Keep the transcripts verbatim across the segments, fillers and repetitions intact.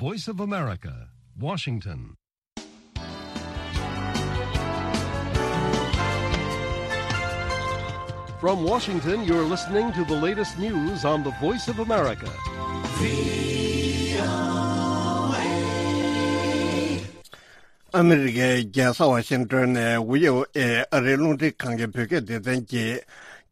Voice of America, Washington. From Washington, you're listening to the latest news on the Voice of America. ཨ་མི་རི་ཀའི་རྒྱལ་ས་ཝ་ཤིང་ཏོན་ནས་ཝི་ཨོ་ཨེ་ཨ་རིའི་རླུང་འཕྲིན་ཁང་གི་བོད་སྐད་སྡེ་ཚན་གྱིས།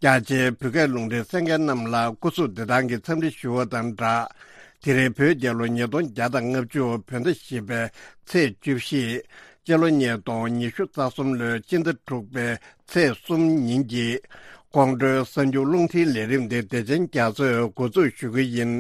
རྒྱ་ཆེའི་བོད་སྐད་རླུང་འཕྲིན་གསན་མཁན་རྣམས་ལ་སྐུ་གཟུགས་བདེ་ཐང་གི་འཚམས་འདྲི་ཞུ་བ་དང་སྦྲགས། དེ་རིང་བོད་རྒྱལ་ལོ་ཉིས་སྟོང་བརྒྱ་དང་ལྔ་བཅུ་བོད་ཟླ་བཞི་པའི་ཚེས་བཅུ་བཞི། སྤྱི་ལོ་ཉིས་སྟོང་ཉི་ཤུ་རྩ་གསུམ་ལོའི་སྤྱི་ཟླ་དྲུག་པའི་ཚེས་གསུམ་ཉིན་གྱི་ཁོང་ཁྲོའི་གསར་འགྱུར་རླུང་འཕྲིན་ལས་རིམ་འདི་བདེ་ཆེན་རྒྱ་མཚོས་འགོ་འཛུགས་ཞུ་གི་ཡིན།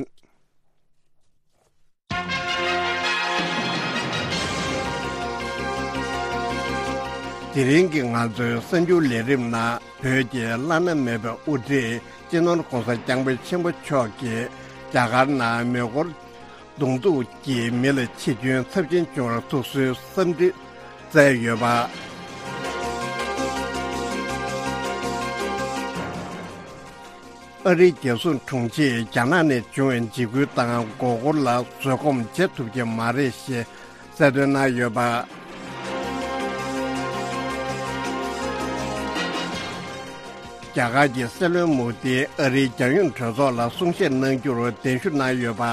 དེ་རིང་གི་ང་ཚོའི་གསར་འགྱུར་ལས་རིམ་ནང་བོད་ཀྱི་བླ་ན་མེད་པའི་དབུ་ཁྲིད་སྤྱི་ནོར་༧གོང་ས་༧སྐྱབས་མགོན་ཆེན་པོ་མཆོག་གིས་རྒྱ་གར་ནང་མེ་འཁོར་གདོང་ཐུག་གིས་མི་ལ་འཆི་སྐྱོན་ཚབས་ཆེན་བྱུང་བར་ཐུགས་གསོའི་འཚམས་འདྲི་བསྩལ་ཡོད་པ། ཨ་རིའི་རྒྱལ་སྲུང་དྲུང་ཆེས་རྒྱ་ནག་ནས་བྱུང་བའི་འཇིགས་སྐུལ་དང་མགོ་སྐོར་ལ་བཟོད་སྒོམ་བྱེད་ཐུབ་ཀྱི་མ་རེད་ཞེས་གསལ་སྟོན་གནང་ཡོད་པ། རྒྱ་གར་གྱི་སྲིད་བློན་མོ་དིས་ཨ་རིའི་རྒྱལ་ཡོངས་གྲོས་ཚོགས་ལ་གསུང་བཤད་གནང་རྒྱུར་གདན་ཞུ་གནང་ཡོད་པ།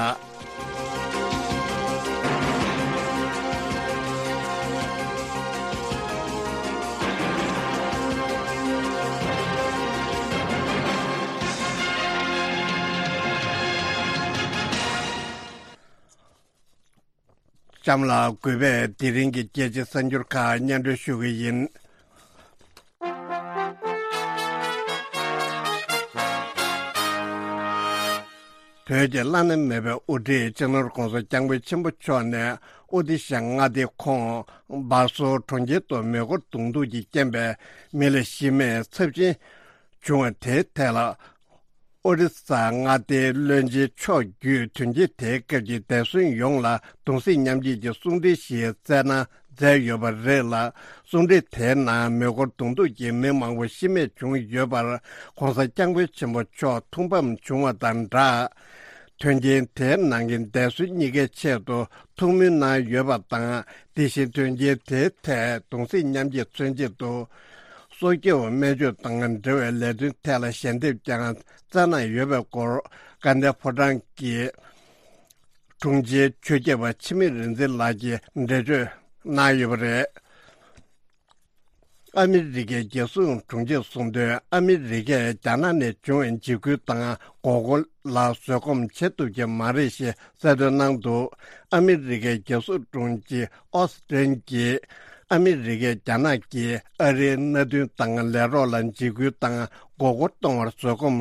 གཤམ་ལ་གུས་པས་དེ་རིང་གི་རྒྱལ་སྤྱིའི་གསར་འགྱུར་ཁག་སྙན་སྒྲོན་ཞུ་གི་ཡིན། བོད་ཀྱི་བླ་ན་མེད་པའི་དབུ་ཁྲིད་སྤྱི་ནོར་༧གོང་ས་༧སྐྱབས་མགོན་ཆེན་པོ་མཆོག་ནས་ཨོ་ཏི་ཤ་མངའ་སྡེའི་ཁོངས་སྦ་སོར་གྲོང་ཁྱེར་དུ་མེ་འཁོར་གདོང་ཐུག་གི་རྐྱེན་པས་མི་ལ་ཤི་རྨས་ཚབས་ཆེན་བྱུང་བ་དེའི་ཐད་ལ། ཨོ་རི་ས་མངའ་སྡེའི་བློན་ཆེན་མཆོག་བརྒྱུད་དོན་རྐྱེན་དེའི་སྐབས་ཀྱི་འདས་གསོན་ཡོངས་ལ་གདུང་སེམས་མཉམ་སྐྱེད་ཀྱི་གསུང་འཕྲིན་ཞིག་བསྩལ་གནང་མཛད་ཡོད་པ་རེད་ལ། གསུང་འཕྲིན་དེའི་ནང་མེ་འཁོར་གདོང་ཐུག་གིས་མི་མང་པོ་ཤི་རྨས་བྱུང་ཡོད་པར་༧གོང་ས་༧སྐྱབས་མགོན་ཆེན་པོ་མཆོག་ཐུགས་ཕམ་བྱུང་བ་དང་སྦྲགས། དོན་རྐྱེན་དེའི་ནང་གི་འདས་གསོན་གཉིས་ཀའི་ཆེད་དུ་ཐུགས་སྨོན་གནང་ཡོད་པ་དང་། དེ་བཞིན་དོན་རྐྱེན་དེའི་ཐད་གདུང་སེམས་མཉམ་སྐྱེད་མཚོན་ཆེད་དུ། སྲོག་སྐྱོབ་སྨན་བཅོས་དང་འབྲེལ་བའི་ལས་དོན་ཐད་ལ་ཞལ་འདེབས་ཀྱང་བསྩལ་གནང་ཡོད་པའི་སྐོར་དགའ་ལྡན་ཕོ་བྲང་གི་དྲུང་ཆེ་ཆོས་སྐྱབས་པ་འཆི་མེད་རིག་འཛིན་ལགས་ཀྱིས་འགྲེལ་བརྗོད་གནང་ཡོད་པ་རེད། ཨ་མི་རི་ཀའི་རྒྱལ་སྲུང་དྲུང་ཆེས་གསུངས་དོན། ཨ་མི་རི་ཀས་རྒྱ་ནག་ནས་བྱུང་བའི་འཇིགས་སྐུལ་དང་མགོ་སྐོར་ལ་བཟོད་སྒོམ་བྱེད་ཐུབ་ཀྱི་མ་རེད་ཞེས་གསལ་སྟོན་གནང་འདུག་ཨ་མི་རི་ཀའི་རྒྱལ་སྲུང་དྲུང་ཆེ་ཨོ་སི་ཀྲིན་གྱིས། ཨ་མི་རི་ཀས་རྒྱ་ནག་གིས་ཨ་རིའི་མནའ་མཐུན་དང་ལས་རོགས་ལ་འཇིགས་སྐུལ་དང་མགོ་སྐོར་གཏོང་བར་བཟོད་སྒོམ་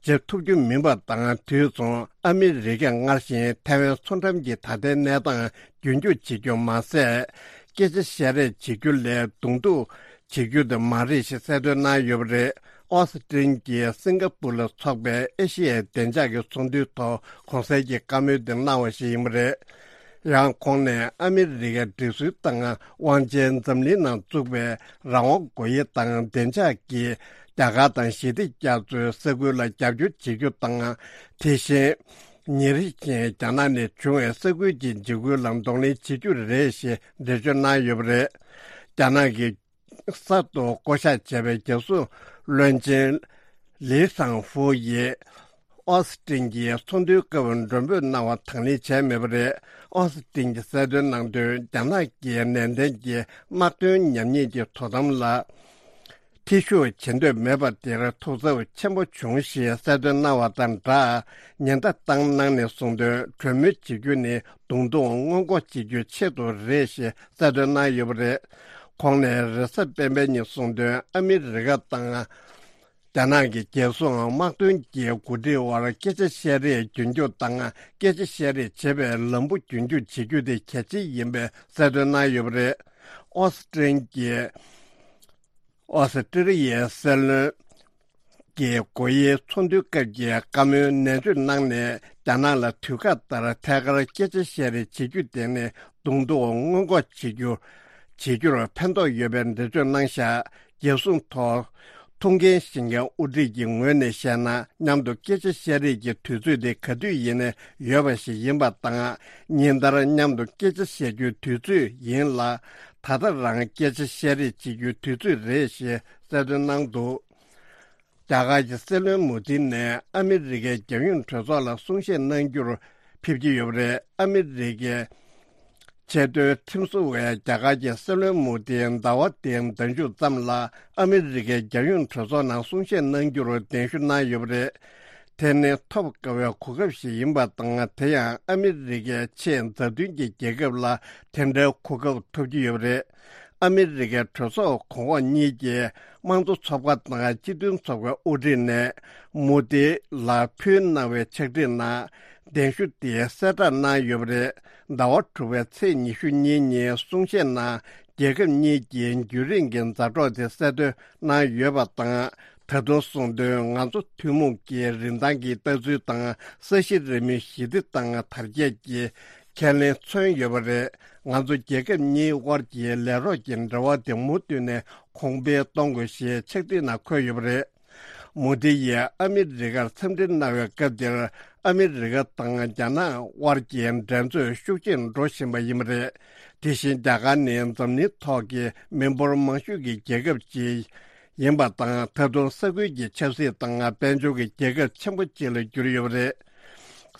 བྱེད་ཐུབ་རྒྱུ་མིན་པ་དང་། དུས་མཚུངས་ཨ་མི་རི་ཀས་སྔར་བཞིན་ཐའེ་ཝན་མཚོ་འགྲམ་གྱི་ད་ལྟའི་གནས་སྟངས་རྒྱུན་འཁྱོངས་བྱེད་རྒྱུ་མ་ཟད། སྐད་ཆ་བཤད་རེས་བྱེད་རྒྱུ་ལས་གདོང་ཐུག་བྱེད་རྒྱུ་དེ་མ་རེད་ཞེས་གསལ་སྟོན་གནང་ཡོད་པ་རེད། ཨོ་སི་ཀྲིན་གྱིས་སིང་ག་པུར་ལ་འཚོགས་པའི་ཨེ་ཤི་ཡའི་བདེ་འཇགས་ཀྱི་ཚོགས་འདུའི་ཐོག་གོང་གསལ་གྱི་བཀའ་མོལ་དེ་གནང་བ་ཞིག་ཡིན་པ་རེད། ཡང་ཁོང་ནས་ཨ་མི་རི་ཀའི་སྒྲིག་སྲོལ་དང་དབང་ཆའི་འཛམ་གླིང་ནང་བཙུགས་པའི་རང་དབང་སྒོ་དབྱེ་དང་བདེ་འཇགས་ཀྱིས་རྒྱ་གར་དང་ཞི་བདེ་རྒྱ་མཚོའི་ས་ཁུལ་ལ་རྒྱབ་སྐྱོར་བྱེད་རྒྱུ་དང་། དེ་བཞིན། ཉིན་རེ་བཞིན་རྒྱ་ནག་ནས་བྱུང་བའི་ས་ཁུལ་གྱི་འཇིགས་སྐུལ་ལ་གདོང་ལེན་བྱེད་རྒྱུ་རེད་ཞེས་འགྲེལ་བརྗོད་གནང་ཡོད་པ་རེད། རྒྱ་ནག་གི་གསར་དུ་བསྐོ་གཞག་བྱས་པའི་རྒྱལ་སྲུང་བློན་ཆེན་ལི་ཧྲང་ཧྥུ་ཡིས་ཨོ་སི་ཀྲིན་གྱིས་ཚོགས་འདུའི་སྐབས་མགྲོན་འབོད་གནང་བ་དང་ལེན་བྱས་མེད་པ་རེད། ཨོ་སི་ཀྲིན་གྱིས་གསལ་སྟོན་གནང་དོན། རྒྱ་ནག་གིས་ནན་ཏན་གྱིས་དམག་དོན་ཉམས་ཉེས་ཀྱི་དོ་དམ་ལ། ཐེ་ཞུགས་བྱེད་འདོད་མེད་པ་དེར་ཐུགས་འཚབ་ཆེན་པོ་བྱུང་ཞེས་གསལ་སྟོན་གནང་བ་དང་སྦྲགས། ཉེན་བརྡ་བཏང་གནང་ནས་གསུངས་དོན། གྲོས་མོལ་བྱེད་རྒྱུ་ནི་གདོང་ཐུག་སྔོན་འགོག་བྱེད་རྒྱུའི་ཆེད་དུ་རེད་ཞེས་གསལ་སྟོན་གནང་ཡོད་པ་རེད། ཁོང་ནས་རེས་གཟའ་སྤེན་པའི་ཉིན་གསུངས་དོན། ཨ་མི་རི་ཀ་དང་རྒྱ་ནག་གི་རྒྱལ་སྲུང་དམག་དོན་གྱི་འགོ་ཁྲིད་དབར་སྐད་ཆ་བཤད་རེས་རྒྱུན་འཁྱོངས་དང་། སྐད་ཆ་བཤད་རེས་བྱེད་པའི་ལམ་བུ་རྒྱུན་འཁྱོངས་བྱེད་རྒྱུ་དེ་གལ་ཆེ་ཡིན་པའི་གསལ་སྟོན་གནང་ཡོད་པ་རེད། ཨོ་སི་ཀྲིན་གྱིས། ཨོ་སི་ཀྲི་ལི་ཡའི་སྲིད་བློན་གྱི་སྒོ་དབྱེའི་ཚོགས་འདུའི་སྐབས་ཀྱི་བཀའ་མོལ་ནན་བརྗོད་གནང་ནས། རྒྱ་ནག་ལ་དུས་བཀག་ལྟར་ཐད་ཀར་སྐད་ཆ་བཤད་རེས་བྱེད་རྒྱུ་དེ་ནི་གདོང་ཐུག་སྔོན་འགོག་བྱེད་རྒྱུ། བྱེད་རྒྱུར་ཕན་ཐོགས་ཡོད་པའི་འགྲེལ་བརྗོད་གནང་བཞག་རྒྱལ་སྲུང་ཐོག་ ཐུགས་འགན་བཞེས་མཁན་དབུ་ཁྲིད་ཀྱི་ངོས་ནས་བཤད་ན། མཉམ་དུ་སྐད་ཆ་བཤད་རེས་ཀྱི་དུས་ཚོད་དེ་ག་དུས་ཡིན་ནའི་ཡོད་པ་ཞིག་ཡིན་པ་དང་། ཉིན་ལྟར་མཉམ་དུ་སྐད་ཆ་བཤད་རྒྱུའི་དུས་ཚོད་ཡིན་ལ། ད་ལྟ་རང་སྐད་ཆ་བཤད་རེས་བྱེད་རྒྱུའི་དུས་ཚོད་རེད་ཞེས་གསལ་སྟོན་གནང་འདུག་རྒྱ་གར་གྱི་སྲིད་བློན་མོ་དི་ནས་ཨ་མི་རི་ཀའི་རྒྱལ་ཡོངས་གྲོས་ཚོགས་ལ་གསུང་བཤད་གནང་རྒྱུར་ཕེབས་ཀྱི་ཡོད་པ་རེད། ཨ་མི་རི་ཀའི་ཆེས་མཐོའི་ཁྲིམས་བཟོ་བས་རྒྱ་གར་གྱི་སྲིད་བློན་མོ་དི་ཟླ་བ་འདིའི་ཟླ་མཇུག་ཙམ་ལ་ཨ་མི་རི་ཀའི་རྒྱལ་ཡོངས་གྲོས་ཚོགས་ནང་གསུང་བཤད་གནང་རྒྱུར་གདན་ཞུ་གནང་ཡོད་པ་རེད། དེ་ནི་ཐོབ་དཀའ་བའི་གོ་སྐབས་ཤིག་ཡིན་པ་དང་། དེ་ཡང་ཨ་མི་རི་ཀའི་ཆེས་མཛའ་མཐུན་གྱི་རྒྱལ་ཁབ་ལ་དེ་འདྲའི་གོ་སྐབས་ཐོབ་ཀྱི་ཡོད་པ་རེད། ཨ་མི་རི་ཀའི་གྲོས་ཚོགས་གོང་འོག་གཉིས་ཀྱི་དམངས་གཙོ་ཚོགས་པ་དང་སྤྱི་མཐུན་ཚོགས་པའི་དབུ་ཁྲིད་ནས་མོ་དི་ལ་ཕུལ་གནང་བའི་ཕྱག་བྲིས་ནང་གདན་ཞུ་དེ་གསལ་བསྒྲགས་གནང་ཡོད་པ་རེད། ཟླ་བ་དྲུག་པའི་ཚེས་ཉི་ཤུ་གཉིས་ཉིན་གསུང་བཤད་ནང་རྒྱལ་ཁབ་གཉིས་ཀྱི་རྒྱུན་རིང་གི་མཛའ་གྲོགས་དེ་གསལ་སྟོན་གནང་ཡོད་པ་དང་། ད་དུང་གསུངས་དོན། ང་ཚོ་ཐུན་མོང་གི་རིན་ཐང་གི་ལྟ་ཚུལ་དང་། ས་གཞི་རིལ་མོའི་ཞི་བདེ་དང་དར་རྒྱས་ཀྱི་ཁས་ལེན་མཚོན་ཡོད་པ་རེད། ང་ཚོ་རྒྱལ་ཁབ་གཉིས་དབར་གྱི་ལས་རོགས་ཀྱི་འབྲེལ་བ་དེ་མུ་མཐུད་ནས་གོང་འཕེལ་གཏོང་དགོས་ཞེས་ཕྱག་བྲིས་ནང་འཁོད་ཡོད་པ་རེད། མོ་དི་ཡིས་ཨ་མི་རི་ཀར་འཚམས་འདྲི་གནང་བའི་སྐབས་དེར། ཨ་མི་རི་ཀ་དང་རྒྱ་ནག་དབར་གྱི་འགྲན་རྩོད་ཤུགས་ཆེར་འགྲོ་བཞིན་པ་ཡིན་པ་རེད། དེ་བཞིན་རྒྱ་གར་ནི་འཛམ་གླིང་ཐོག་གི་མི་འབོར་མང་ཤོས་ཀྱི་རྒྱལ་ཁབ་ཅིག་ཡིན་པ་དང་། ད་དུང་ས་ཁུལ་གྱི་ཆབ་སྲིད་དང་དཔལ་འབྱོར་གྱི་རྒྱལ་ཁབ་ཆེན་པོ་གཅིག་ལ་གྱུར་ཡོད་པ་རེད།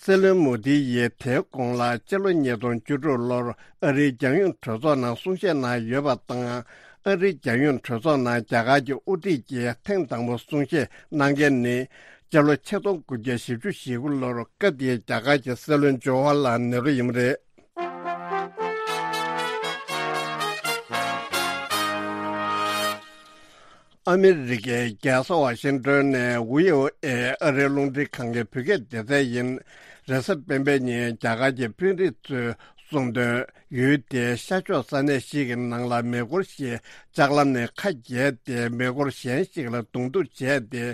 སྲིད་བློན་མོ་དི་ཡིས་དེའི་གོང་ལ་སྤྱི་ལོ་ཉིས་སྟོང་བཅུ་དྲུག་ལོར་ཨ་རིའི་རྒྱལ་ཡོངས་གྲོས་ཚོགས་ནང་གསུང་བཤད་གནང་ཡོད་པ་དང་། ཨ་རིའི་རྒྱལ་ཡོངས་གྲོས་ཚོགས་ནང་རྒྱ་གར་གྱི་དབུ་ཁྲིད་ཀྱིས་ཐེངས་དང་པོ་གསུང་བཤད་གནང་མཁན་ནི། སྤྱི་ལོ་ཆིག་སྟོང་དགུ་བརྒྱ་བཞི་བཅུ་ཞེ་དགུ་ལོར་སྐབས་དེའི་རྒྱ་གར་གྱི་སྲིད་བློན་ཇོ་ཧར་ལཱལ་ནེ་རུ་ཡིན་པ་རེད། ཨ་མི་རི་ཀའི་རྒྱལ་ས་ཝ་ཤིང་ཏོན་ནས་བྷི་ཨོ་ཨེ་ཨ་རིའི་རླུང་འཕྲིན་ཁང་གི་བོད་སྐད་སྡེ་ཚན་ཡིན། རེས་གཟའ་སྤེན་པའི་ཉིན་རྒྱ་གར་གྱི་དཔོན་རིགས་ཚོས་གསུངས་དོན། ཡུལ་དེའི་ཤར་ཕྱོགས་ས་གནས་ཤིག་གི་ནང་ལ་མེ་འཁོར་ཞིག་ལྕགས་ལམ་ནས་ཁ་གྱེས་ཏེ། མེ་འཁོར་གཞན་ཞིག་ལ་གདོང་ཐུག་བྱས་ཏེ།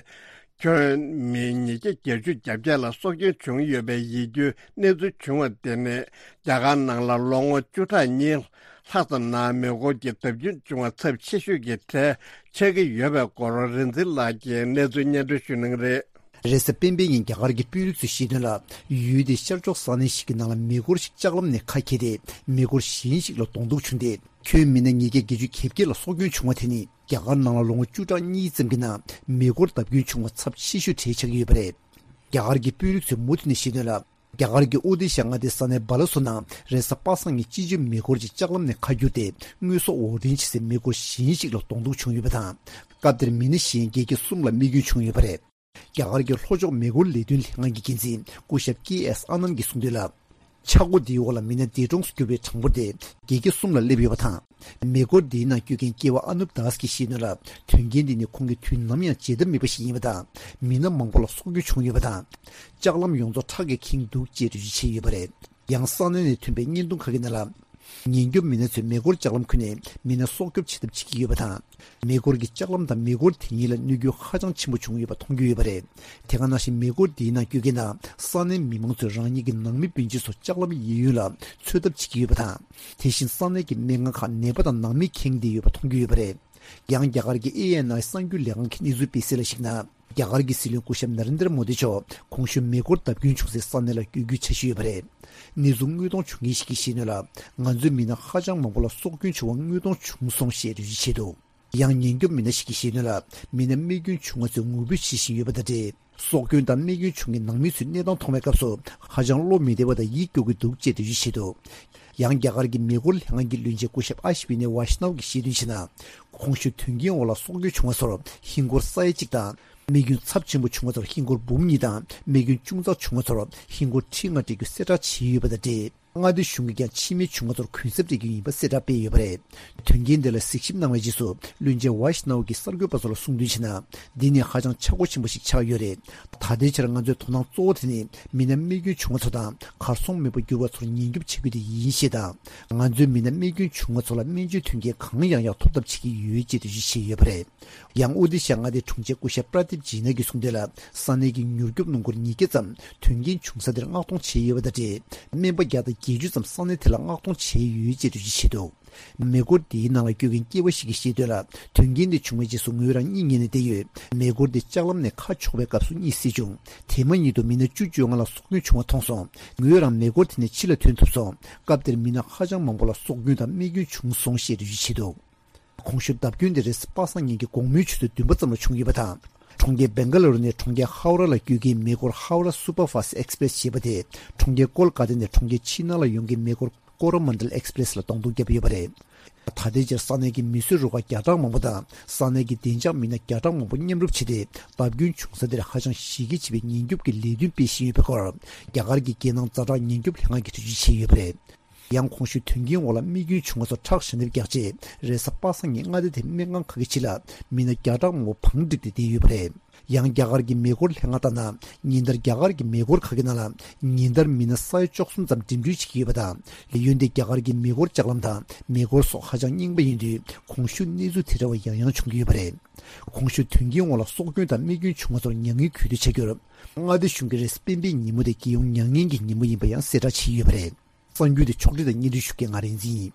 ཁྱོན་མི་ཉིས་བརྒྱ་བརྒྱད་ཅུ་གྱ་བརྒྱད་ལ་སྲོག་སྐྱོན་བྱུང་ཡོད་པའི་ཡིད་སྐྱོའི་གནས་ཚུལ་བྱུང་བ་དེ་ནི། རྒྱ་གར་ནང་ལ་ལོ་ངོ་བཅུ་ཕྲག་གཉིས་ལྷག་ཙམ་ནང་མེ་འཁོར་གྱི་བརྡབ་སྐྱོན་བྱུང་བ་ཚབས་ཆེ་ཤོས་ཀྱི་གྲས་ཆགས་ཀྱི་ཡོད་པའི་སྐོར་རིག་འཛིན་ལགས་ཀྱིས་གནས་ཚུལ་སྙན་སྒྲོན་ཞུ་གནང་གི་རེད། རེས་གཟའ་སྤེན་པའི་ཉིན་རྒྱ་གར་གྱི་དཔོན་རིགས་ཚོས་བཤད་དོན་ལ། ཡུལ་དེའི་ཤར་ཕྱོགས་ས་གནས་ཤིག་གི་ནང་ལ་མེ་འཁོར་ཞིག་ལྕགས་ལམ་ནས་ཁ་གྱེས་ཏེ། མེ་འཁོར་གཞན་ཞིག་ལ་གདོང་ཐུག་བྱུང་སྟེ། ཁྱོན་མི་སྣ་ཉིས་བརྒྱ་བརྒྱད་ཅུ་གྱ་བརྒྱད་ལ་སྲོག་སྐྱོན་བྱུང་བ་དེ་ནི། རྒྱ་གར་ནང་ལ་ལོ་ངོ་བཅུ་ཕྲག་གཉིས་ཙམ་གྱི་ནང་མེ་འཁོར་བརྡབ་སྐྱོན་བྱུང་བ་ཚབས་ཆེ་ཤོས་གྲས་ཆགས་ཀྱི་ཡོད་པ་རེད། རྒྱ་གར་གྱི་དཔོན་རིགས་ཚོས་མུ་མཐུད་ནས་བཤད་དོན་ལ། རྒྱ་གར་གྱི་ཨོ་ཏི་ཤ་མངའ་སྡེའི་ས་གནས་སྦ་ལ་སོ་ནང་རེས་གཟའ་པ་སངས་ཉིན་སྤྱི་བྱེ་མེ་འཁོར་གྱིས་ལྕགས་ལམ་ནས་ཁ་བསྒྱུར་ཏེ། དངོས་ཟོག་འོར་འདྲེན་བྱེད་སའི་མེ་འཁོར་གཞན་ཞིག་ལ་གདོང་ཐུག་བྱུང་ཡོད་པ་དང་། སྐབས་དེར་མི་སྣ་གཞན་བརྒྱད་བརྒྱ་གསུམ་ལ་རྨས་སྐྱོན་བྱུང་ཡོད་པ་རེད། རྒྱ་གར་གྱི་ལྷོ་ཕྱོགས་མེ་འཁོར་ལས་དོན་ལྷན་ཁང་གི་འགན་འཛིན་སྐུ་ཞབས་ཀེ་ཨེས་ཨ་ནན་གྱིས་གསུངས་དོན་ལ། ཆག་སྒོ་འདིའི་འོག་ལ་མི་སྣ་འདས་གྲོངས་སུ་གྱུར་བའི་གྲངས་འབོར་དེ་བརྒྱད་བརྒྱ་གསུམ་ལ་སླེབས་ཡོད་པ་དང་། མེ་འཁོར་འདིའི་ནང་སྐྱོད་མཁན་སྐྱེས་པ་ཨ་ནུབ་དཱས་ཀྱིས་བཤད་དོན་ལ། དོན་རྐྱེན་འདི་ནི་ཁོང་གིས་དུས་ནམ་ཡང་བརྗེད་ཐབས་མེད་པ་ཞིག་ཡིན་པ་དང་། མི་སྣ་མང་པོ་ལ་སྲོག་སྐྱོན་བྱུང་ཡོད་པ་དང་། ལྕགས་ལམ་ཡོངས་རྫོགས་ཁྲག་གིས་ཁེངས་འདུག་ཅེས་འགྲེལ་བརྗོད་བྱས་ཡོད་པ་རེད། ཡང་ས་གནས་ནས་ཐོན་པའི་བརྙན་ཐུང་ཁག་གི་ནང་ལ། ཉེན་སྐྱོབ་མི་སྣ་ཚོས་མེ་འཁོར་ལྕགས་ལམ་ཁུལ་ནས་མི་སྣ་སྲོག་སྐྱོབ་བྱེད་ཐབས་བྱེད་ཀྱི་ཡོད་པ་དང་། མེ་འཁོར་གྱི་ལྕགས་ལམ་དང་མེ་འཁོར་དེ་གཉིས་ལ་གནོད་སྐྱོན་ཧ་ཅང་ཆེན་པོ་བྱུང་ཡོད་པ་མཐོང་རྒྱུ་ཡོད་པ་རེད། དེ་ག་ནང་བཞིན་མེ་འཁོར་དེའི་ནང་སྐྱོད་མཁན་དང་ས་གནས་མི་མང་ཚོས་རང་ཉིད་ཀྱི་ནང་མི་སྤུན་མཆེད་སོགས་ལྕགས་ལམ་གཡས་གཡོན་ལ་འཚོལ་ཐབས་བྱེད་ཀྱི་ཡོད་པ་དང་། དེ་བཞིན་ས་གནས་ཀྱི་སྨན་ཁང་ཁག་ནད་པ་དང་ནང་མི་ཁེངས་བསྡད་ཡོད་པ་མཐོང་རྒྱུ་ཡོད་པ་རེད། ཡང་རྒྱ་གར་གྱི་ཨེ་ཨེན་ཨའི་གསར་འགྱུར་ལས་ཁང་གིས་གནས་ཚུལ་སྤེལ་གསལ་ལ་གཞིགས་ན། རྒྱ་གར་གྱི་སྲིད་བློན་སྐུ་ཞབས་ནཱ་རེན་དྲ་མོ་དི་མཆོག་གོང་ཞུས་མེ་འཁོར་བརྡབ་སྐྱོན་བྱུང་སའི་ས་གནས་ལ་བསྐྱོད་རྒྱུའི་འཆར་གཞི་ཡོད་པ་རེད། གནས་ཚུལ་དངོས་མཐོང་བྱུང་མཁན་ཞིག་གིས་བཤད་དོན་ལ། ང་ཚོའི་མི་སྣ་ཧ་ཅང་མང་པོ་ལ་སྲོག་སྐྱོན་བྱུང་བ་དངོས་མཐོང་བྱུང་སོང་ཞེས་འགྲེལ་བརྗོད་བྱས་འདུག་ཡང་ཉེན་སྐྱོབ་མི་སྣ་ཞིག་གིས་བཤད་དོན་ལ། མི་སྣ་རྨས་སྐྱོན་བྱུང་བ་ཚོས་ངུ་འབོད་བྱེད་བཞིན་ཡོད་པ་དང་འབྲེལ། སྲོག་སྐྱོན་དང་རྨས་སྐྱོན་བྱུང་མཁན་ནང་མི་ཚོའི་གནས་སྟངས་མཐོང་བའི་སྐབས་སུ་ཧ་ཅང་བློ་མི་བདེ་བ་དང་ཡིད་སྐྱོ་གི་འདུག་ཅེས་འགྲེལ་བརྗོད་བྱས་འདུག་ཡང་རྒྱ་གར་གྱི་མེ་འཁོར་ལྷན་ཁང་གི་བློན་ཆེན་སྐུ་ཞབས་ཨ་ཤི་ཝི་ནི་ཝ་ཤི་ནའོ་གིས་བཤད་དོན་བྱས་ན། གོང་ཞུས་དོན་རྐྱེན་འོག་ལ་སྲོག་སྐྱོན་བྱུང་བ་ཚོར་ཧིན་སྒོར་ས་ཡ་གཅིག་དང་། རྨས་སྐྱོན་ཚབས་ཆེན་པོ་བྱུང་བ་ཚོར་ཧིན་སྒོར་འབུམ་གཉིས་དང་། རྨས་སྐྱོན་ཅུང་ཙག་བྱུང་བ་ཚོར་ཧིན་སྒོར་ཁྲི་ལྔ་སྤྲད་རྒྱུ་གསལ་བསྒྲགས་བྱས་ཡོད་པ་དང་འབྲེལ། མངའ་སྡེ་གཞུང་གིས་ཀྱང་འཆི་རྨས་བྱུང་བ་ཚོར་གུན་གསབ་སྤྲད་རྒྱུ་ཡིན་པ་གསལ་བསྒྲགས་སྤེལ་ཡོད་པ་རེད། དོན་རྐྱེན་དེ་ལ་གཟིགས་ཞིབ་གནང་བའི་རྗེས་སུ་བློན་ཆེན་ཝ་ཤི་ནའོ་གིས་གསར་འགོད་པ་ཚོ་ལ་གསུངས་དོན་བྱས་ན། འདི་ནི་ཧ་ཅང་ཆག་སྒོ་ཆེན་པོ་ཞིག་ཆགས་ཡོད་རེད། ད་ལྟའི་ཆར་ང་ཚོའི་དོ་སྣང་གཙོ་བོ་དེ་ནི་མི་སྣ་རྨས་སྐྱོན་བྱུང་བ་ཚོ་དང་གར་སོང་མེད་པར་གྱུར་བ་ཚོར་ཉེན་སྐྱོབ་བྱེད་རྒྱུ་དེ་ཡིན་ཞེས་དང་། ང་ཚོའི་མི་སྣ་རྨས་སྐྱོན་བྱུང་བ་ཚོ་ལ་སྨན་བཅོས་མཐུན་རྐྱེན་གང་ཡག་ཡག་ཐོབ་ཐབས་བྱེད་ཀྱི་ཡོད་ཅེས་འགྲེལ་བརྗོད་བྱས་ཡོད་པ་རེད། ཡང་ཨོ་ཏི་ཤ་མངའ་སྡེའི་དྲུང་ཆེ་སྐུ་ཞབས་པྲ་དིབ་ཇི་ན་གིས་གསུངས་དོན་ལ། ས་གནས་ཀྱི་མྱུར་སྐྱོབ་སྣུམ་འཁོར་ཉིས་བརྒྱ་ཙམ་དོན་རྐྱེན་བྱུང་ས་དེར་མངགས་གཏོང་བྱས་ཡོད་པ་དང་འབྲེལ། སྨན་པ་བརྒྱ་དང་ བརྒྱད་ཅུ་ཙམ་ས་གནས་དེ་ལ་མངགས་གཏོང་བྱས་ཡོད་ཅེས་འགྲེལ་བརྗོད་བྱས་འདུག། མེ་འཁོར་འདིའི་ནང་ལ་སྐྱོད་མཁན་སྐྱེས་པ་ཞིག་གིས་བཤད་དོན་ལ། དོན་རྐྱེན་དེ་བྱུང་བའི་རྗེས་སུ་ངོས་རང་གཉིད་ཉལ་ནས་བསྡད་ཡོད། མེ་འཁོར་དེ་ལྕགས་ལམ་ནས་ཁ་ཕྱོགས་པའི་སྐབས་སུ་གཉིད་སད་བྱུང་། དེ་མ་ཉིད་དུ་མི་སྣ་བཅུ་བཅོ་ལྔ་ལ་སྲོག་སྐྱོན་བྱུང་བ་མཐོང་སོང་། ངོས་རང་མེ་འཁོར་དེ་ནས་ཕྱི་ལ་ཐོན་ཐུབ་སོང་། སྐབས་དེར་མི་སྣ་ཧ་ཅང་མང་པོ་ལ་སྲོག་སྐྱོན་དང་རྨས་སྐྱོན་བྱུང་སོང་ཞེས་འགྲེལ་བརྗོད་བྱས་འདུག། གོང་ཞུས་བརྡབ་སྐྱོན་དེ་རེས་གཟའ་པ་སངས་ཉིན་གྱི་དགོང་མོའི་ཆུ་ཚོད་བདུན་པ་ཙམ་ལ་བྱུང་ཡོད་པ་དང་། གྲོང་ཁྱེར་སྦེང་ག་ལ་རུ་ནས་གྲོང་ཁྱེར་ཧའོ་ར་ལ་སྐྱོད་མཁན་མེ་འཁོར་ཧའོ་ར་སུ་པར་ཕཱ་སི་ཊི་ཨེག་སི་པི་རེ་སི་ཞེས་པ་དེ། གྲོང་ཁྱེར་ཀོལ་ཀ་ཏ་ནས་གྲོང་ཁྱེར་ཆི་ན་ལ་ཡོང་མཁན་མེ་འཁོར་ཀོ་རོ་མན་ཌལ་ཨེག་སི་པི་རེ་སི་ལ་གདོང་ཐུག་བརྒྱབ་ཡོད་པ་རེད། ད་ལྟའི་ཆར་ས་གནས་ཀྱི་མིས་བཟོས་རུ་ཁག་བརྒྱ་ཕྲག་མང་པོ་དང་ས་གནས་ཀྱི་བདེ་འཇགས་མི་སྣ་བརྒྱ་ཕྲག་མང་པོ་མཉམ་རུབ་བྱས་ཏེ། བརྡབ་སྐྱོན་བྱུང་ས་དེར་ཧ་ཅང་གཞི་རྒྱ་ཆེ་བའི་ཉེན་སྐྱོབ་ཀྱི་ལས་དོན་སྤེལ་བཞིན་ཡོད་པའི་སྐོར། རྒྱ་གར་གྱི་རྒྱལ་ནང་ཛ་དྲག་ཉེན་སྐྱོབ་ལྷན་ཁང་གིས་འགྲེལ་བརྗོད་བྱས་ཡོད་པ་རེད། ཡང་གོང་ཞུས་དོན་རྐྱེན་འོག་ལ་རྨས་སྐྱོན་བྱུང་བ་སོགས་ཁྲག་ཞལ་འདེབས་བརྒྱབ་རྗེས། རེས་གཟའ་པ་སངས་ཉིན་མངའ་སྡེ་དེའི་སྨན་ཁང་ཁག་གི་ཕྱི་ལ་མི་སྣ་བརྒྱ་ཕྲག་མང་པོ་བང་བསྒྲིགས་ཏེ་བསྡད་ཡོད་པ་རེད། ཡང་རྒྱ་གར་གྱི་མེ་འཁོར་ལྷན་ཁང་ལྟར་ན། ཉིན་ལྟར་རྒྱ་གར་གྱི་མེ་འཁོར་ཁག་གི་ནང་ལ་ཉིན་ལྟར་མི་སྣ་ས་ཡ་བཅུ་གསུམ་ཙམ་འགྲིམ་འགྲུལ་བྱེད་ཀྱི་ཡོད་པ་དང་། ལས་ཡུན་དེ་རྒྱ་གར་གྱི་མེ་འཁོར་ལྕགས་ལམ་དང་མེ་འཁོར་སོགས་ཧ་ཅང་རྙིང་པ་ཡིན་དུས། གོང་ཞུས་གནས་ཚུལ་དེ་འདྲ་བ་ཡང་ཡང་བྱུང་གི་ཡོད་པ་རེད། གོང་ཞུས་དོན་རྐྱེན་འོག་ལ་སྲོག་སྐྱོན་དང་རྨས་སྐྱོན་བྱུང་བ་ཚོར་མྱ་ངན་གུས་འདུད་བྱ་རྒྱུར། མངའ་སྡེ་གཞུང་གིས་རེས་གཟའ་སྤེན་པའི་ཉིན་མོ་དེ་རྒྱལ་ཡོངས་མྱ་ངན་གྱི་ཉིན་མོ་ཡིན་པ་ཡང་གསལ་བསྒྲགས་བྱས་ཡོད་པ་རེད། གསར་འགྱུར་དེ་ཕྱོགས་སྒྲིག་དང་སྙན་སྒྲོན་ཞུ་མཁན་ང་རིག་འཛིན་ཡིན།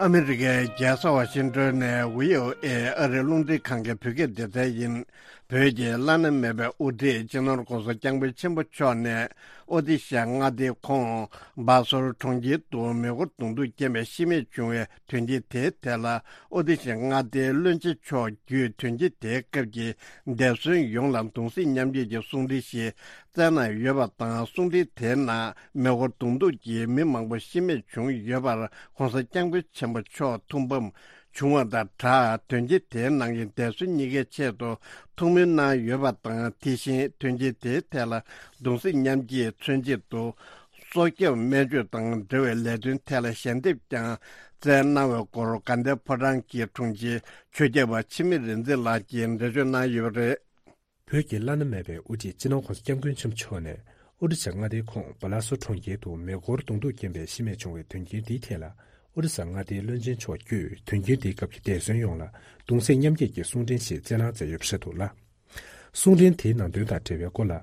ཨ་མི་རི་ཀའི་རྒྱལ་ས་ཝ་ཤིང་ཏོན་ནས་བྷི་ཨོ་ཨེ་ཨ་རིའི་རླུང་འཕྲིན་ཁང་གི་བོད་སྐད་སྡེ་ཚན་ཡིན། བོད་ཀྱི་བླ་ན་མེད་པའི་དབུ་ཁྲིད་སྤྱི་ནོར་༧གོང་ས་༧སྐྱབས་མགོན་ཆེན་པོ་མཆོག་ནས་ཨོ་ཏི་ཤ་མངའ་སྡེའི་ཁོངས་སྦ་སོར་གྲོང་ཁྱེར་དུ་མེ་འཁོར་གདོང་ཐུག་རྐྱེན་པས་ཤི་རྨས་བྱུང་བའི་དོན་རྐྱེན་དེའི་ཐད་ལ། ཨོ་ཏི་ཤ་མངའ་སྡེའི་བློན་ཆེན་མཆོག་བརྒྱུད་དོན་རྐྱེན་དེའི་སྐབས་ཀྱི་འདས་གསོན་ཡོངས་ལ་གདུང་སེམས་མཉམ་སྐྱེད་ཀྱི་གསུང་འཕྲིན་ཞིག་བསྩལ་གནང་ཡོད་པ་དང་། གསུང་འཕྲིན་དེའི་ནང་མེ་འཁོར་གདོང་ཐུག་གིས་མི་མང་པོ་ཤི་རྨས་བྱུང་ཡོད་པར་༧གོང་ས་༧སྐྱབས་མགོན་ཆེན་པོ་མཆོག་ཐུགས་ཕམ་བྱུང་བ་དང་སྦྲགས། དོན་རྐྱེན་དེའི་ནང་གི་འདས་གསོན་གཉིས་ཀའི་ཆེད་དུ་ཐུགས་སྨོན་གནང་ཡོད་པ་དང་། དེ་བཞིན་དོན་རྐྱེན་དེའི་ཐད་ལ་གདུང་སེམས་མཉམ་སྐྱེད་མཚོན་ཆེད་དུ། སྲོག་སྐྱོབ་སྨན་བཅོས་དང་འབྲེལ་བའི་ལས་དོན་ཐད་ལ་ཞལ་འདེབས་ཀྱང་བསྩལ་གནང་བའི་སྐོར། དགའ་ལྡན་ཕོ་བྲང་གི་དྲུང་ཆེ་ཆོས་སྐྱབས་པ་འཆི་མེད་རིག་འཛིན་ལགས་ཀྱིས་འགྲེལ་བརྗོད་གནང་ཡོད་པ་རེད། བོད་ཀྱི་བླ་ན་མེད་པའི་དབུ་ཁྲིད་སྤྱི་ནོར་༧གོང་ས་༧སྐྱབས་མགོན་ཆེན་པོ་མཆོག་ནས་ཨོ་རི་ས་མངའ་སྡེའི་ཁོངས་སྦ་ལ་སོ་གྲོང་ཁྱེར་དུ་མེ་འཁོར་གདོང་ཐུག་རྐྱེན་པས་ཤི་རྨས་བྱུང་བའི་དོན་རྐྱེན་འདིའི་ཐད་ལ། ཨོ་རི་ས་མངའ་སྡེའི་བློན་ཆེན་མཆོག་བརྒྱུད་དོན་རྐྱེན་འདིའི་སྐབས་ཀྱི་འདས་གསོན་ཡོངས་ལ་གདུང་སེམས་མཉམ་སྐྱེད་ཀྱི་གསུང་འཕྲིན་ཞིག་བསྩལ་གནང་མཛད་ཡོད་པ་ཤེས་ཐུབ་ལ། གསུང་འཕྲིན་དེའི་ནང་དོན་དང་འབྲེལ་བའི་སྐོར་ལ།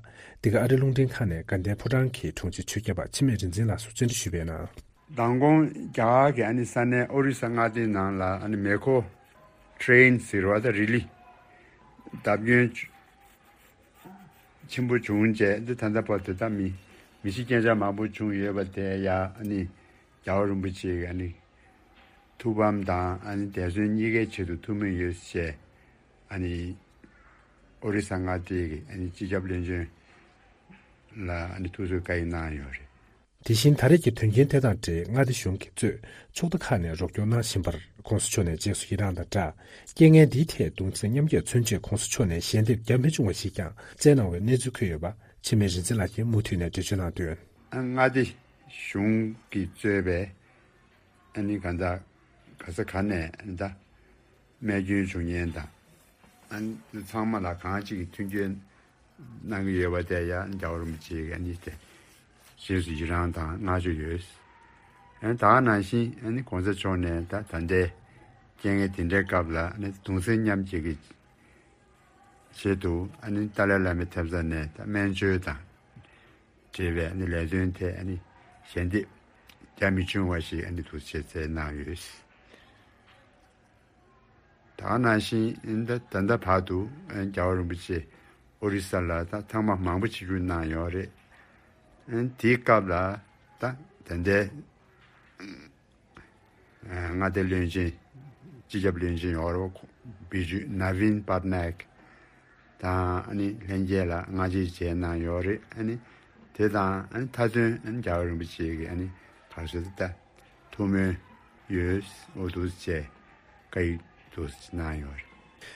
འདི་ག་ཨ་རི་རླུང་འཕྲིན་ཁང་ནས་དགའ་ལྡན་ཕོ་བྲང་གི་དྲུང་ཆེ་ཆོས་སྐྱབས་པ་འཆི་མེད་རིག་འཛིན་ལགས་སུ་བཅར་འདྲི་ཞུས་པའི་ནང་། མདང་དགོང་རྒྱ་གར་གྱི་ཨ་ནི་ས་གནས་ཨོ་རི་ས་མངའ་སྡེའི་ནང་ལ་ཨ་ནི་མེ་འཁོར་ཊེ་རེན་ཟེར་བ་དང་རི་ལི་བརྡབ་སྐྱོན་ཆེན་པོ་བྱུང་རྗེས། འདི་ད་ལྟ་བར་དུ་ད་མི་མི་ཤི་རྐྱེན་ཆག་མང་པོ་བྱུང་ཡོད་པ་དེ་ཡ་ཨ་ནི་རྒྱལ་བ་རིན་པོ་ཆེ་གི་ཨ་ནི་ཐུགས་ཕམ་དང་ཨ་ནི་འདས་གསོན་གཉིས་ཀའི་ཆེད་དུ་ཐུགས་སྨོན་ཡོད་ཅེས་ཨ་ནི་ཨོ་རི་ས་མངའ་སྡེ་གི་ཨ་ནི་སྤྱི་ཁྱབ་བློན་ཆེན་ལ་ཨ་ནི་ཐུགས་གསོའི་བཀའ་ཡིག་གནང་ཡོད་རེད། དེ་བཞིན་ད་རེས་ཀྱི་དོན་རྐྱེན་དེ་དང་འབྲེལ་མངའ་སྡེ་གཞུང་གིས་གཙོས་ཕྱོགས་མཐའ་ཁག་ནས་རོགས་སྐྱོར་གནང་བཞིན་པར་༧གོང་ས་མཆོག་ནས་རྗེས་སུ་ཡི་རངས་དང་སྦྲགས། རྐྱེན་ངན་འདིའི་ཐད་གདུང་སེམས་མཉམ་སྐྱེད་མཚོན་ཆེད་༧གོང་ས་མཆོག་ནས་ཞལ་འདེབས་རྒྱ་མི་ཆུང་བ་ཞིག་ཀྱང་བསྩལ་གནང་བའི་གནས་ཚུལ་འཁོད་ཡོད་པ་འཆི་མེད་རིག་འཛིན་ལགས་ཀྱིས་མུ་མཐུད་ནས་འགྲེལ་བརྗོད་གནང་དོན། མངའ་སྡེ་གཞུང་གིས་གཙོས་པའི་ཨ་ནི་གང་ལྟར་ག་ས་ག་ནས་ཨ་ནི་ད་རྨས་སྐྱོན་བྱུང་མཁན་དང་ཨ་ནི་ཚང་མ་ལ་གང་ཅིག་གི་མཐུན་འགྱུར་གནང་གི་ཡོད་པ་དེ་ཡང་རྒྱལ་བ་རིན་པོ་ཆེ་གིས་ཨ་ནི་དེ་རྗེས་སུ་ཡི་རངས་དང་བསྔགས་བརྗོད་ཡོད། ཨ་ནི་ད་ག་ནང་བཞིན་ཨ་ནི་༧གོང་ས་མཆོག་ནས་ད་ད་ལྟའི་རྐྱེན་ངན་དེ་འདྲའི་སྐབས་ལ་ཨ་ནི་གདུང་སེམས་མཉམ་སྐྱེད་ཀྱི་ཆེད་དུ་ཨ་ནི་ཏཱ་ལའི་བླ་མའི་ཐེབས་རྩ་ནས་ད་སྨན་བཅོས་དང་འབྲེལ་བའི་ཨ་ནི་ལས་དོན་ཐད་ཨ་ནི་ཞལ་འདེབས་རྒྱ་མི་ཆུང་བ་ཞིག་ཨ་ནི་འདུག་སེ་བསྩལ་གནང་ཡོད། ད་ག་ནང་བཞིན་ད་ད་ལྟ་བར་དུ་རྒྱལ་བ་རིན་པོ་ཆེ་ཨོ་རི་ས་ལ་ད་ཐེངས་མ་མང་པོ་ཆིབས་བསྒྱུར་གནང་ཡོད་རེད། དེའི་སྐབས་ལ་ད་ད་ལྟའི་མངའ་སྡེ་བློན་ཆེན་སྤྱི་ཁྱབ་བློན་ཆེན་ཡོད་རེད་བ། བི་ཇུ་ནཱ་བིན་པཊ་ནཱ་ཡེག་དང་ཨ་ནི་ལྷན་རྒྱས་ལ་སྔ་རྗེས་མཇལ་གནང་ཡོད་རེད། ཨ་ནི་དེ་དང་ཨ་ནི་མཐའ་དོན་ཨ་ནི་རྒྱལ་བ་རིན་པོ་ཆེ་གི་ཨ་ནི་ག་རེ་ཟེར་ད། ཐུགས་སྨོན་ཡོད། འོ་འདུག་སེ་བྱས་བཀའ་ཡིག་འདུག་སེ་གནང་ཡོད་རེད།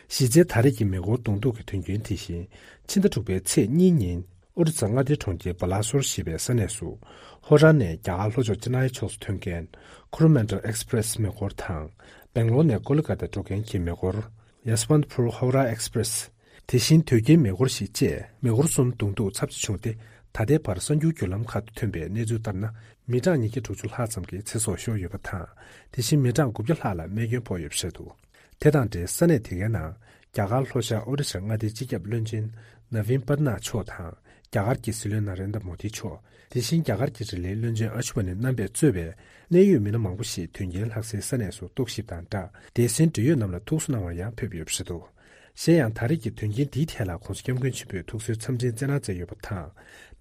གཞི་རྩའི་ད་རེས་ཀྱི་མེ་འཁོར་གདོང་ཐུག་གི་དོན་རྐྱེན་དེ་བཞིན་ཕྱི་ཟླ་དྲུག་པའི་ཚེས་གཉིས་ཉིན་ཨོ་རི་ས་མངའ་སྡེའི་གྲོང་ཁྱེར་སྦ་ལ་སོར་ཞེས་པའི་ས་གནས་སུ་ཧོ་ར་ནས་རྒྱ་གར་ལྷོ་ཕྱོགས་ཅི་ན་ཡའི་ཕྱོགས་སུ་ཐོན་མཁན་ཁོ་རོ་མན་ཌལ་ཨེག་སི་པི་རེ་སི་མེ་འཁོར་དང་སྦེང་ལོར་ནས་ཀོ་ལི་ཀ་ཏ་འགྲོ་མཁན་གྱི་མེ་འཁོར་ཡ་སི་ཝན་ཏི་ཕུར་ཧོ་ར་ཨེག་སི་པི་རེ་སི། དེ་བཞིན་དོས་སྐྱེལ་མེ་འཁོར་ཞིག་བཅས་མེ་འཁོར་གསུམ་གདོང་ཐུག་ཚབས་ཆེ་བྱུང་སྟེ་ ད་ལྟའི་བར་གསར་འགྱུར་བརྒྱུད་ལམ་ཁག་ཏུ་ཐོན་པའི་གནས་ཚུལ་ལྟར་ན། མི་གྲངས་ཉིས་བརྒྱ་དྲུག་ཅུ་ལྷག་ཙམ་གྱི་ཚེ་སྲོག་ཤོར་ཡོད་པ་དང་། དེ་བཞིན་མི་གྲངས་དགུ་བརྒྱ་ལྷག་ལ་རྨས་སྐྱོན་ཕོག་ཡོད་པ་རེད་འདུག་དེ་དང་འབྲེལ་ས་གནས་དེ་གའི་ནང་རྒྱ་གར་ལྷོ་ཤར་ཨོ་རི་ཤ་མངའ་སྡེའི་སྤྱི་ཁྱབ་བློན་ཆེན་ནཱ་ཝིན་པར་ནཱ་མཆོག་དང་། རྒྱ་གར་གྱི་སྲིད་བློན་ན་རེན་དྲ་མོ་དི་མཆོག་དེ་བཞིན་རྒྱ་གར་གྱི་རིག་གླེང་བློན་ཆེན་ཨ་ཤུ་ཝ་ནི་རྣམ་པས་གཙོས་པའི་གནད་ཡོད་མི་སྣ་མང་པོ་ཞིག་དོན་རྐྱེན་ལྷག་སའི་ས་གནས་སུ་རྟོག་ཞིབ་དང་སྦྲགས། སྡེ་ཚན་འབྲེལ་ཡོད་རྣམས་ལ་ཐུགས་གསོ་གནང་བར་ཡང་ཕེབས་ཡོད་པ་རེད་འདུག་གཞན་ཡང་། ད་རེས་ཀྱི་དོན་རྐྱེན་འདིའི་ཐད་ལ་༧གོང་ས་༧སྐྱབས་མགོན་ཆེན་པོས་ཐུགས་གསོའི་འཚམས་འཕྲིན་སྩལ་གནང་མཛད་ཡོད་པ་དང་།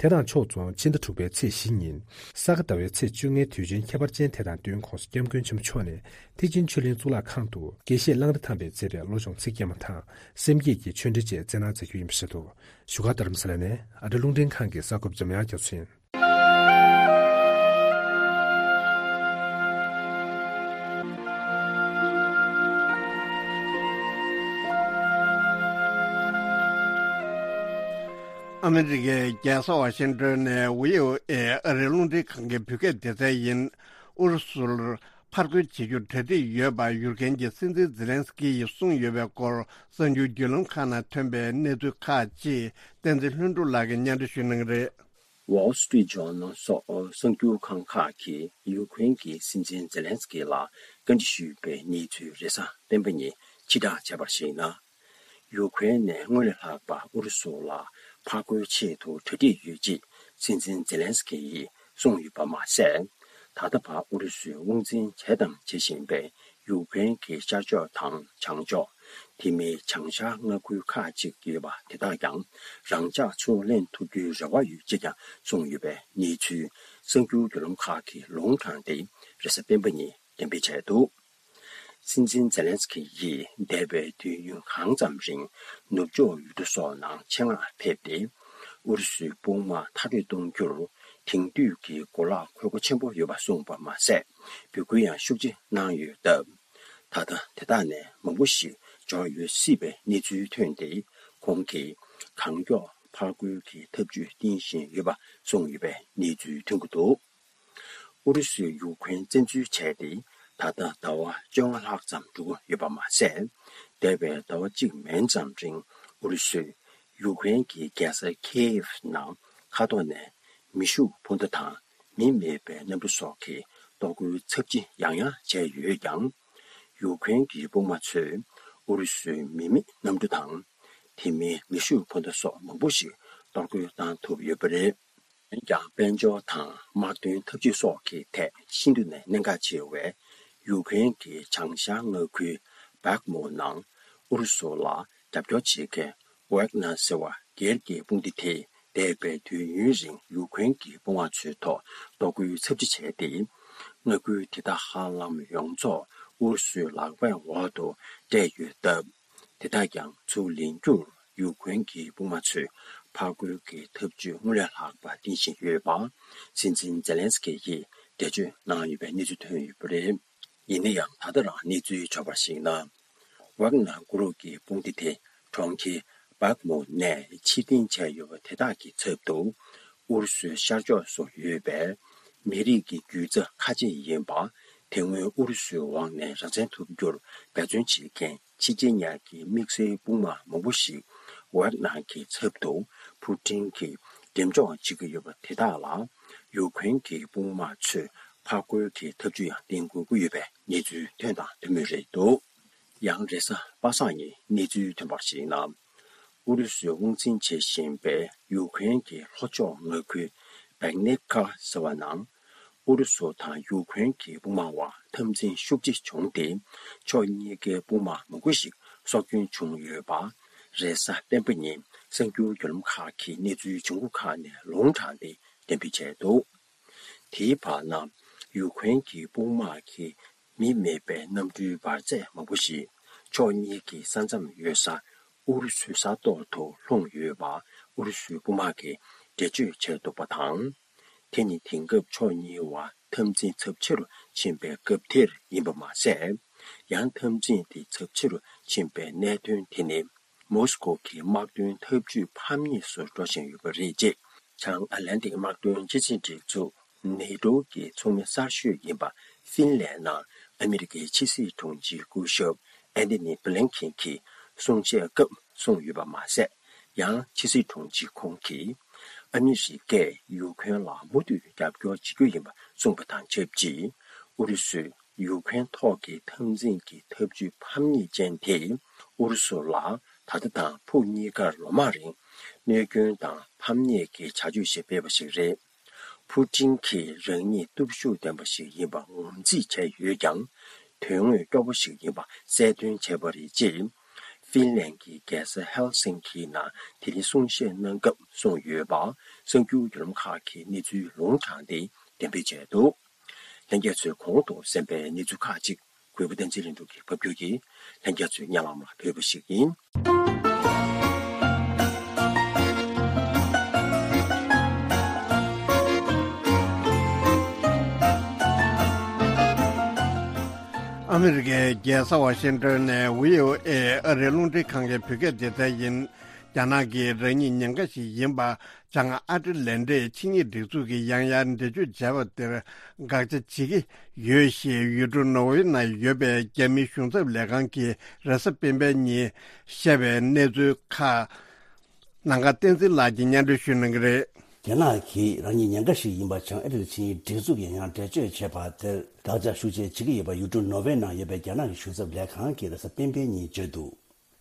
དེ་དང་ཕྱོགས་མཚུངས། ཕྱི་ཟླ་དྲུག་པའི་ཚེས་བཞི་ཉིན། ས་ག་ཟླ་བའི་ཚེས་བཅོ་ལྔའི་དུས་ཆེན་ཁྱད་པར་ཅན་དེ་དང་བསྟུན། ༸གོང་ས་༧སྐྱབས་མགོན་ཆེན་པོ་མཆོག་ནས་ཐེག་ཆེན་ཆོས་གླིང་གཙུག་ལག་ཁང་དུ་དགེ་བཤེས་གླང་རི་ཐང་པས་མཛད་པའི་བློ་སྦྱོང་ཚིག་བརྒྱད་མ་དང་། སེམས་བསྐྱེད་ཀྱི་ཆོས་འབྲེལ་བཅས་སྩལ་གནང་མཛད་རྒྱུ་ཡིན་པ་རེད་འདུག་བཞུགས་སྒར་རྡ་རམ་ས་ལ་ནས་ཨ་རི་རླུང་འཕྲིན་ཁང་གི་གསར་འགོད་པ་འཇམ་དབྱངས་རྒྱ་མཚོ་ཡིན། ཨ་མི་རི་ཀའི་རྒྱལ་ས་ཝ་ཤིང་ཏོན་ནས་བྷི་ཨོ་ཨེ་ཨ་རིའི་རླུང་འཕྲིན་ཁང་གི་བོད་སྐད་སྡེ་ཚན་ཡིན། ཨུ་རུ་སུར་ཕར་རྒོལ་བྱེད་རྒྱུར་གྲ་སྒྲིག་ཡོད་པ་ཡུཀ་རེན་གྱི་སྲིད་འཛིན་ཛེ་ལན་སི་ཀི་ཡིས་གསུངས་ཡོད་པའི་སྐོར་གསར་འགྱུར་བརྒྱུད་ལམ་ཁག་ནང་ཐོན་པའི་གནས་ཚུལ་ཁག་ཅིག་བསྟན་འཛིན་ལྷུན་གྲུབ་ལགས་ཀྱིས་སྙན་སྒྲོན་ཞུ་གནང་གི་རེད། Wall Street Journal་སོགས་གསར་འགྱུར་ཁང་ཁག་གིས་ཡུཀ་རེན་གྱི་སྲིད་འཛིན་ཛེ་ལན་སི་ཀི་ལ་བཀའ་འདྲི་ཞུས་པའི་གནས་ཚུལ་རེས་གཟའ་སྤེན་པ་ཉིན་ཕྱིར་བསྒྲགས་བྱས་པར་གཞིགས་ན། ཡུཀ་རེན་ནས་སྔོན་ལས་ལྷག་པ་ཨུ་རུ་སུ་ལ་ཕར་རྒོལ་ཆེད་དུ་གྲ་སྒྲིག་ཡོད་ཅེས་སྲིད་འཛིན་ཛེ་ལན་སི་ཀི་ཡིས་གསུངས་ཡོད་པ་མ་ཟད། ད་ལྟ་བར་ཨུ་རུ་སུའི་དབང་འཛིན་བྱས་དང་བྱེད་བཞིན་པའི་ཡུཀ་རེན་གྱི་ཤར་ཕྱོགས་དང་བྱང་ཕྱོགས། དེ་མིན་བྱང་ཤར་མངའ་ཁུལ་ཁག་ཅིག་ཡོད་པ་དེ་དག་ཀྱང་རང་འཇགས་ཕྱོགས་ལེན་ཐུབ་རྒྱུའི་རེ་བ་ཡོད་ཅེས་ཀྱང་གསུངས་ཡོད་པའི་གནས་ཚུལ་གསར་འགྱུར་བརྒྱུད་ལམ་ཁག་གིས་ལུང་དྲངས་ཏེ་རེས་གཟའ་སྤེན་པ་ཉིན་གཏན་འབེབས་བྱས་འདུག་སྲིད་འཛིན་ཛེ་ལན་སི་ཀི་ཡིས་འདས་པའི་དུས་ཡུན་གང་ཙམ་རིང་ནུབ་ཕྱོགས་ཡུལ་གྲུ་སོགས་ནང་ཆེད་མངགས་ཕེབས་ཏེ། ཨུ་རུ་སུའི་དཔུང་དམག་མཐར་སྐྲོད་གཏོང་རྒྱུར་དེང་དུས་ཀྱི་གོ་ལག་མཁོ་དགུ་ཆེན་པོ་ཡོད་པ་གསུངས་པ་མ་ཟད། འབོད་སྐུལ་ཡང་ཤུགས་ཆེ་གནང་ཡོད་སྟབས། ད་ལྟ་དེ་དག་ནས་མང་པོ་ཞིག་འབྱོར་ཡོད་སྲིད་པའི་གནས་ཚུལ་ཐོན་ཏེ། ཁོང་གིས་གང་མགྱོགས་ཕར་རྒོལ་གྱི་ཐབས་ཇུས་བསྟེན་བཞིན་ཡོད་པ་གསུངས་ཡོད་པའི་གནས་ཚུལ་ཐོན་གྱི་འདུག་ཨུ་རུ་སུས་ཡུཀ་རེན་བཙན་འཛུལ་བྱས་ཏེ་ད་ལྟ་ཟླ་བ་བཅོ་ལྔ་ལྷག་ཙམ་འགྲོ་གི་ཡོད་པ་མ་ཟད། འདས་པའི་ཟླ་བ་གཅིག་མན་ཙམ་རིང་ཨུ་རུ་སུས་ཡུཀ་རེན་གྱི་རྒྱལ་ས་ཁེ་ཡེབ་ནང་མཁའ་ཐོག་ནས་མེ་ཤུགས་འཕུར་མདའ་དང་མི་མེད་པའི་གནམ་གྲུ་སོགས་ཀྱིས་གཏོར་རྒོལ་ཚབས་ཆེ་ཡང་ཡང་བྱས་ཡོད་ཀྱང་། ཡུཀ་རེན་གྱི་དཔུང་དམག་ཚོས་ཨུ་རུ་སུའི་མི་མེད་གནམ་གྲུ་དང་། དེ་མིན་མེ་ཤུགས་འཕུར་མདའ་སོགས་མང་པོ་ཞིག་གཏོར་རྒོལ་བཏང་ཐུབ་ཡོད་པ་རེད། འོན་ཀྱང་། དཔལ་འབྱོར་དང་དམག་དོན་འཐབ་ཇུས་སོགས་ཀྱི་ཐད་ཤིན་ཏུ་ནས་གནད་འགག་ཆེ་བའི་ཡུཀ་རེན་གྱི་བྱང་ཤར་མངའ་ཁུལ་བྷག་མུ་ནང་ཨུ་རུ་སུ་ལ་རྒྱབ་སྐྱོར་བྱེད་མཁན་ཝེག་ནར་ཟེར་བ་སྒེར་གྱི་དཔུང་སྡེ་དེས་འདས་པའི་དུས་ཡུན་རིང་ཡུཀ་རེན་གྱི་དཔུང་དམག་ཚོའི་ཐོག་གཏོར་རྒོལ་ཚབས་ཆེ་བྱས་ཏེ། མངའ་ཁུལ་དེ་དག་ཧ་ལམ་ཡོངས་རྫོགས་ཨུ་རུ་སུའི་ལག་པའི་འོག་ཏུ་སྤྲད་ཡོད་སྟབས། དེ་དག་ཀྱང་ཚུར་ལེན་རྒྱུར་ཡུཀ་རེན་གྱི་དཔུང་དམག་ཚོས་ཕར་རྒོལ་གྱི་ཐབས་ཇུས་སྔོན་ལས་ལྷག་པ་བསྟེན་བཞིན་ཡོད་པ་སྲིད་འཛིན་ཛེ་ལན་སི་ཀི་ཡིས་འགྲེལ་བརྗོད་གནང་ཡོད་པའི་གནས་ཚུལ་ཐོན་ཡོད་པ་རེད། ཡིན་ན་ཡང་། ད་ལྟ་རང་གནས་ཚུལ་འབྱོར་བར་གཞིགས་ན། ཝག་ནར་གུ་རུབ་ཀྱི་དཔུང་སྡེ་དེ་གྲོང་ཁྱེར་བྷག་མུ་ནས་ཕྱིར་འཐེན་བྱས་ཡོད་པ་དེ་དག་གི་ཚབ་ཏུ། ཨུ་རུ་སུའི་ཤར་ཕྱོགས་སུ་ཡོད་པའི་མི་རིགས་ཀྱི་རྒྱུད་རྩ་ཁ་ཆེ་ཡིན་པ། དེ་སྔོན་ཨུ་རུ་སུའི་འོག་ནས་རང་བཙན་ཐོབ་རྒྱུར་འབད་བརྩོན་བྱེད་མཁན་ཆེ་ཆེ་ཉག་གི་དམིགས་བསལ་དཔུང་དམག་མང་པོ་ཞིག་ཝག་ནར་གྱི་ཚབ་ཏུ་ཕུ་ཀྲིན་གྱིས་འགྲེམས་འཇོག་བྱེད་ཀྱི་ཡོད་པ་དེ་དག་ལ་ཡུཀ་རེན་གྱི་དཔུང་དམག་ཚོས་ཕར་རྒོལ་གྱི་ཐབས་ཇུས་ཡང་བསྟེན་དགོས་ཀྱི་ཡོད་པའི་གནས་ཚུལ་ཐོན་དང་ཐོན་མུས་རེད་འདུག་ཡང་རེས་གཟའ་པ་སངས་ཉིན་གནས་ཚུལ་ཐོན་པར་གཞིགས་ན། ཨུ་རུ་སུས་དབང་འཛིན་བྱེད་བཞིན་པའི་ཡུཀ་རེན་གྱི་ལྷོ་ཕྱོགས་མངའ་ཁུལ་བེག་ནེབ་ཀ་ཟེར་བ་ནང་། ཨུ་རུ་སུ་དང་ཡུཀ་རེན་གྱི་དཔུང་དམག་དབར་འཐབ་འཛིང་ཤུགས་ཆེ་བྱུང་སྟེ། ཕྱོགས་གཉིས་ཀའི་དཔུང་དམག་མང་པོ་ཞིག་སྲོག་སྐྱོན་བྱུང་ཡོད་པ། རེས་གཟའ་སྤེན་པ་ཉིན་གསར་འགྱུར་བརྒྱུད་ལམ་ཁག་གིས་གནས་ཚུལ་བྱུང་ཁུངས་ཁག་ནས་ལུང་དྲངས་ཏེ་གཏན་འབེབས་བྱས་འདུག་དེའི་བར་ན། ཡུཀ་རེན་གྱི་དཔུང་དམག་གིས་མི་མེད་པའི་གནམ་གྲུའི་འབར་རྫས་མང་པོ་ཞིག་ཕྱོགས་གཉིས་ཀྱི་ས་མཚམས་ཡོད་ས་ཨུ་རུ་སུའི་ས་ཐོག་ཏུ་ལྷུང་ཡོད་པ་ཨུ་རུ་སུའི་དཔུང་དམག་གིས་འགྲེལ་བརྗོད་བྱས་འདུག་པ་དང་། དེ་ནི་དེང་སྐབས་ཕྱོགས་གཉིས་བར་འཐབ་འཛིང་ཚབས་ཆེ་རུ་ཕྱིན་པའི་སྐབས་དེར་ཡིན་པ་མ་ཟད། ཡང་འཐབ་འཛིང་དེ་ཚབས་ཆེ་རུ་ཕྱིན་པའི་གནད་དོན་དེ་ནི། མོ་སི་ཀོ་གི་དམག་དོན་འཐབ་ཇུས་ཕམ་ཉེས་སུ་འགྲོ་བཞིན་ཡོད་པ་རེད་ཅེས། བྱང་ཨ་ལན་ཏིག་དམག་དོན་སྤྱི་མཐུན་སྒྲིག་འཛུགས་ནེ་ཏོ་གི་ཚོགས་མི་གསར་ཤོས་ཡིན་པ་ཧྥིན་ལན་ནང་ཨ་མི་རི་ཀའི་ཕྱི་སྲིད་དྲུང་ཆེ་སྐུ་ཞབས་ཨན་ཐོ་ནི་བྷི་ལིན་ཁེན་གྱིས་གསུང་བཤད་སྐབས་གསུངས་ཡོད་པ་མ་ཟད། ཡང་ཕྱི་སྲིད་དྲུང་ཆེ་ཁོང་གིས། ཨ་མི་རི་ཀས་ཡུ་ཁུ་རེན་ལ་མུ་མཐུད་རྒྱབ་སྐྱོར་བྱེད་རྒྱུ་ཡིན་པ་གསུངས་པ་དང་ཆབས་ཅིག་ཨུ་རུ་སུས་ཡུ་ཁུ་རེན་ཐོག་གི་འཐབ་འཛིང་གི་འཐབ་ཇུས་ཕམ་ཉེས་ཅན་དེ་ཨུ་རུ་སུ་ལ་ད་ལྟ་དང་ཕུགས་གཉིས་ཀར་ལོ་མང་རིང་གནོད་སྐྱོན་དང་ཕམ་ཉེས་ཀྱི་བྱ་སྤྱོད་ཞིག་སྤེལ་བ་ཞིག་རེད། ཕུ་ཀྲིན་གྱིས་རང་ཉིད་སྟོབས་ཤུགས་ལྡན་པ་ཞིག་ཡིན་པ་ངོས་འཛིན་བྱས་ཡོད་ཀྱང་། དོན་དངོས་སྐྱོ་པོ་ཞིག་ཡིན་པ་གསལ་སྟོན་བྱས་པ་རེད་ཅེས། ཧྥིན་ལན་གྱི་རྒྱལ་ས་ཧེལ་སིན་ཀི་ནང་དེ་རིང་གསུང་བཤད་གནང་སྐབས་གསུངས་ཡོད་པ་གསར་འགྱུར་བརྒྱུད་ལམ་ཁག་གིས་གནས་ཚུལ་ལུང་དྲངས་ཏེ་འགྲེམས་སྤེལ་བྱས་འདུག་ལྷན་རྒྱས་ཚོས་གོང་དུ་གསན་པའི་གནས་ཚུལ་ཁག་ཅིག་གུས་པ་བསྟན་འཛིན་ལྷུན་གྲུབ་ཀྱིས་ཕབ་སྒྱུར་གྱིས་ལྷན་རྒྱས་ཚོའི་སྙན་ལམ་ལ་ཕུལ་བ་ཞིག་ཡིན། ཨ་མི་རི་ཀའི་རྒྱལ་ས་ཝ་ཤིང་ཏོན་ནས་བྷི་ཨོ་ཨེ་ཨ་རིའི་རླུང་འཕྲིན་ཁང་གི་བོད་སྐད་སྡེ་ཚན་ཡིན། རྒྱ་ནག་གིས་རང་ཉིད་ཉེན་ཁ་ཞིག་ཡིན་པ་བྱང་ཨ་ཊ་ལན་ཊིག་ཆིངས་ཡིག་སྒྲིག་འཛུགས་ཀྱིས་ཡང་ཡང་འགྲེལ་བརྗོད་བྱས་པ་དེར་དགག་བྱ་བྱེད་ཀྱི་ཡོད་ཞེས་ཡུལ་གྲུ་ནོར་ཝེ་ནང་ཡོད་པའི་རྒྱ་མིའི་གཞུང་ཚབ་ལས་ཁང་གིས་རེས་གཟའ་སྤེན་པའི་ཉིན་བཤད་པའི་གནས་ཚུལ་ཁག་ནང་ཁ་བསྟན་འཛིན་ལགས་ཀྱིས་སྙན་སྒྲོན་ཞུ་གནང་གི་རེད། རྒྱ་ནག་གིས་རང་ཉིད་ཉེན་ཁ་ཞིག་ཡིན་པ་བྱང་ཨ་ཊ་ལན་ཊིག་ཆིངས་ཡིག་སྒྲིག་འཛུགས་ཀྱིས་ཡང་ཡང་འགྲེལ་བརྗོད་བྱས་པ་དེར་དགག་བྱ་ཤུགས་ཆེ་བྱེད་ཀྱི་ཡོད་པ་ཡུལ་གྲུ་ནོར་ཝེ་ནང་ཡོད་པའི་རྒྱ་ནག་གི་གཞུང་ཚབ་ལས་ཁང་གིས་རེས་གཟའ་སྤེན་པའི་ཉིན་བརྗོད་འདུག་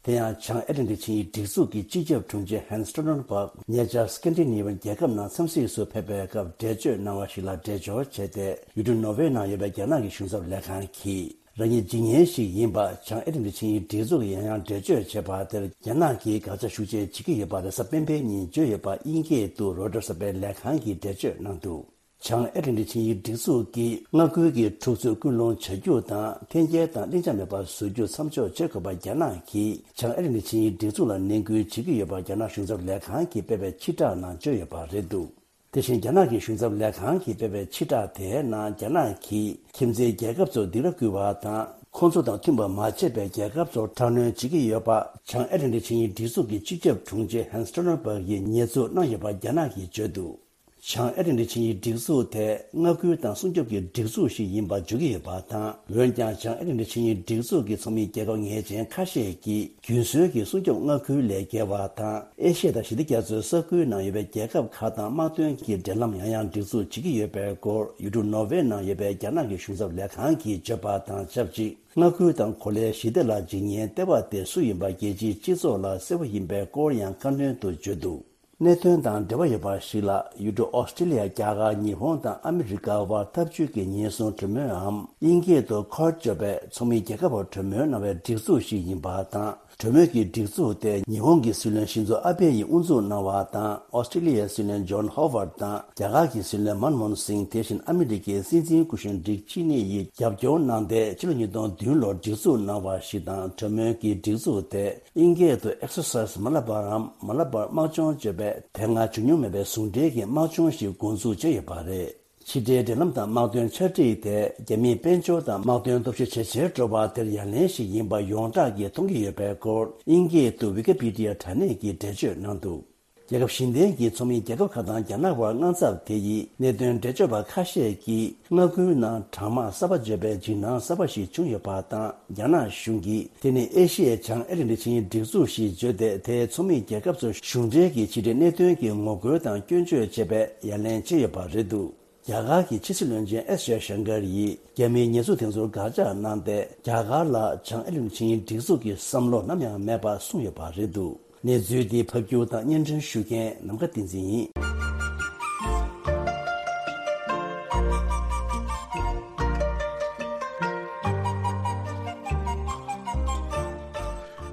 དེ་ཡང་བྱང་ཨེ་ཊ་ལན་ཊིག་ཆིངས་ཡིག་སྒྲིག་འཛུགས་ཀྱི་སྤྱི་ཁྱབ་དྲུང་ཆེ་ཧན་སི་སྟོལ་ཊེན་བྷག་ཉེ་ཆར་སི་ཀན་ཌི་ནེ་ཝི་ཡན་རྒྱལ་ཁབ་ནང་འཚམས་གཟིགས་སུ་ཕེབས་པའི་སྐབས་འགྲེལ་བརྗོད་གནང་བ་ཞིག་ལ་འགྲེལ་བརྗོད་བྱས་ཏེ། ཡུལ་གྲུ་ནོར་ཝེ་ནང་ཡོད་པའི་རྒྱ་ནག་གི་གཞུང་ཚབ་ལས་ཁང་གིས་རང་ཉིད་འཇིགས་ཉེན་ཞིག་ཡིན་པ་བྱང་ཨེ་ཊ་ལན་ཊིག་ཆིངས་ཡིག་སྒྲིག་འཛུགས་ཀྱིས་ཡང་ཡང་འགྲེལ་བརྗོད་བྱས་པ་དེར་རྒྱ་ནག་གིས་དགག་བྱ་ཤུགས་ཆེ་བྱེད་ཀྱི་ཡོད་པ་རེས་གཟའ་སྤེན་པའི་ཉིན་བརྗོད་ཡོད་པ་དབྱིན་སྐད་དུ་རོའི་ཊར་གསར་པའི་ལས་ཁང་གིས་འགྲེལ་བརྗོད་གནང་འདུག་བྱང་ཨེ་ཊ་ལན་ཊིག་ཆིངས་ཡིག་སྒྲིག་འཛུགས་ཀྱིས་མངའ་ཁུལ་གྱི་འཁྲུག་རྩོད་ཀུན་སློང་བྱ་རྒྱུ་དང་འཐེན་འཁྱེར་དང་ལྷིང་འཇགས་མེད་པར་བཟོ་རྒྱུ་མཚམས་འཇོག་བྱེད་དགོས་པར་རྒྱ་ནག་གིས་བྱང་ཨེ་ཊ་ལན་ཊིག་ཆིངས་ཡིག་སྒྲིག་འཛུགས་ལ་ནན་སྐུལ་བྱེད་ཀྱི་ཡོད་པ་རྒྱ་ནག་གཞུང་ཚབ་ལས་ཁང་གིས་སྤེལ་བའི་ཕྱིར་བསྒྲགས་ནང་བརྗོད་ཡོད་པ་རེད་འདུག་དེ་བཞིན་རྒྱ་ནག་གི་གཞུང་ཚབ་ལས་ཁང་གིས་སྤེལ་བའི་ཕྱིར་བསྒྲགས་དེའི་ནང་རྒྱ་ནག་གིས་ཁྱིམ་མཚེས་རྒྱལ་ཁབ་ཚོར་སྡིགས་ར་སྐུལ་བ་དང་ཁོང་ཚོ་དང་མཐུན་པ་མ་བྱས་པའི་རྒྱལ་ཁབ་ཚོར་དྲག་གནོན་བྱེད་ཀྱི་ཡོད་པ་བྱང་ཨེ་ཊ་ལན་ཊིག་ཆིངས་ཡིག་སྒྲིག་འཛུགས་ཀྱི་སྤྱི་ཁྱབ་དྲུང་ཆེ་ཧན་སི་སྟོལ་ཊེན་བྷག་གིས་ཉེས་འཛུགས་གནང་ཡོད་པ་རྒྱ་ནག་གིས་བརྗོད་འདུག་བྱང་ཨེ་ཊ་ལན་ཊིག་ཆིངས་ཡིག་སྒྲིག་འཛུགས་དེ་མངའ་ཁུལ་དང་སྲུང་སྐྱོབ་ཀྱི་སྒྲིག་འཛུགས་ཤིག་ཡིན་པ་བརྗོད་ཀྱི་ཡོད་པ་དང་། འོན་ཀྱང་བྱང་ཨེ་ཊ་ལན་ཊིག་ཆིངས་ཡིག་སྒྲིག་འཛུགས་ཀྱི་ཚོགས་མི་རྒྱལ་ཁབ་ངེས་ཅན་ཁ་ཤས་ཀྱིས་རྒྱུན་སྲོལ་གྱི་སྲུང་སྐྱོབ་མངའ་ཁུལ་ལས་བརྒལ་བ་དང་། ཨེ་ཤི་ཡ་དང་ཞི་བདེ་རྒྱ་མཚོའི་ས་ཁུལ་ནང་ཡོད་པའི་རྒྱལ་ཁབ་ཁག་དང་དམག་དོན་གྱི་འབྲེལ་ལམ་ཡང་ཡང་སྒྲིག་འཛུགས་བྱེད་ཀྱི་ཡོད་པའི་སྐོར་ཡུལ་གྲུ་ནོར་ཝེ་ནང་ཡོད་པའི་རྒྱ་ནག་གི་གཞུང་ཚབ་ལས་ཁང་གིས་བརྗོད་པ་དང་ཆབས་ཅིག་མངའ་ཁུལ་དང་གོ་ལའི་ཞི་བདེ་ལ་འཇིགས་ཉེན་སྟེར་བ་དེ་སུ་ཡིན་པ་རྒྱལ་སྤྱིའི་སྤྱི་ཚོགས་ལ་གསལ་པོ་ཡིན་པའི་སྐོར་ཡང་ཁ་སྣོན་དུ་བརྗོད་འདུག་གནད་དོན་དང་འབྲེལ་བ་ཡོད་པ་ཞིག་ལ། ཡུལ་གྲུ་ཨོ་སི་ཀྲི་ལི་ཡ། རྒྱ་གར། ཉི་ཧོང་དང་ཨ་མི་རི་ཀ་དབར་འཐབ་ཇུས་ཀྱི་ཉེན་སྲུང་གྲོས་མོལ་འམ་དབྱིན་སྐད་དུ་ཁོཌ་ཅེས་པའི་ཚོགས་མི་རྒྱལ་ཁབ་བར་གྲོས་མོལ་གནང་བའི་སྒྲིག་འཛུགས་ཤིག་ཡིན་པ་དང་། གྲོས་མོལ་གྱི་སྒྲིག་འཛུགས་དེ་ཉི་ཧོང་གི་སྲིད་བློན་ཤིན་ཛོ་ཨ་བྷེ་ཡིས་དབུ་འཛུགས་གནང་བ་དང་། ཨོ་སི་ཀྲི་ལི་ཡའི་སྲིད་བློན་ཇོན་ཧོ་ཝར་དང་། རྒྱ་གར་གྱི་སྲིད་བློན་མན་མོ་ཧན་སིང་། དེ་བཞིན་ཨ་མི་རི་ཀའི་སྲིད་འཛིན་སྐུ་གཞོན་ཌིག་ཆེ་ནི་ཡིས་རྒྱབ་སྐྱོར་གནང་སྟེ། ཕྱི་ལོ་ཉིས་སྟོང་བདུན་ལོར་སྒྲིག་འཛུགས་གནང་བ་ཞིག་དང་། གྲོས་མོལ་གྱི་སྒྲིག་འཛུགས་དེ་དབྱིན་སྐད་དུ་Exercise Malabar འམ་Malabar དམག་སྦྱོང་ཅེས་པའི་དེ་སྔ་བྱུང་མྱོང་མེད་པའི་ཟུང་འབྲེལ་གྱི་དམག་སྦྱོང་ཞིག་འགོ་འཛུགས་བྱས་ཡོད་པ་རེད། ཕྱི་འབྲེལ་འབྲེལ་ལམ་དང་དམག་དོན་ཆ་སྒྲིག་དེ་རྒྱ་མིའི་དཔལ་འབྱོར་དང་དམག་དོན་སྟོབས་ཤུགས་ཇེ་ཆེར་འགྲོ་བ་དེར་ཡ་ལན་ཞིག་ཡིན་པ་ཡོངས་གྲགས་ཀྱིས་མཐོང་གི་ཡོད་པའི་སྐོར་དབྱིན་སྐད་དུ་Wikipedia དྲ་གནས་ཀྱིས་འགྲེལ་བརྗོད་གནང་འདུག་རྒྱལ་ཁབ་གཞན་བརྟེན་གྱི་ཚོགས་མི་རྒྱལ་ཁབ་ཁག་དང་རྒྱ་ནག་དབར་དངངས་འཚབ་དེ་ཡིས་གནད་དོན་འགྲེལ་བརྗོད་པ་ཁ་ཤས་ཀྱིས་མངའ་ཁུལ་ནང་གྲང་དམག་གསར་པ་བརྗོད་པའི་འཇིགས་སྣང་གསར་པ་ཞིག་བྱུང་ཡོད་པ་དང་། རྒྱ་ནག་གཞུང་གིས་དེ་ནི་ཨེ་ཤི་ཡའི་བྱང་ཨེ་ཊ་ལན་ཊིག་ཆིངས་ཡིག་སྒྲིག་འཛུགས་ཞེས་བརྗོད་དེ། དེའི་ཚོགས་མི་རྒྱལ་ཁབ་ཚོར་གཞུང་འབྲེལ་གྱི་ཕྱི་འབྲེལ་གནད་དོན་གྱི་ངོ་རྒོལ་དང་སྐྱོན་བརྗོད་བྱས་པའི་ཡ་ལན་བྱས་ཡོད་པ་རེད་འདུག་རྒྱ་གར་གྱི་ཕྱི་སྲིད་བློན་ཆེན་ཨེས་ཇེ་ཤང་ཀར་ཡིས་རྒྱ་མིའི་ཉེས་འཛུགས་དེ་ཚོར་དགག་བྱ་གནང་སྟེ། རྒྱ་གར་ལ་བྱང་ཨེ་ཊ་ལན་ཊིག་ཆིངས་ཡིག་སྒྲིག་འཛུགས་ཀྱི་བསམ་བློ་ནམ་ཡང་མེད་པ་གསུངས་ཡོད་པ་རེད་འདུག་གནས་ཚུལ་འདི་ཕབ་སྒྱུར་དང་སྙན་སྒྲོན་ཞུ་མཁན་ནམ་མཁའ་བསྟན་འཛིན་ཡིན།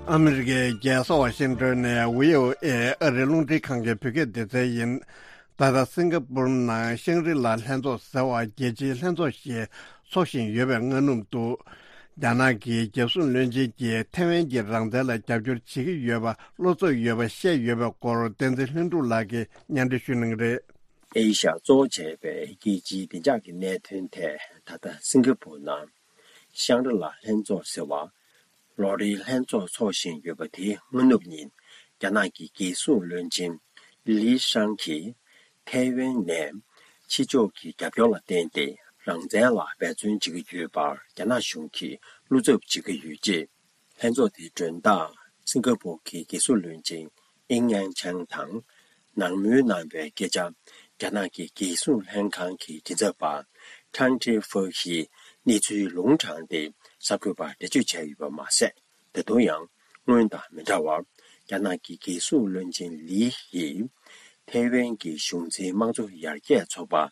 ཨ་མི་རི་ཀའི་རྒྱལ་ས་ཝ་ཤིང་ཏོན་ནས་བྷི་ཨོ་ཨེ་ཨ་རིའི་རླུང་འཕྲིན་ཁང་གི་བོད་སྐད་སྡེ་ཚན་ཡིན། ད་ལྟ་སིང་ག་པུར་ནང་ཤང་རི་ལ་ལྷན་ཚོགས་ཟེར་བ་རྒྱལ་སྤྱིའི་ལྷན་ཚོགས་ཤིག་འཚོགས་བཞིན་ཡོད་པའི་སྔ་ནུབ་ཏུ། རྒྱ་ནག་གི་རྒྱལ་སྲུང་བློན་ཆེན་གྱིས་ཐའེ་ཝན་གྱི་རང་བཙན་ལ་རྒྱབ་སྐྱོར་བྱེད་ཀྱི་ཡོད་པ་བློ་འཚབ་ཡོད་པ་བཤད་ཡོད་པའི་སྐོར་བསྟན་འཛིན་ལྷུན་གྲུབ་ལགས་ཀྱིས་སྙན་སྒྲོན་ཞུ་གནང་གི་རེད། ཨེ་ཤ་ཡ་གཙོ་བོ་བྱས་པའི་རྒྱལ་སྤྱིའི་བདེ་འཇགས་ཀྱི་གནད་དོན་ཐད་ད་ལྟ་སིང་ག་པུར་ནང་ཤང་རི་ལ་ལྷན་ཚོགས་ཟེར་བ། ལོ་རེའི་ལྷན་ཚོགས་འཚོགས་བཞིན་ཡོད་པ་དེའི་སྔ་ནུབ་ཉིན། རྒྱ་ནག་གི་རྒྱལ་སྲུང་བློན་ཆེན་ལི་ཧྲང་གིས་ཐའེ་ཝན་ནས་ཕྱི་ཕྱོགས་ཀྱི་རྒྱབ་སྐྱོར་ལ་བརྟེན་ཏེ་རང་བཙན་ལ་འབད་བརྩོན་བྱེད་ཀྱི་ཡོད་པར་རྒྱ་ནག་གཞུང་གིས་བློ་འཚབ་བྱེད་ཀྱི་ཡོད་ཅེས། ལྷན་ཚོགས་དེའི་མགྲོན་བདག་སིང་ག་པུར་གྱི་རྒྱལ་སྲུང་བློན་ཆེན་ཨིང་ཡང་ཆང་དང་། ནང་མོལ་གནང་བའི་སྐད་ཆ། རྒྱ་ནག་གི་རྒྱལ་སྲུང་ལྷན་ཁང་གི་མགྲིན་ཚབ་པ། ཁྲང་ཁྲེ་ཧྥུ་ཡིས་གནས་ཚུལ་ལུང་དྲངས་ཏེ། གསར་འགོད་པར་འགྲེལ་བརྗོད་བྱས་ཡོད་པ་མ་ཟད། ད་དུང་ཡང་སྔོན་དང་མི་འདྲ་བར། རྒྱ་ནག་གི་རྒྱལ་སྲུང་བློན་ཆེན་ལི་ཡིས། ཐའེ་ཝན་གྱི་གཞུང་འཛིན་དམངས་གཙོ་ཡར་རྒྱས་ཚོགས་པ།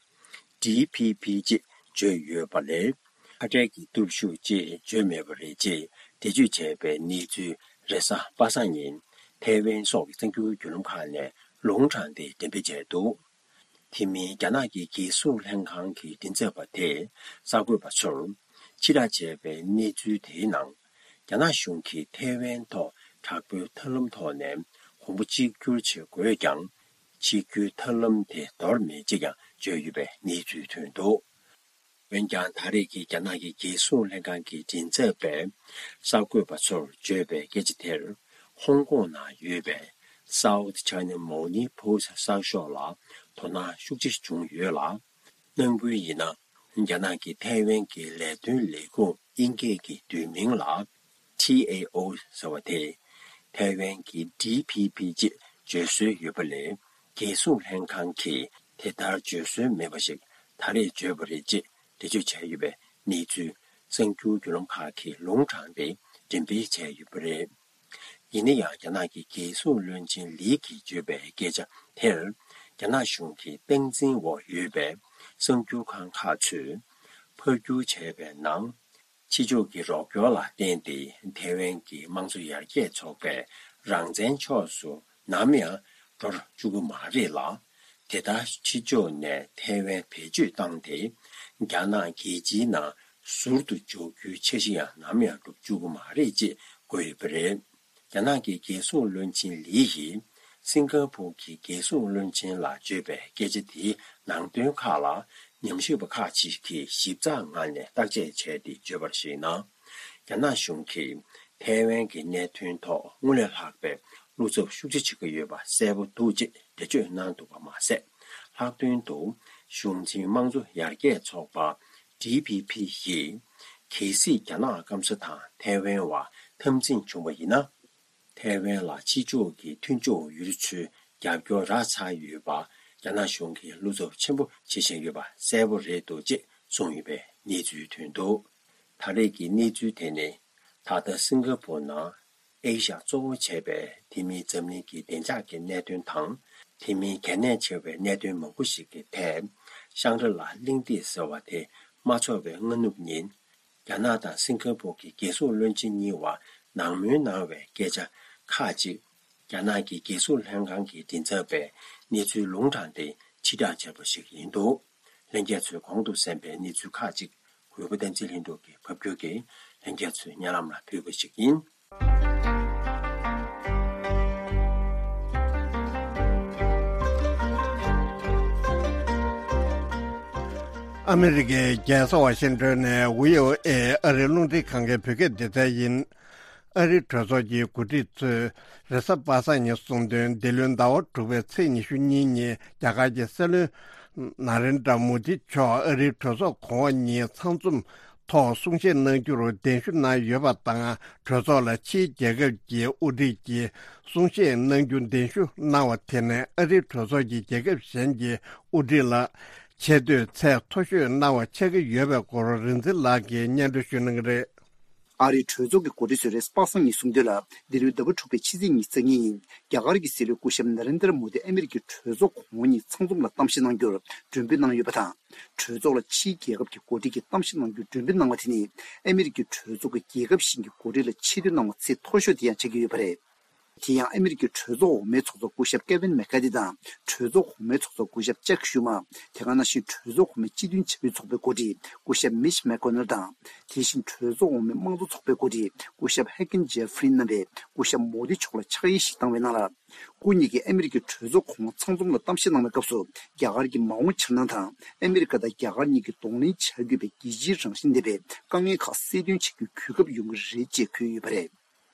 ཌི་ཕི་ཕི་ཅེས་བརྗོད་ཡོད་པ་ལས། ཁ་བྲལ་གྱི་སྟོབས་ཤུགས་ཅེས་བརྗོད་མེད་པ་རེད་ཅེས་འགྲེལ་བརྗོད་བྱས་པའི་གནས་ཚུལ། རེས་གཟའ་པ་སངས་ཉིན་ཐའེ་ཝན་སོགས་ཀྱི་གསར་འགྱུར་བརྒྱུད་ལམ་ཁག་ནས་ལུང་དྲངས་ཏེ་འགྲེམས་སྤེལ་བྱས་འདུག་དེ་མིན། རྒྱ་ནག་གི་རྒྱལ་སྲུང་ལྷན་ཁང་གི་མགྲིན་ཚབ་པ་དེས་གསར་འགོད་པ་ཚོར་ཕྱིར་བསྒྲགས་བྱས་པའི་གནས་ཚུལ་དེའི་ནང་། རྒྱ་ནག་གཞུང་གིས་ཐའེ་ཝན་ཐོག་དྲག་པོའི་ཐབས་ལམ་ཐོག་ནས་གོང་བུ་གཅིག་གྱུར་བྱེད་དགོས་ཀྱང་། གཅིག་གྱུར་ཐབས་ལམ་དེ་འདོར་མེད་ཅེས་ཀྱང་བརྗོད་ཡོད་པའི་གནས་ཚུལ་ཐོན་འདུག་འོན་ཀྱང་། ད་རེས་ཀྱི་རྒྱ་ནག་གི་རྒྱལ་སྲུང་ལྷན་ཁང་གི་མགྲིན་ཚབ་པས་གསར་འགོད་པ་ཚོར་བརྗོད་པའི་སྐད་ཆ་དེར། ཧོང་ཀོང་ནང་ཡོད་པའི་South China Morning Post གསར་ཤོག་ལ་དོ་སྣང་ཤུགས་ཆེ་བྱུང་ཡོད་ལ། ནང་ཁུལ་ཡིན་ན། རྒྱ་ནག་གི་ཐའེ་ཝན་གྱི་ལས་དོན་ལས་ཁུངས་དབྱིན་སྐད་ཀྱི་བསྡུས་མིང་ལ་ཊི་ཨེ་ཨོ་ཟེར་བ་དེ། ཐའེ་ཝན་གྱི་ཌི་ཕི་ཕི་ཅེས་བརྗོད་སྲོལ་ཡོད་པ་ལས། རྒྱལ་སྲུང་ལྷན་ཁང་གིས་དེ་ལྟར་བརྗོད་སྲོལ་མེད་པ་ཞིག་ད་རེས་བརྗོད་པ་རེད་ཅེས་འགྲེལ་བརྗོད་བྱས་ཡོད་པའི་གནས་ཚུལ། གསར་འགྱུར་བརྒྱུད་ལམ་ཁག་གིས་ལུང་དྲངས་ཏེ་འགྲེམས་སྤེལ་བྱས་ཡོད་པ་རེད། ཡིན་ན་ཡང་། རྒྱ་ནག་གི་རྒྱལ་སྲུང་བློན་ཆེན་ལི་གིས་བརྗོད་པའི་སྐད་ཆ་དེར། རྒྱ་ནག་གཞུང་གི་སྟངས་འཛིན་འོག་ཡོད་པའི་གསར་འགྱུར་ཁང་ཁག་ཚོས་ཕབ་བསྒྱུར་བྱས་པའི་ནང་། ཕྱི་ཕྱོགས་ཀྱི་རོགས་སྐྱོར་ལ་བརྟེན་ཏེ། ཐའེ་ཝན་གྱི་དམངས་གཙོ་ཡར་རྒྱས་ཚོགས་པའི་རང་བཙན་ཕྱོགས་སུ་ནམ་ཡང་འགྲོ་བཅུག་གི་མ་རེད་ལ། དེ་ལྟར་ཕྱི་ཕྱོགས་ནས་ཐའེ་ཝན་བེད་སྤྱོད་བཏང་སྟེ། རྒྱ་ནག་རྒྱལ་སྤྱིའི་ནང་ཟུར་དུ་འཇོག་རྒྱུའི་འཆར་གཞི་ཡང་ནམ་ཡང་འགྲོ་བཅུག་གི་མ་རེད་ཅེས་བཀོད་ཡོད་པ་རེད། རྒྱ་ནག་གི་རྒྱལ་སྲུང་བློན་ཆེན་ལི་ཡིས་སིང་ག་པུར་གྱི་རྒྱལ་སྲུང་བློན་ཆེན་ལ་བརྗོད་པའི་སྐད་ཆ་དེའི་ནང་དོན་ཁག་ལ། ཉམས་ཞིབ་པ་ཁག་ཅིག་གིས་ཞིབ་ཚགས་ངང་ནས་བརྟག་དཔྱད་བྱས་ཏེ་བརྗོད་པར་གཞིགས་ན། རྒྱ་ནག་གཞུང་གིས་ཐའེ་ཝན་གྱི་གནད་དོན་ཐོག་སྔར་ལས་ལྷག་པའི་བློ་འཚབ་ཤུགས་ཆེ་བྱེད་ཀྱི་ཡོད་པ་གསལ་པོ་འདུག་ཅེས་འགྲེལ་བརྗོད་གནང་འདུག་པ་མ་ཟད། ལྷག་དོན་དུ། གཞུང་འཛིན་དམངས་གཙོ་ཡར་རྒྱས་ཚོགས་པ། ཌི་ཕི་ཕི་ཡིས། གལ་སྲིད་རྒྱ་ནག་སྐམ་ས་དང་ཐའེ་ཝན་བར་འཐབ་འཛིང་བྱུང་བ་ཡིན་ན། ཐའེ་ཝན་ལ་ཕྱི་ཕྱོགས་ཀྱི་མཐུན་ཕྱོགས་ཡུལ་ཚོའི་རྒྱབ་སྐྱོར་རག་ཚར་ཡོད་པ། རྒྱ་ནག་གཞུང་གིས་བློ་འཚབ་ཆེན་པོ་བྱེད་བཞིན་ཡོད་པ་གསལ་པོ་རེད་འདུག་ཅེས་གསུངས་ཡོད་པའི་གནས་ཚུལ་ཐོན་འདུག་ད་རེས་ཀྱི་གནས་ཚུལ་དེ་ནི། ད་ལྟ་སིང་ག་པུར་ནང་ཨེ་ཤ་ཡ་གཙོ་བོ་བྱས་པའི་དེ་མིན་འཛམ་གླིང་གི་བདེ་འཇགས་ཀྱི་གནད་དོན་དང་། དེ་མིན་གལ་གནད་ཆེ་བའི་གནད་དོན་མང་པོ་ཞིག་གི་ཐད། ཤང་རི་ལ་གླེང་སྟེགས་ཟེར་བ་དེ་མ་འཚོགས་པའི་སྔ་ནུབ་ཉིན། རྒྱ་ནག་དང་སིང་ག་པུར་གྱི་རྒྱལ་སྲུང་བློན་ཆེན་གཉིས་བར་ནང་མོལ་གནང་བའི་སྐད་ཆ་ཁག་ཅིག་རྒྱ་ནག་གི་རྒྱལ་སྲུང་ལྷན་ཁང་གི་མགྲིན་ཚབ་པས་གནས་ཚུལ་ལུང་དྲངས་ཏེ་ཕྱིར་བསྒྲགས་བྱས་པ་ཞིག་ཡིན་འདུག་ལྷན་རྒྱས་ཚོས་གོང་དུ་གསན་པའི་གནས་ཚུལ་ཁག་ཅིག་གུས་པ་བསྟན་འཛིན་ལྷུན་གྲུབ་ཀྱིས་ཕབ་བསྒྱུར་གྱིས་ལྷན་རྒྱས་ཚོའི་སྙན་ལམ་ལ་ཕུལ་བ་ཞིག་ཡིན། ཨ་མི་རི་ཀའི་རྒྱལ་ས་ཝ་ཤིང་ཏོན་ནས་བྷི་ཨོ་ཨེ་ཨ་རིའི་རླུང་འཕྲིན་ཁང་གི་བོད་སྐད་སྡེ་ཚན་ཡིན། ཨ་རིའི་གྲོས་ཚོགས་ཀྱི་འགོ་ཁྲིད་ཚོས་རེས་གཟའ་པ་སངས་ཉིན་གསུངས་དོན། འདི་ལོའི་ཟླ་བ་དྲུག་པའི་ཚེས་ཉི་ཤུ་གཉིས་ཉིན་རྒྱ་གར་གྱི་སྲིད་བློན་ན་རེན་དྲ་མོ་དི་མཆོག་ཨ་རིའི་གྲོས་ཚོགས་གོང་འོག་གཉིས་ཚང་འཛོམས་ཐོག་གསུང་བཤད་གནང་རྒྱུར་གདན་ཞུ་གནང་ཡོད་པ་དང་། གྲོས་ཚོགས་ལ་ཕྱིའི་རྒྱལ་ཁབ་ཀྱི་དབུ་ཁྲིད་ཀྱིས་གསུང་བཤད་གནང་རྒྱུ་གདན་ཞུ་གནང་བ་དེ་ནི་ཨ་རིའི་གྲོས་ཚོགས་ཀྱི་རྒྱལ་ཁབ་གཞན་གྱི་དབུ་ཁྲིད་ལ་ཆེ་བསྟོད་ཚད་མཐོ་ཤོས་གནང་བ་ཆགས་ཀྱི་ཡོད་པའི་སྐོར་རིག་འཛིན་ལགས་ཀྱིས་སྙན་སྒྲོན་ཞུ་གནང་གི་རེད། ཨ་རིའི་གྲོས་ཚོགས་ཀྱི་འགོ་ཁྲིད་ཚོས་རེས་གཟའ་པ་སངས་ཉིན་གསུངས་དོན་ལ། འདི་ལོའི་ཟླ་བ་དྲུག་པའི་ཕྱི་ཚེས་ཉི་ཤུ་རྩ་གཉིས་ཉིན་རྒྱ་གར་གྱི་སྲིད་བློན་སྐུ་ཞབས་ན་རེན་དྲ་མོ་དི་ཨ་མི་རི་ཀའི་གྲོས་ཚོགས་གོང་འོག་གཉིས་ཚང་འཛོམས་ལ་གཏམ་བཤད་གནང་རྒྱུར་མགྲོན་འབོད་གནང་ཡོད་པ་དང་། གྲོས་ཚོགས་ལ་ཕྱིའི་རྒྱལ་ཁབ་ཀྱི་འགོ་ཁྲིད་ཀྱིས་གཏམ་བཤད་གནང་རྒྱུར་མགྲོན་འབོད་གནང་བ་དེ་ནི། ཨ་མི་རི་ཀའི་གྲོས་ཚོགས་ཀྱི་རྒྱལ་ཁབ་གཞན་གྱི་འགོ་ཁྲིད་ལ་ཆེ་བསྟོད་གནང་བ་ཚད་མཐོ་ཤོས་དེ་ཡང་ཆགས་ཀྱི་ཡོད་པ་རེད། དེ་ཡང་ཨ་མི་རི་ཀའི་གྲོས་ཚོགས་འོག་མའི་ཚོགས་གཙོ་སྐུ་ཞབས་ཀེ་ཝིན་མེ་ཁ་ཐི་དང་། གྲོས་ཚོགས་གོང་མའི་ཚོགས་གཙོ་སྐུ་ཞབས་ཅག་ཤུ་མ། དེ་ག་ནང་བཞིན་གྲོས་ཚོགས་གོང་མའི་སྤྱི་མཐུན་བྱ་བའི་ཚོགས་པའི་འགོ་ཁྲིད་སྐུ་ཞབས་མིཆ་མེག་ཀོ་ནལ་དང་། དེ་བཞིན་གྲོས་ཚོགས་འོག་མའི་དམངས་གཙོ་ཚོགས་པའི་འགོ་ཁྲིད་སྐུ་ཞབས་ཧེ་ཀིན་ཇེ་ཧྥི་རིན་རྣམ་པས་སྐུ་ཞབས་མོ་དི་མཆོག་ལ་ཕྱག་དབྱེ་ཞིག་བཏང་བའི་ནང་ལ། སྐུ་ཉིད་ཀྱིས་ཨ་མི་རི་ཀའི་གྲོས་ཚོགས་གོང་འོག་ཚང་འཛོམས་ལ་གཏམ་བཤད་གནང་བའི་སྐབས་སུ། རྒྱ་གར་གྱི་མ་འོངས་འཆར་སྣང་དང་། ཨ་མི་རི་ཀ་དང་རྒྱ་གར་གཉིས་ཀྱིས་གདོང་ལེན་བྱ་དགོས་པའི་རྒྱལ་སྤྱིའི་རང་བཞིན་ལྡན་པའི་དཀའ་ངལ་ཁག་སེལ་འདོན་བྱེད་རྒྱུའི་གོ་སྐབས་ཡོང་གི་རེད་ཅེས་འཁོད་ཡོད་པ་རེད།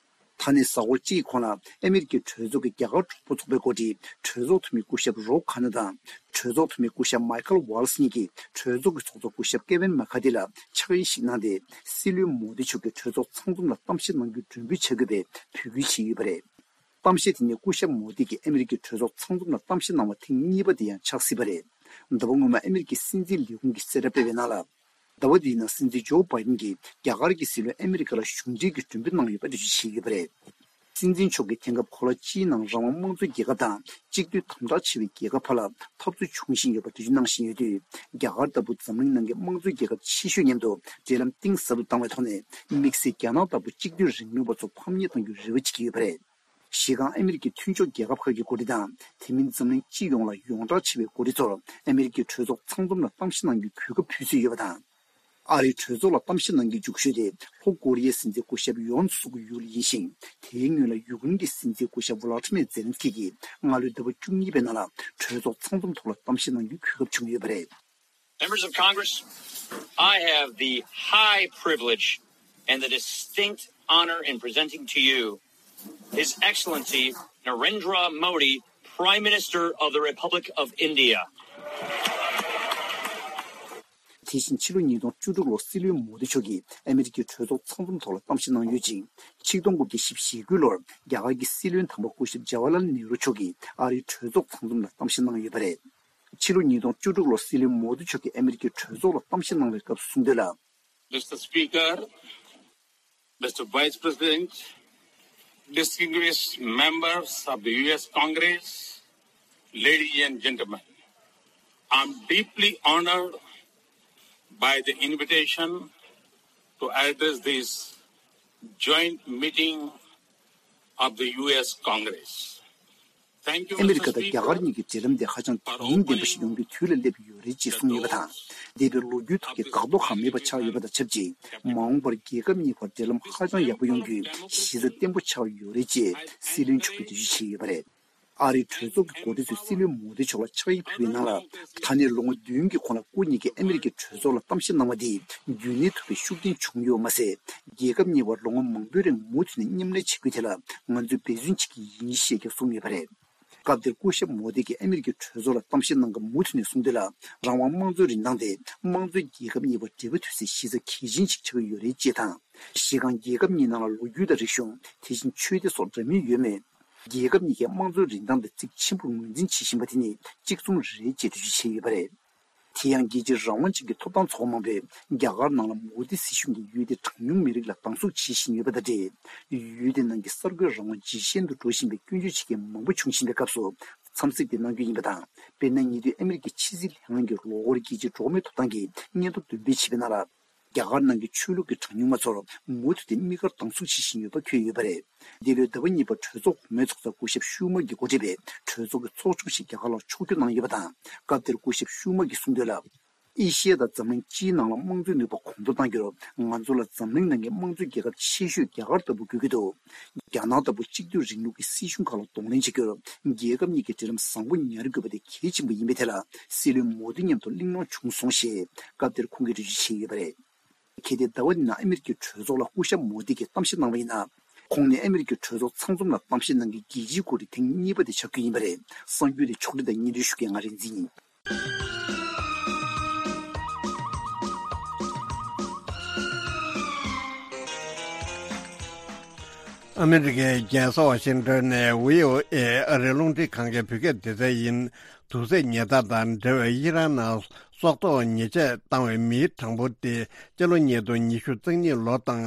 ད་ནི་གཟའ་འཁོར་གཅིག་གི་གོང་ལ་ཨ་མི་རི་ཀའི་གྲོས་ཚོགས་ཀྱི་རྒྱ་གར་གྲོགས་པོ་ཚོགས་པའི་འགོ་ཁྲིད་གྲོས་ཚོགས་འཐུས་མི་སྐུ་ཞབས་རོབ་ཁ་ནེ་དང་། གྲོས་ཚོགས་འཐུས་མི་སྐུ་ཞབས་མའི་ཁལ་ཝལ་སི་གཉིས་ཀྱིས་གྲོས་ཚོགས་ཀྱི་ཚོགས་གཙོ་སྐུ་ཞབས་ཀེ་ཝིན་མེ་ཁ་ཐི་ལ་ཕྱག་དབྱེ་ཞིག་གནང་སྟེ། སྲིད་བློན་མོ་དི་མཆོག་གིས་གྲོས་ཚོགས་ཚང་འཛོམས་ལ་གཏམ་བཤད་གནང་རྒྱུར་མགྲོན་འབོད་བྱ་དགོས་པའི་འབོད་སྐུལ་བྱས་ཡོད་པ་རེད། གཏམ་བཤད་དེ་ནི་སྐུ་ཞབས་མོ་དི་གིས་ཨ་མི་རི་ཀའི་གྲོས་ཚོགས་ཚང་འཛོམས་ལ་གཏམ་བཤད་གནང་བ་ཐེངས་གཉིས་པ་དེ་ཡང་ཆགས་སྲིད་པ་རེད། ཟླ་བ་སྔོན་མ་ཨ་མི་རི་ཀའི་སྲིད་འཛིན་ལས་ཁུངས་ཀྱིས་གསལ་བསྒྲགས་སྤེལ་བའི་ནང་ལ། ཟླ་བ་འདིའི་ནང་སྲིད་འཛིན་ཇོ་བྷའི་ཌེན་གྱིས་རྒྱ་གར་གྱི་སྲིད་བློན་ཨ་མི་རི་ཀ་ལ་ཞུགས་འབྲེལ་གྱི་མགྲོན་འབོད་གནང་ཡོད་པ་འགྲེལ་བརྗོད་བྱས་ཡོད་པ་རེད། སྲིད་འཛིན་མཆོག་གིས་དེང་སྐབས་གོ་ལ་སྤྱིའི་ནང་རང་དབང་དམངས་གཙོའི་རྒྱལ་ཁབ་དང་གཅིག་སྡུད་དམ་དྲག་ཆེ་བའི་རྒྱལ་ཁབ་བར་ལ་འཐབ་རྩོད་འབྱུང་བཞིན་ཡོད་པ་འགྲེལ་བརྗོད་གནང་བཞིན་ཡོད་དུས། རྒྱ་གར་ལྟ་བུ་འཛམ་གླིང་ནང་གི་དམངས་གཙོའི་རྒྱལ་ཁབ་ཆེ་ཤོས་མཉམ་དུ་འབྲེལ་ལམ་གཏིང་ཟབ་ཏུ་བཏང་བའི་ཐོག་ནས། དམིགས་བསལ་རྒྱ་ནག་ལྟ་བུ་གཅིག་སྡུད་རིང་ལུགས་པ་ཚོ་ཕམ་ཉེས་གཏོང་རྒྱུའི་རེ་བ་བྱེད་ཀྱི་ཡོད་པ་རེད། གཞི་རྐང་ཨ་མི་རི་ཀའི་མཐུན་ཕྱོགས་རྒྱལ་ཁབ་ཁག་གི་འགོ་ཁྲིད་དང་། དེ་མིན་འཛམ་གླིང་སྤྱི་ཡོངས་ལ་ཡོངས་གྲགས་ཆེ་བའི་འགོ་ཁྲིད་ཚོར་ཨ་མི་རི་ཀའི་གྲོས་ཚོགས་ཚང་འཛོམས་ལ་གཏམ་བཤད་གནང་རྒྱུའི་གོ་སྐབས་ཕུལ་སྲོལ་ཡོད་པ་དང་། ཨ་རིའི་གྲོས་ཚོགས་ལ་གཏམ་བཤད་གནང་རྒྱུའི་རྒྱུགས་ཤོག་དེ་ལྷོ་ཀོ་རི་ཡའི་སྲིད་འཛིན་སྐུ་ཞབས་ཡོན་སུག་ཡུལ་ཡིན་ཞིང་། དེའི་སྔོན་ལ་ཡུཀ་རེན་གྱི་སྲིད་འཛིན་སྐུ་ཞབས་ཝ་ལ་ཏི་མེར་ཛེ་ལན་སི་ཀི་གིས་སྔ་ལོའི་ཟླ་བ་བཅུ་གཉིས་པའི་ནང་ལ་གྲོས་ཚོགས་ཚང་འཛོམས་ཐོག་ལ་གཏམ་བཤད་གནང་རྒྱུའི་གོ་སྐབས་བྱུང་ཡོད་པ་རེད། Members of Congress, I have the high privilege and the distinct honor in presenting to you His Excellency Narendra Modi, Prime Minister of the Republic of India. དེ་བཞིན་ཕྱི་ལོ་ཉིས་སྟོང་བཅུ་དྲུག་ལོར་སྲིད་བློན་མོ་དི་མཆོག་གིས་ཨ་མི་རི་ཀའི་གྲོས་ཚོགས་ཚང་འཛོམས་ཐོག་ལ་གཏམ་བཤད་གནང་ཡོད་ཅིང་། ཆིག་སྟོང་དགུ་བརྒྱ་བཞི་བཅུ་ཞེ་དགུ་ལོར་རྒྱ་གར་གྱི་སྲིད་བློན་དང་པོ་སྐུ་ཞབས་ཇ་ཝར་ལཱལ་ནེ་རུ་མཆོག་གིས་ཨ་རིའི་གྲོས་ཚོགས་ཚང་འཛོམས་ལ་གཏམ་བཤད་གནང་ཡོད་པ་རེད། ཕྱི་ལོ་ཉིས་སྟོང་བཅུ་དྲུག་ལོར་སྲིད་བློན་མོ་དི་མཆོག་གིས་ཨ་མི་རི་ཀའི་གྲོས་ཚོགས་ལ་གཏམ་བཤད་གནང་བའི་སྐབས་སུ་གསུངས་དོན་ལ། Mister Speaker, Mister Vice President, distinguished members of the U S Congress, ladies and gentlemen, I'm deeply honored by the invitation to address this joint meeting of the U S Congress. Thank you, ཨ་མི་རི་Mister ཀ་དང་རྒྱ་གར་Speaker. གཉིས་ཀྱི་འབྲེལ་ལམ་དེ་ཧ་ཅང་དོན་སྙིང་ལྡན་པ་ཞིག་ཡོང་རྒྱུའི་དུས་ལ་སླེབས་ཡོད་རེད་ཅེས་གསུངས་ཡོད་པ་དང་། འདས་པའི་ལོ་རྒྱུས་ཐོག་གི་འགག་རྡོ་ཁག་མེད་པ་ཆགས་ཡོད་པ་དང་ཆབས་ཅིག་མ་འོངས་པར་རྒྱལ་ཁབ་གཉིས་བར་འབྲེལ་ལམ་ཧ་ཅང་ཡག་པོ་ཡོང་རྒྱུའི་གཞི་རྩ་བརྟན་པོ་ཆགས་ཡོད་རེད་ཅེས་སྲིད་བློན་མཆོག་གིས་འགྲེལ་བརྗོད་བྱས་ཡོད་པ་རེད། ཨ་རིའི་གྲོས་ཚོགས་ཀྱི་འགོ་ཁྲིད་ཚོས་སྲིད་བློན་མོ་དི་མཆོག་ལ་ཕྱག་དབྱིབས་ཕུལ་བའི་ནང་ལ། ད་ནས་ལོ་ངོ་བདུན་གྱི་གོང་ལ་སྐུ་ཉིད་ཀྱིས་ཨ་མི་རི་ཀའི་གྲོས་ཚོགས་ལ་གཏམ་བཤད་གནང་བ་དེས་རྒྱུན་གནས་ཐུབ་པའི་ཤུགས་རྐྱེན་བྱུང་ཡོད་མ་ཟད། རྒྱལ་ཁབ་གཉིས་བར་ལོ་ངོ་མང་པོའི་རིང་མུ་མཐུད་ནས་མཉམ་ལས་བྱེད་རྒྱུ་དེ་ལ་ང་ཚོས་འབད་བརྩོན་བྱེད་ཀྱི་ཡིན་ཞེས་ཀྱང་གསུངས་ཡོད་པ་རེད། སྐབས་དེར་སྐུ་ཞབས་མོ་དི་གིས་ཨ་མི་རི་ཀའི་གྲོས་ཚོགས་ལ་གཏམ་བཤད་གནང་སྐབས་མུ་མཐུད་ནས་གསུངས་དོན་ལ། རང་དབང་དམངས་གཙོའི་རིན་ཐང་དེ་དམངས་གཙོའི་རྒྱལ་ཁབ་གཉིས་བར་འབྲེལ་བ་མཐུད་སའི་གཞི་རྩ་གལ་ཆེན་ཞིག་ཆགས་ཀྱི་ཡོད་རེད་ཅེས་དང་། གཞི་རྐང་རྒྱལ་ཁབ་གཉིས་ནང་ལ་ལོ་རྒྱུས་དང་རིག་གཞུང་། དེ་བཞིན་ཆོས་སྡེ་སོགས་འདྲ་མིན་ཡོད་མོད། རྒྱལ་ཁབ་གཉིས་ཀས་དམངས་གཙོའི་རིན་ཐང་དེ་གཙིགས་ཆེན་པོར་ངོས་འཛིན་བྱེད་བཞིན་པ་དེ་ནི་གཅིག་མཚུངས་རེད་ཅེས་འགྲེལ་བརྗོད་བྱས་ཡོད་པ་རེད། དེ་ཡང་རྒྱལ་སྤྱིའི་རང་དབང་ཅན་གྱི་ཐོབ་ཐང་ཚོགས་པ་མང་པོས་རྒྱ་གར་ནང་ལ་མོ་དི་སྲིད་གཞུང་གིས་ཡུལ་དེའི་གྲངས་ཉུང་མི་རིགས་ལ་སྡང་ཟུག་བྱེད་བཞིན་ཡོད་པ་དང་འབྲེལ། ཡུལ་དེ་ནང་གི་གསར་འགོད་རང་དབང་ཇེ་ཞན་དུ་འགྲོ་བཞིན་པའི་སྐྱོན་བརྗོད་བྱེད་མཁན་མང་པོ་བྱུང་བཞིན་པའི་སྐབས་སུ། འཚམས་གཟིགས་དེ་གནང་རྒྱུ་ཡིན་པ་དང་། དཔེར་ན་ཉེ་དུས་ཨ་མི་རི་ཀའི་ཕྱི་སྲིད་ལྷན་ཁང་གིས་ལོ་འཁོར་རྒྱལ་སྤྱིའི་འགྲོ་བ་མིའི་ཐོབ་ཐང་གི་སྙན་ཐོ་འདོན་སྤེལ་བྱས་པའི་ནང་ལ། རྒྱ་གར་ནང་གི་ཆོས་ལུགས་ཀྱི་གྲངས་ཉུང་མ་ཚོར་མུ་མཐུད་དེ་དམིགས་བཀར་སྡང་ཟུག་བྱེད་བཞིན་ཡོད་པ་འཁོད་ཡོད་པ་རེད། འདི་ལོའི་ཟླ་བ་གཉིས་པར་གྲོས་ཚོགས་གོང་མའི་ཚོགས་གཙོ་སྐུ་ཞབས་ཤུ་མ་གིས་འགོ་ཁྲིད་པའི་གྲོས་ཚོགས་ཀྱི་ཚོགས་ཆུང་ཞིག་རྒྱ་གར་ལ་ཕྱོགས་བསྐྱོད་གནང་ཡོད་པ་དང་། སྐབས་དེར་སྐུ་ཞབས་ཤུ་མ་གིས་གསུངས་དོན་ལ། ཨེ་ཤི་ཡ་དང་འཛམ་གླིང་སྤྱིའི་ནང་ལ་དམངས་གཙོའི་ནུས་པ་གོང་མཐོར་གཏང་རྒྱུར་ང་ཚོ་ལ་འཛམ་གླིང་ནང་གི་དམངས་གཙོའི་རྒྱལ་ཁབ་ཆེ་ཤོས་རྒྱ་གར་ལྟ་བུ་དགོས་ཀྱི་འདུག་རྒྱ་ནག་ལྟ་བུ་གཅིག་སྡུད་རིང་ལུགས་ཀྱི་སྲིད་གཞུང་ཁག་ལ་གདོང་ལེན་བྱ་རྒྱུར་རྒྱལ་ཁབ་གཉིས་ཀྱི་འབྲེལ་ལམ་བཟང་པོ་ཉར་དགོས་པ་དེ་གལ་ཆེན་པོ་ཡིན་པའི་ཐད་ལ་སྲིད་བློན་མོ་དི་མཉམ་དུ་གླེང་སློང་བྱུང་སོང་ཞེས་སྐབས་དེར་ཁོང་གིས་འགྲེལ་བརྗོད་བྱས་ཡོད་པ་རེད། གལ་ཏེ་ཟླ་བ་འདིའི་ནང་ཨ་མི་རི་ཀའི་གྲོས་ཚོགས་ལ་སྐུ་ཞབས་མོ་དི་གིས་གཏམ་བཤད་གནང་བ་ཡིན་ན། ཁོང་ནི་ཨ་མི་རི་ཀའི་གྲོས་ཚོགས་ཚང་འཛོམས་ལ་གཏམ་བཤད་གནང་མཁན་རྒྱལ་སྤྱིའི་འགོ་ཁྲིད་ཐེངས་གཉིས་པ་དེ་ཆགས་རྒྱུ་ཡིན་པ་རེད། གསར་འགྱུར་དེ་ཕྱོགས་སྒྲིག་དང་སྙན་སྒྲོན་ཞུ་མཁན་ང་རིག་འཛིན་ཡིན། ཨ་མི་རི་ཀའི་རྒྱལ་ས་ཝ་ཤིང་ཏོན་ནས་བྷི་ཨོ་ཨེ་ཨ་རིའི་རླུང་འཕྲིན་ཁང་གི་བོད་སྐད་སྡེ་ཚན་ཡིན། དུག་རྫས་ཉེན་བརྡ་དང་འབྲེལ་བའི་ཨི་རན་ནང་སྲོག་ཐོག་ཉེས་ཆད་བཏང་བའི་མིའི་གྲངས་འབོར་དེ་སྤྱི་ལོ་ཉིས་སྟོང་ཉི་ཤུ་རྩ་གཉིས་ལོ་དང་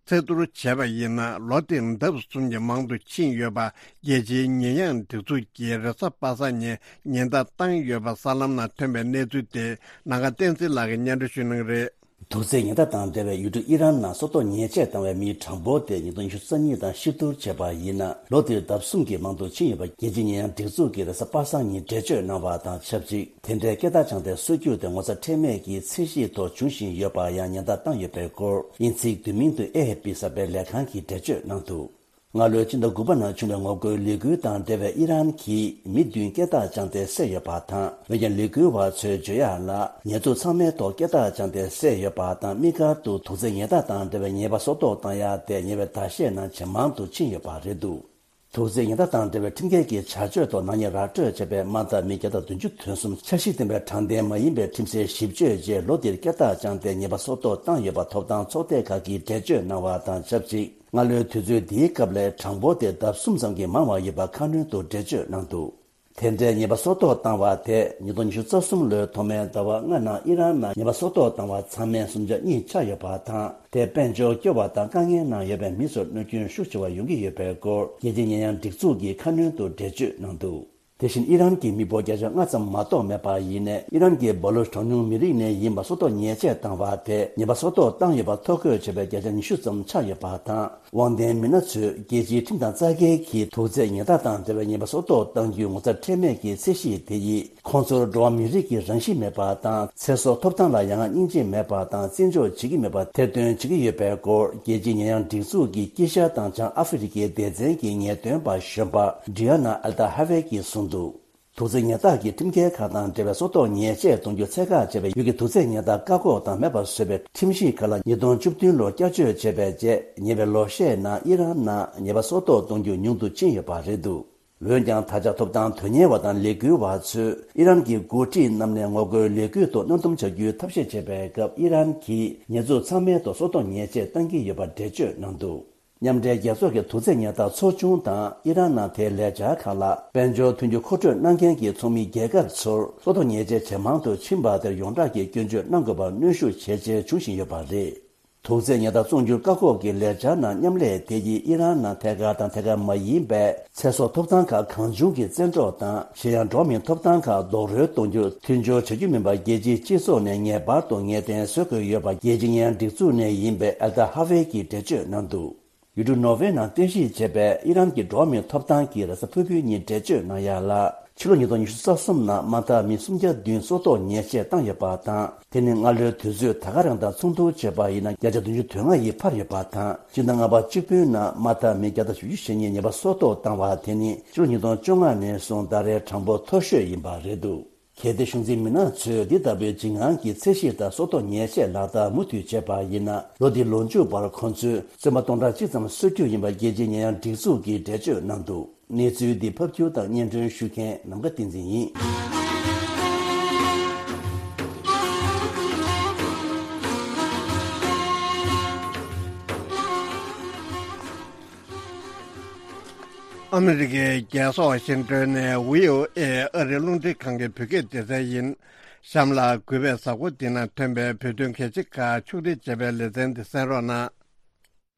ཚད་བསྡུར་བྱས་པ་ཡིན་ན། ལོ་དེར་ལྡབ་གསུམ་གྱིས་མང་དུ་ཕྱིན་ཡོད་པ་རྒྱལ་སྤྱིའི་ཉེས་ཡངས་སྒྲིག་འཛུགས་ཀྱིས་རེས་གཟའ་པ་སངས་ཉིན་ཉེན་བརྡ་བཏང་ཡོད་པ་གསར་ལམ་ནང་ཐོན་པའི་གནས་ཚུལ་དེ་ནང་ཁ་བསྟན་འཛིན་ལགས་ཀྱིས་སྙན་སྒྲོན་ཞུ་གནང་གི་རེད། དུག་རྫས་ཉེན་བརྡ་དང་འབྲེལ་བའི་ཡུལ་གྲུ་ཨི་རན་ནང་སྲོག་ཐོག་ཉེས་ཆད་བཏང་བའི་མིའི་གྲངས་འབོར་དེ་ཉིས་སྟོང་ཉི་ཤུ་རྩ་གཉིས་དང་ཕྱིར་བསྡུར་བྱས་པ་ཡིན་ན། ལོ་དེར་ལྡབ་གསུམ་གྱིས་མང་དུ་ཕྱིན་ཡོད་པ་རྒྱལ་སྤྱིའི་ཉེས་ཡངས་སྒྲིག་འཛུགས་ཀྱིས་རེས་གཟའ་པ་སངས་ཉིན་འགྲེལ་བརྗོད་གནང་བ་དང་ཆབས་ཅིག་དེ་འདྲའི་སྐད་བརྡ་བྱང་སྟེ་སྲོལ་རྒྱུན་དེ་ངོ་ཚ་ཁྲེལ་མེད་ཀྱི་ཚད་གཞི་ཐོག་འབྱུང་བཞིན་ཡོད་པར་ཡང་ཉེན་བརྡ་བཏང་ཡོད་པའི་སྐོར། དབྱིན་ཚིག་བསྡུས་མིང་དུ་ཨེ་ཨེཕ་པི་གསར་པའི་ལས་ཁང་གིས་འགྲེལ་བརྗོད་གནང་འདུག་སྔ་ལོའི་ཕྱི་ཟླ་དགུ་པ་ནང་བྱུང་བའི་ངོ་རྒོལ་ལས་འགུལ་དང་འབྲེལ་བའི་ཨི་རན་གྱིས་མི་བདུན་སྐད་བརྡ་བྱང་སྟེ་བསད་ཡོད་པ་དང་། འོན་ཀྱང་ལས་འགུལ་བ་ཚོའི་བརྗོད་ཡག་ལ། ཉེས་འཛུགས་ཚང་མའི་ཐོག་སྐད་བརྡ་བྱང་སྟེ་བསད་ཡོད་པ་དང་། དམིགས་བཀར་དུ་དུག་རྫས་ཉེན་བརྡ་དང་འབྲེལ་བའི་ཉེས་པ་སྲོག་ཐོག་བཏང་ཡག་དེ་ཉེ་བའི་ཟླ་ཤས་ནང་ཇེ་མང་དུ་ཕྱིན་ཡོད་པ་རེད་འདུག་དུག་རྫས་ཉེན་བརྡ་དང་འབྲེལ་བའི་ཁྲིམས་འགལ་གྱི་བྱ་སྤྱོད་ཐོག་ནག་ཉེས་ར་སྤྲོད་བྱས་པའི་དམག་འཐབ་མི་བརྒྱ་དང་བདུན་ཅུ་དོན་གསུམ་འཆར་གཞི་ལྡན་པའི་དྲང་བདེན་མ་ཡིན་པའི་ཁྲིམས་སའི་ཞིབ་དཔྱོད་ཅེས་ལོ་འདིར་སྐད་བརྡ་བྱང་སྟེ་ཉེས་པ་སྲོག་ཐོག་བཏང་ཡོད་པ་ཐོབ་ཐང་ཚོགས་སྡེ་ཁག་གིས་འགྲེལ་བརྗོད་གནང་བ་དང་ཆབས་ཅིག་སྔ་ལོའི་དུས་ཚོད་འདིའི་སྐབས་ལས་གྲངས་འབོར་དེ་ལྡབ་གསུམ་ཙམ་གྱིས་མང་བ་ཡོད་པ་ཁ་སྣོན་དུ་འགྲེལ་བརྗོད་གནང་འདུག་དེ་འདྲའི་ཉེས་པ་སྲོག་ཐོག་བཏང་བ་དེ་ཉིས་སྟོང་ཉི་ཤུ་རྩ་གསུམ་ལོའི་ཐོག་མའི་ཟླ་བ་ལྔ་ནང་ཨི་རན་ནང་ཉེས་པ་སྲོག་ཐོག་བཏང་བ་ཚང་མའི་སུམ་ཆ་གཉིས་ཆགས་ཡོད་པ་དང་། དེས་དཔལ་འབྱོར་སྐྱོ་བ་དང་དཀའ་ངལ་ནང་ཡོད་པའི་མི་ཚོར་གནོད་སྐྱོན་ཤུགས་ཆེ་བ་ཡོང་གི་ཡོད་པའི་སྐོར་རྒྱལ་སྤྱིའི་ཉེས་ཡངས་སྒྲིག་འཛུགས་ཀྱིས་ཁ་སྣོན་དུ་འགྲེལ་བརྗོད་གནང་འདུག་དེ་བཞིན་ཨི་རན་གྱི་མི་འབོར་བརྒྱ་ཆ་ལྔ་ཙམ་མ་གཏོགས་མེད་པ་ཡིན་ནའི། ཨི་རན་གྱི་སྦ་ལུ་གྲངས་ཉུང་མི་རིགས་ནས་ཡིན་པ་སྲོག་ཐོག་ཉེས་ཆད་བཏང་བ་དེ་ཉེས་པ་སྲོག་ཐོག་བཏང་ཡོད་པ་ཐོ་འགོད་བྱས་པའི་བརྒྱ་ཆ་ཉི་ཤུ་ཙམ་ཆགས་ཡོད་པ་དང་། དབང་ལྡན་མི་སྣ་ཚོས་རྒྱལ་སྤྱིའི་ཁྲིམས་དང་རྩ་འགལ་གྱིས་དུག་རྫས་ཉེས་རྡུང་དང་འབྲེལ་བའི་ཉེས་པ་སྲོག་ཐོག་གཏང་རྒྱུའི་ངོ་ཚབ་ཁྲེལ་མེད་ཀྱི་ཚད་གཞི་དེ་ཡིས། ཁོང་ཚོར་འགྲོ་བ་མིའི་རིགས་ཀྱི་རང་བཞིན་མེད་པ་དང་། ཚེ་སྲོག་ཐོབ་ཐང་ལ་ཡ་ང་སྙིང་རྗེ་མེད་པ་དང་། བརྩི་འཇོག་བྱེད་ཀྱི་མེད་པ་ཐེར་འདོན་བྱེད་ཀྱི་ཡོད་པའི་སྐོར་རྒྱལ་སྤྱིའི་ཉེས་ཡངས་སྒྲིག་འཛུགས་ཀྱི་དཀྱིལ་ཤར་དང་བྱང་ཨ་ཧྥེ་རི་ཁའི་སྡེ་ཚན་གྱི་ངེས་སྟོན་པ་གཞོན་པ་ཌི་ཡ་ན་ཨལ་ཏ་ཧ་ཝེ་གྱིས་གསུངས་འདུག་དུག་རྫས་ཉེས་རྡུང་གི་ཁྲིམས་འགལ་ཁག་དང་འབྲེལ་བའི་སྲོག་ཐོག་ཉེས་ཆད་གཏོང་རྒྱུ་ཚད་བཀག་བྱས་པའི་ཡུལ་གྱི་དུག་རྫས་ཉེས་རྡུང་བཀག་འགོག་དང་མེད་པར་བཟོ་བའི་ཁྲིམས་གཞི་ཁག་ལ་ཉིས་སྟོང་བཅུ་བདུན་ལོར་བསྐྱར་བཅོས་བྱས་པའི་རྗེས། ཉེ་བའི་ལོ་ཤས་ནང་ཨི་རན་ནང་ཉེས་པ་སྲོག་ཐོག་གཏོང་རྒྱུ་ཉུང་དུ་ཕྱིན་ཡོད་པ་རེད་འདུག་འོན་ཀྱང་། ད་ཆ་ཐོབ་ཐང་དོན་གཉེར་བ་དང་ལས་འགུལ་བ་ཚོས་ཨི་རན་གྱི་འགོ་ཁྲིད་རྣམས་ནས་ངོ་རྒོལ་ལས་འགུལ་ཐོག་མནའ་འདུམ་བྱ་རྒྱུའི་ཐབས་ཤེས་བྱེད་པའི་སྐབས། ཨི་རན་གྱིས་ཉེས་འཛུགས་ཚང་མའི་ཐོག་སྲོག་ཐོག་ཉེས་ཆད་གཏང་གི་ཡོད་པ་འགྲེལ་བརྗོད་གནང་འདུག་མཉམ་འབྲེལ་རྒྱལ་ཚོགས་ཀྱི་དུག་རྫས་ཉེས་རྡུང་ཚོགས་ཆུང་དང་ཨི་རན་ནང་དེའི་ལས་འཆར་ཁག་ལ། དཔལ་འབྱོར་མཐུན་འགྱུར་མཁོ་སྤྲོད་གནང་མཁན་གྱི་ཚོགས་མི་རྒྱལ་ཁབ་ཚོར་སྲོག་ཐོག་ཉེས་ཆད་ཇེ་མང་དུ་ཕྱིན་པ་དེར་ཡོངས་གྲགས་ཀྱི་སྐྱོན་བརྗོད་གནང་དགོས་པར་གནོན་ཤུགས་ཇེ་ཆེར་འབྱུང་བཞིན་ཡོད་པ་རེད། དུག་རྫས་ཉེས་རྡུང་བཙོང་རྒྱུར་བཀག་འགོག་གི་ལས་འཆར་ནང་མཉམ་ལས་དེ་ཡིས་ཨི་རན་ནང་ཐད་ཀར་དང་ཐད་ཀར་མ་ཡིན་པའི་ཚེ་སྲོག་ཐོབ་ཐང་ཁག་གང་བྱུང་གི་བཙན་འཕྲོག་དང་། གཞན་ཡང་། འགྲོ་བ་མིའི་ཐོབ་ཐང་ཁག་རྡོག་རོལ་གཏོང་རྒྱུར་མཐུན་སྦྱོར་བྱ་རྒྱུ་མིན་པར། རྒྱལ་སྤྱིའི་སྤྱི་ཚོགས་ནས་ངེས་པར་དུ་ངེས་གཏན་བཟོ་དགོས་ཡོད་པ། རྒྱལ་སྤྱིའི་ཉེས་ཡངས་སྒྲིག་འཛུགས་ནས་ཡིན་པའི་ཨལ་ཏ་ཧ་ཝེ་གྱིས་འགྲེལ་བརྗོད་གནང་འདུག་ཡུལ་གྲུ་ནོར་ཝེ་ནང་རྟེན་གཞི་བྱས་པའི་ཨི་རན་གྱི་འགྲོ་བ་མིའི་ཐོབ་ཐང་གི་རེས་གཟའ་ཕུར་བུའི་ཉིན་འགྲེལ་བརྗོད་གནང་ཡག་ལ། ཕྱི་ལོ་ཉིས་སྟོང་ཉི་ཤུ་རྩ་གསུམ་ནང་མ་མཐའ་མི་སུམ་བརྒྱ་བདུན་སྲོག་ཐོག་ཉེས་ཆད་བཏང་ཡོད་པ་དང་། དེ་ནི་སྔ་ལོའི་དུས་ཚོད་ད་ག་རང་དང་མཚུངས་བསྡུར་བྱས་པ་ཡིན་ན། བརྒྱ་ཆ་བདུན་ཅུ་དོན་ལྔ་ཡིས་འཕར་ཡོད་པ་དང་། སྤྱི་ཟླ་ལྔ་པ་གཅིག་པུའི་ནང་མ་མཐའ་མི་བརྒྱ་དང་བཞི་བཅུ་ཞེ་གཉིས་ཉེས་པ་སྲོག་ཐོག་བཏང་བ་དེ་ནི་ཕྱི་ལོ་ཉིས་སྟོང་བཅོ་ལྔ་ནས་བཟུང་ད་རེས་གྲངས་འབོར་མཐོ་ཤོས་ཡིན་པ་རེད་འདུག་གལ་ཏེ་གཞུང་འཛིན་མི་སྣ་ཚོས་འདི་ལྟ་བུའི་འཇིགས་སྣང་གི་ཚད་གཞི་ལྟར་སྲོག་ཐོག་ཉེས་ཆད་ལག་བསྟར་མུ་མཐུད་བྱས་པ་ཡིན་ན། ལོ་འདིའི་ལོ་མཇུག་བར་ཁོང་ཚོས་བཙོན་པ་སྟོང་ཕྲག་གཅིག་ཙམ་གསོད་རྒྱུ་ཡིན་པ་རྒྱལ་སྤྱིའི་ཉེས་ཡངས་སྒྲིག་འཛུགས་ཀྱིས་འགྲེལ་བརྗོད་གནང་འདུག་གནས་ཚུལ་འདི་ཕབ་སྒྱུར་དང་སྙན་སྒྲོན་ཞུ་མཁན་ནམ་མཁའ་བསྟན་འཛིན་ཡིན། ཨ་མི་རི་ཀའི་རྒྱལ་ས་ཝ་ཤིང་ཏོན་ནས་བྷི་ཨོ་ཨེ་ཨ་རིའི་རླུང་འཕྲིན་ཁང་གི་བོད་སྐད་སྡེ་ཚན་ཡིན། གཤམ་ལ་གུས་པས་གཟའ་འཁོར་འདི་ན་ཐོན་པའི་བོད་དོན་གལ་ཆེ་ཁག་ཕྱོགས་སྒྲིག་བྱས་པའི་ལེ་ཚན་འདི་གསན་རོགས་གནང་།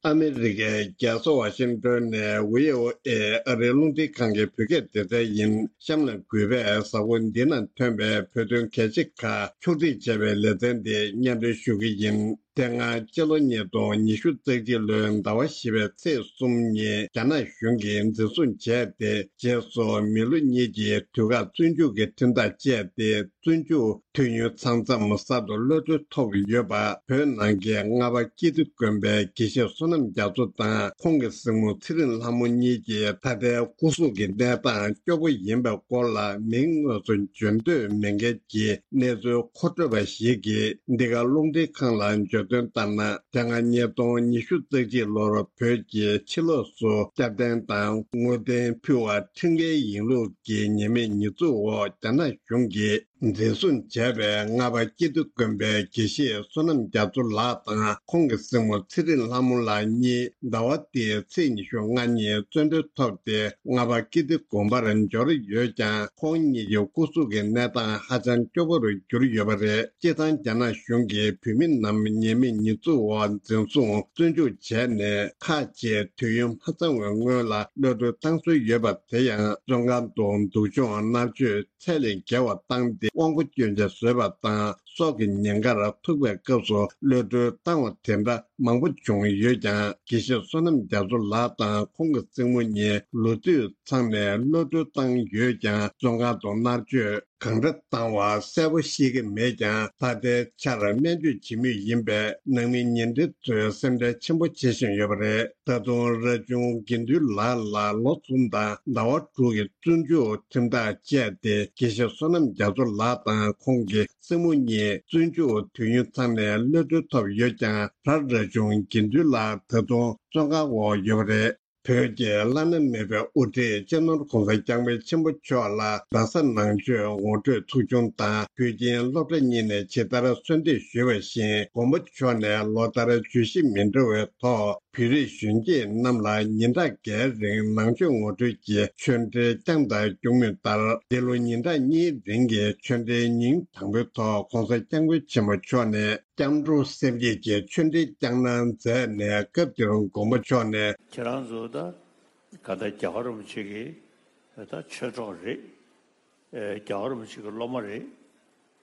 ཨ་མི་རི་ཀའི་རྒྱལ་ས་ཝ་ཤིང་ཏོན་ནས་བྷི་ཨོ་ཨེ་ཨ་རིའི་རླུང་འཕྲིན་ཁང་གི་བོད་སྐད་སྡེ་ཚན་ཡིན། གཤམ་ལ་གུས་པས་གཟའ་འཁོར་འདི་ན་ཐོན་པའི་བོད་དོན་གལ་ཆེ་ཁག་ཕྱོགས་སྒྲིག་བྱས་པའི་ལེ་ཚན་འདི་སྙན་སྒྲོན་ཞུ་གི་ཡིན། དེ་སྔ་སྤྱི་ལོ་ཉིས་སྟོང་ཉི་ཤུ་རྩ་གཅིག་ལོའི་ཟླ་བ་བཞི་པའི་ཚེས་གསུམ་ཉིན་རྒྱ་ནག་གཞུང་གིས་འཛིན་བཟུང་བྱས་ཏེ། རྗེས་སུ་མི་ལོ་གཉིས་ཀྱི་དུས་བཀག་བཙོན་འཇུག་གི་ཁྲིམས་ཐག་བཅད་དེ། བཙོན་འཇུག་དུས་ཡུན་ཚང་མཚམས་གསར་དུ་གློད་གྲོལ་ཐོབ་ཡོད་པ། བོད་ནང་གི་རྔ་པ་ཀིརྟི་དགོན་པའི་དགེ་བཤེས་བསོད་ནམས་རྒྱ་མཚོ་དང་ཁོང་གི་གཟིགས་མོ་ཚེ་རིང་ལྷ་མོ་གཉིས་ཀྱི་ད་ལྟའི་སྐུ་གཟུགས་ཀྱི་གནས་སྟངས་སྐྱོ་པོ་ཡིན་པའི་སྐོར་ལ། མིང་དངོས་སུ་བརྗོད་འདོད་མེད་མཁན་གྱི་གནས་ཚུལ་མཁོ་སྤྲོད་པ་ཞིག་གིས་འདི་ག་རླུང་འཕྲིན་ཁང་ལ་བརྗོད་དོན་ལྟར་ན། དེ་སྔ་ཉིས་སྟོང་ཉི་ཤུ་རྩ་གཅིག་ལོར་བོད་ཀྱི་ཕྱི་ལོགས་སུ་སྐྱབས་རྟེན་དང་དངོས་རྟེན་ཕུལ་བ་ཁྲིམས་འགལ་ཡིན་ལུགས་ཀྱི་ཉེས་མེད་ཉེས་འཛུགས་འོག་རྒྱ་ནག་གཞུང་གིས་འཛིན་བཟུང་བྱས་པའི་རྔ་པ་ཀིརྟི་དགོན་པའི་དགེ་བཤེས་བསོད་ནམས་རྒྱ་མཚོ་ལགས་དང་ཁོང་གི་གཟིགས་མོ་ཚེ་རིང་ལྷ་མོ་ལགས་གཉིས་ཟླ་བ་འདིའི་ཚེས་ཉི་ཤུ་ལྔ་ཉིན་བཙོན་གྲོལ་ཐོབ་སྟེ། རྔ་པ་ཀིརྟི་དགོན་པར་འབྱོར་ཡོད་ཀྱང་། ཁོང་གཉིས་ཀྱི་སྐུ་གཟུགས་ཀྱི་གནས་སྟངས་ཧ་ཅང་སྐྱོ་པོ་རུ་གྱུར་ཡོད་པ་རེད། སྤྱིར་བཏང་རྒྱ་ནག་གཞུང་གིས་བོད་མི་རྣམས་ཉེས་མེད་ཉེས་འཛུགས་འོག་འཛིན་བཟུང་བཙོན་འཇུག་བྱས་ནས། ཁག་ཅིག་དུས་ཡུན་མ་ཚང་བའི་སྔོན་ལ་གློད་གྲོལ་བཏང་སྲོལ་ཡོད་པ། དེ་ཡང་བཙོན་ཁང་དུ་སྡུག་སྦྱོང་མནར་གཅོད་ཚད་ལས་བརྒལ་བ་བཏང་སྟེ། དབང་པོ་སྐྱོན་ཆ་བཟོས་པ་དང་། སྲོག་གི་ཉེན་ཁར་ཐུག་པའི་སྐབས་སུ་གློད་གྲོལ་བཏང་བ་དེ་འདྲ་མང་པོ་བྱུང་ཡོད་ཀྱང་། དགེ་བཤེས་བསོད་ནམས་རྒྱ་མཚོ་ལགས་དང་ཁོང་གི་སྲིང་མོ་གཉིས་ལོ་དུས་ཚང་ནས་གློད་གྲོལ་བཏང་ཡོད་ཀྱང་། བཙོན་ཁང་དུ་མནར་གཅོད་གང་འདྲ་བཏང་བ་གསལ་པོ་ཤེས་ཀྱི་མེད་ཀྱང་། ད་ལྟའི་ཆར་སྨན་བཅོས་བྱེད་མུས་ཡིན་པས། ནང་མི་ཉེ་འབྲེལ་ཚོས་སེམས་ཁྲལ་ཆེན་པོ་བྱེད་བཞིན་ཡོད་པ་རེད། ད་དུང་ར་ཆུང་དགེ་འདུན་ལགས་ལ་ལོ་གསུམ་དང་ཟླ་བ་དྲུག་གི་བཙོན་འཇུག་ཁྲིམས་ཐག་བཅད་དེ། དགེ་བཤེས་བསོད་ནམས་རྒྱ་མཚོ་ལགས་དང་ཁོང་གི་སྲིང་མོ་གཉིས་བཙོན་འཇུག་དུས་ཡུན་ཚང་ནས་གློད་གྲོལ་ཐོབ་ཡོད་ཀྱང་། བྲག་ར་ཆུང་དགེ་འདུན་ལགས་ད་དུང་བཙོན་ཁང་འོག་ཡོད་པ་རེད། བོད་ཀྱི་བླ་ན་མེད་པའི་དབུ་ཁྲིད་སྤྱི་ནོར་༸གོང་ས་༸སྐྱབས་མགོན་ཆེན་པོ་མཆོག་ལ་རྡ་ས་ནང་ཆོས་ངོ་སྤྲོད་ཚོགས་ཆུང་དང་བོད་ཁྱིམ་སློབ་གྲྭ་གཉིས་ནས་ཇི་ལྟར་གསོལ་འདེབས་ཞུས་པ་བཞིན། མགོན་པོ་མཆོག་ནས་ལོ་ལྟར་བརྗོད་གཞི་མི་འདྲ་བའི་ཐོག་ བོད་རིགས་གཞོན་སྐྱེས་རྣམས་ལ་ཉིན་གྲངས་འགའི་རིང་ནང་ཆོས་ངོ་སྤྲོད་ཀྱི་ཆོས་འབྲེལ་བསྐྱངས་དང་སྐྱོང་མུས་ལྟར། འདི་ལོ་ཉིན་གྲངས་གཉིས་རིང་གི་ཆོས་འབྲེལ་ཉིན་དང་པོའི་ཐོག་༧གོང་ས་༧སྐྱབས་མགོན་ཆེན་པོ་མཆོག་ནས་སྐྱབས་འགྲོ་སེམས་བསྐྱེད་ཀྱི་ཆོས་འབྲེལ་བསྐྱངས་གནང་མཛད་ནས། སྐབས་དེར་མགོན་པོ་མཆོག་ནས། ཁྱེད་རང་ཚོ་ད་ག་ད་རྒྱལ་བ་རིན་པོ་ཆེ་གི་ད་ཆོས་གྲོགས་རེད། ཨེ། རྒྱལ་བ་རིན་པོ་ཆེ་གི་སློབ་མ་རེད།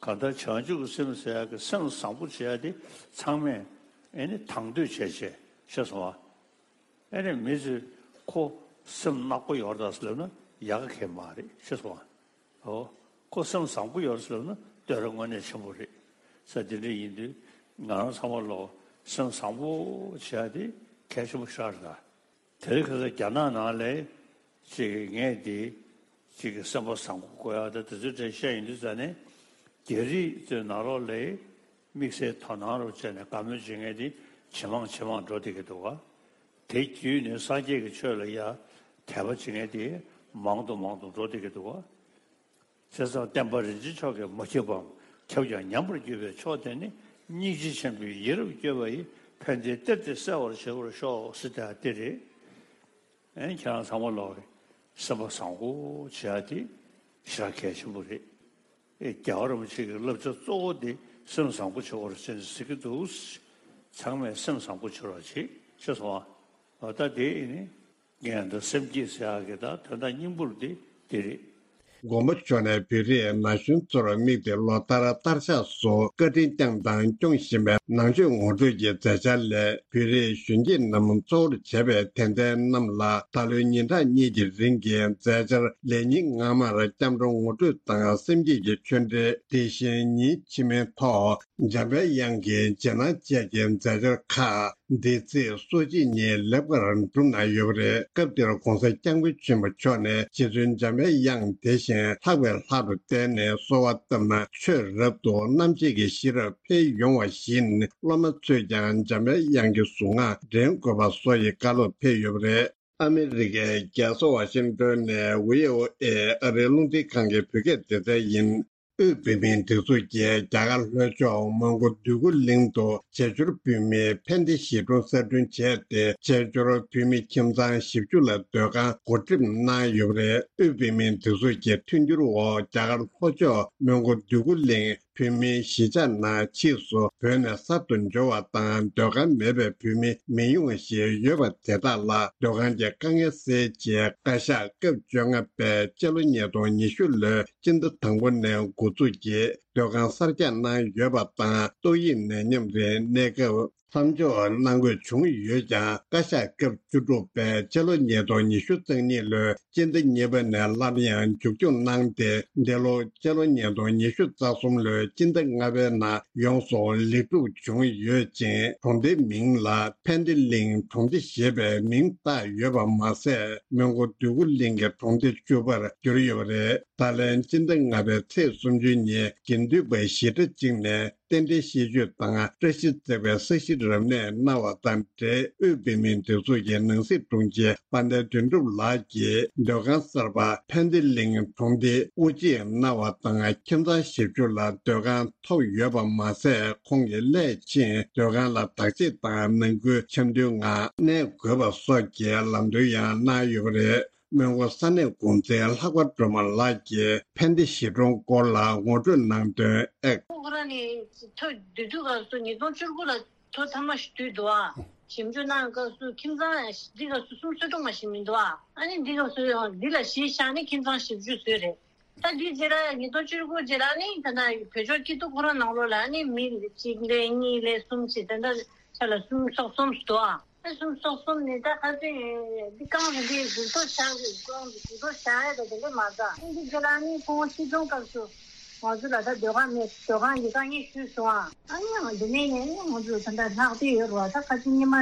གང་ལྟར་བྱང་ཆུབ་ཀྱི་སེམས་ཟེར་ཡག་གི་སེམས་བཟང་པོ་བྱེད་ཡག་དེ་ཚང་མས་ཨེ་ནི་དང་དོད་བྱས་བྱས་ཤེས་སོང་ཨ། ཨེ་ནི་མི་ཚོས་ཁོ་སེམས་ནག་པོ་ཡོད་རེད་ཟེར་ལབ་ན་ཡག་ག་གང་ཡང་མ་རེད་ཤེས་སོང་ཨ། ཨོ། ཁོ་སེམས་བཟང་པོ་ཡོད་རེད་ཟེར་ལབ་ན་བསྟོད་ར་དངོས་གནས་ཆེན་པོ་རེད་ཟེར། དེ་འདྲ་ཡིན་དུས་ང་རང་ཚང་མ་ལོ་སེམས་བཟང་པོ་བྱེད་ཡག་དེ་གལ་ཆེན་པོ་ཞིག་རེད་ད། དེ་རིང་ཁ་སང་རྒྱ་ནག་ནང་ལ་ཅིག་ངས་དེ་ཅིག་གི་སེམས་པ་བཟང་པོ་དགོས་ཡག་དང་དེ་ཚོའི་གྲས་བཤད་ཡིན་དུས་ཙ་ནས། རྒྱ་རིགས་ཚོའི་ནང་ལོགས་ལ་དམིགས་བསལ་དོ་སྣང་རུ་བྱས་ནས་བཀའ་མོལ་བྱེད་མཁན་དེ་ཇེ་མང་ཇེ་མང་འགྲོ་བསྡད་ཀྱི་འདུག་ག། དེ་བརྒྱུད་ནས་སངས་རྒྱས་ཀྱི་ཆོས་ལ་ཡ་དད་པ་བྱེད་མཁན་དེ་མང་དུ་མང་དུ་འགྲོ་བསྡད་ཀྱི་འདུག་ག། བྱས་ཙང་བསྟན་པ་རིན་ཆེན་མཆོག་གིས་མ་ཁྱབ་པའམ་ཁྱབ་ཀྱང་ཉམས་པར་གྱུར་པའི་ཕྱོགས་དེ་ནི། སྙིང་རྗེ་ཆེན་པོས་ཡིད་རབ་བསྐྱོད་པ་ཡིས། ཕན་བདེའི་གཏེར་དེ་གསལ་བར་བྱེད་པར་ཤོག་ཟེར་དེ་རེད། ཨེ། ཁྱེད་རང་ཚང་མ་ལོག་གི་སེམས་པ་བཟང་པོ་བྱེད་ཡག་དེ་ཞེ་དྲག་གལ་ཆེན་པོ་རེད། ཨེ། རྒྱལ་བ་རིན་པོ་ཆེ་གི་བསླབ་བྱ་གཙོ་བོ་དེ་སེམས་བཟང་པོ་བྱེད་པར་བྱེད་ཟེར་གྱི་འདུག། ཚང་མས་སེམས་བཟང་པོ་བྱེད་རོགས་བྱེད། ཤེས་སོང་ཨ། འོ་ད་དེ་ཨེ་ནི། ངས་ད་སེམས་བསྐྱེད་ཟེར་ཡག་གི་ད་དོན་དག་སྙིང་པོ་དེ་དེ་རེད། མགོན་པོ་མཆོག་ནས་བོད་རིགས་ན་གཞོན་ཚོར་དམིགས་ཏེ་ལོ་ལྟར་དར་ཆགས་སུ་བཀའ་དྲིན་བསྐྱངས་དང་སྐྱོང་བཞིན་པའི་ནང་ཆོས་ངོ་སྤྲོད་ཀྱི་མཛད་འཆར་ལས། བོད་རིགས་གཞོན་སྐྱེས་རྣམས་གཙོ་བོར་བྱས་པའི་དད་ལྡན་རྣམས་ལ་ད་ལོའི་ཉིན་གྲངས་གཉིས་ཀྱི་རིང་གི་མཛད་འཆར་ལས་ཉིན་སྔ་མར་སྐྱབས་འགྲོ་ངོ་སྤྲོད་དང་སེམས་བསྐྱེད་ཀྱི་ཆོས་འབྲེལ། དེ་བཞིན་ཉིན་ཕྱི་མའི་ཐོག་འཇམ་དཔལ་དབྱངས་ཀྱི་རྗེས་གནང་བཅས་ཀྱི་མཛད་འཆར་ཁག་འདི་ཚེས་སོ་གཅིག་ཉིན་ལེགས་པར་གྲུབ་གནང་ཡོད་པ་རེད། སྐབས་དེར་༧གོང་ས་༧སྐྱབས་མགོན་ཆེན་པོ་མཆོག་ནས་རྗེ་བཙུན་འཇམ་དཔལ་དབྱངས་དེ་བཞིན་ལྷག་པའི་ལྷ་རུ་བསྟེན་ནས་གསོལ་བ་བཏབ་ན་ཆོས་རབ་ཏུ་རྣམ་འབྱེད་ཀྱི་ཤེས་རབ་འཕེལ་ཡོང་བ་བཞིན། སློབ་མ་ཚོས་ཀྱང་འཇམ་དཔལ་དབྱངས་ཀྱི་གཟུངས་སྔགས་འདྲེན་དགོས་པ་སོགས་ཀྱི་བཀའ་སློབ་ཕེབས་ཡོད་པ་རེད། ཨ་མི་རི་ཀའི་རྒྱལ་ས་ཝ་ཤིང་ཏོན་ནས་ཝི་ཨོ་ཨེ་ཨ་རིའི་རླུང་འཕྲིན་ཁང་གི་བོད་སྐད་སྡེ་ཚན་ཡིན། དབུས་བོད་མིའི་སྒྲིག་འཛུགས་ཀྱིས་རྒྱ་གར་ལྷོ་ཕྱོགས་མོན་གྷོ་འདོད་རྒུ་གླིང་དུ་བྱ་འགྱུར་བོད་མིའི་ཕན་བདེ་གཞིས་གྲོང་གསར་སྐྲུན་བྱས་ཏེ། བྱ་འགྱུར་བོད་མི་ཁྱིམ་ཚང་བཞི་བཅུ་ལ་སྡོད་ཁང་འགོ་ཁྲིད་གནང་ཡོད་པ་རེད། དབུས་བོད་མིའི་སྒྲིག་འཛུགས་ཀྱི་མཐུན་འགྱུར་འོག་རྒྱ་གར་ལྷོ་ཕྱོགས་མོན་གྷོ་འདོད་རྒུ་གླིང་བོད་མིའི་གཞིས་ཆགས་ནང་ཕྱིས་སུ་བོད་ནས་གསར་དུ་འབྱོར་བ་དང་སྡོད་ཁང་མེད་པའི་བོད་མི་མི་ཡོང་བ་ཞིག་ཡོད་པ་དེ་དག་ལ་སྡོད་ཁང་གི་དཀའ་ངལ་སེལ་ཆེད། བཀའ་ཤག་སྐབས་བཅོ་ལྔ་པའི་སྤྱི་ལོ་ཉིས་སྟོང་ཉི་ཤུ་ལོའི་སྤྱི་ཟླ་དང་པོ་ནས་འགོ་འཛུགས་ཀྱིས་སྡོད་ཁང་གསར་རྒྱག་གནང་ཡོད་པ་དང་། ཏོག་དབྱིབས་ནད་ཡམས་རིགས་གནས་སྐབས་མཚམས་འཇོག་གནང་དགོས་བྱུང་ཡོད་ཀྱང་། བཀའ་ཤག་སྐབས་བཅུ་དྲུག་པས་སྤྱི་ལོ་ཉིས་སྟོང་ཉི་ཤུ་རྩ་གཉིས་ལོའི་སྤྱི་ཟླ་གཉིས་པ་ནས་སླར་ཡང་མཇུག་སྐྱོང་གནང་སྟེ། འདི་ལོ་སྤྱི་ལོ་ཉིས་སྟོང་ཉི་ཤུ་རྩ་གསུམ་ལོའི་སྤྱི་ཟླ་ལྔ་པའི་ནང་ཡོངས་སུ་ལེགས་གྲུབ་བྱུང་ཡོད་ཅིང་། གྲོང་སྡེའི་མིང་ལ་ཕན་བདེ་གླིང་གྲོང་སྡེ་ཞེས་པའི་མིང་བཏགས་ཡོད་པ་མ་ཟད། མོན་གྷོ་འདོད་རྒུ་གླིང་གི་གྲོང་སྡེ་བཅུ་པར་གྱུར་ཡོད་པ་རེད། ད་ལན་སྤྱི་ཟླ་ལྔ་པའི་ཚེས་སུམ་ཅུ་ཉིན་དགེ་འདུན་པ་ཞི་ཁྲ་གཅིག་ནས་རྟེན་འབྲེལ་ཤིས་བརྗོད་དང་བཀྲ་ཤིས་བརྩེགས་པའི་ས་གཞི་རབ་གནས་གནང་བ་དང་འབྲེལ། དབུས་བོད་མིའི་སྒྲིག་འཛུགས་ཀྱི་ནང་སྲིད་དྲུང་ཆེ་དཔལ་ལྡན་དོན་གྲུབ་ལགས་ཀྱིས་སྡོད་ཁང་གསར་པ་ཕན་བདེ་གླིང་གྲོང་སྡེ་དབུ་འབྱེད་གནང་བ་དང་། ཁྱིམ་ཚང་བཞི་བཅུ་ལ་སྡོད་ཁང་ཐོབ་ཡོད་པ་མ་ཟད། ཁོང་གིས་སླད་ཕྱིན་སྡོད་ཁང་ལ་བདག་གཅེས་དང་ནང་ཁུལ་འཆམ་མཐུན་ངང་གནས་དགོས་པ་སོགས་ཀྱི་ལམ་སྟོན་ཡང་གནང་ཡོད་པ་རེད། མོན་གྷོ་ས་གནས་འགོ་འཛིན་ལྷག་པ་སྒྲོལ་མ་ལགས་ཀྱིས་ཕན་བདེ་གཞིས་གྲོང་སྐོར་ལ་ངོ་སྤྲོད་གནང་དོན། ཨེག་ཁོ་རང་ནི་ཐོ་བསྡུ་དུས་སྐབས་སུ་ཉིས་སྟོང་བཅུ་དགུ་ལ་ཐོ་ཐ་མ་ཞིག་བསྡུས་འདུག་ཨ། ཞིབ་འཇུག་གནང་སྐབས་སུ་ཁྱིམ་ཚང་འདི་སྐབས་སུ་སུམ་ཅུ་སོ་དྲུག་མ་ཞིག་མི་འདུག་ཨ། ཨ་ནི་འདི་སྐབས་སུ་འདི་ལ་གཞི་བཞག་ནས་ཁྱིམ་ཚང་བཞི་བཅུ་བཟོས་རེད། ད་འདི་རྗེས་ལ་ཉིས་སྟོང་བཅུ་དགུ་རྗེས་ལ་ནི་ད་ལྟ་བོད་ལྗོངས་སྐྱིད་སྡུག་ཁོ་རང་ནང་ལོགས་ལ་ནི་མི་གཅིག་ལས་གཉིས་ལས་གསུམ་བྱས་དེ་འདྲ་ཆ་ལ་སུམ་ཅུ་སོ་གསུམ་འདུག་ཨ། ཨ་གསུམ་སོ་གསུམ་ནི་ད་ཁ་སང་འདི་རྐང་རིམ་པས་འགུག་ཐོ་བཞག་རེད། རྐང་འགུག་ཐོ་བཞག་ཡས་ད་དེ་འདྲས་མ་རེད། ཨ་འདི་རྗེས་ལ་ནི་ཁོང་སྲིད་སྐྱོང་སྐབས་སུ་ང་ཚོ་ལ་ད་སྡོད་ཁང་མེད། སྡོད་ཁང་གི་དཀའ་ངལ་ཞུས་སོང་ཨ། ཨ་ནི་ཡང་འདི་ནས་ནས་ནི་ང་ཚོ་ད་ལྟ་ལྷག་བསྡད་ཡོད་རེད་བ། ད་ཁ་སང་ཉི་མ་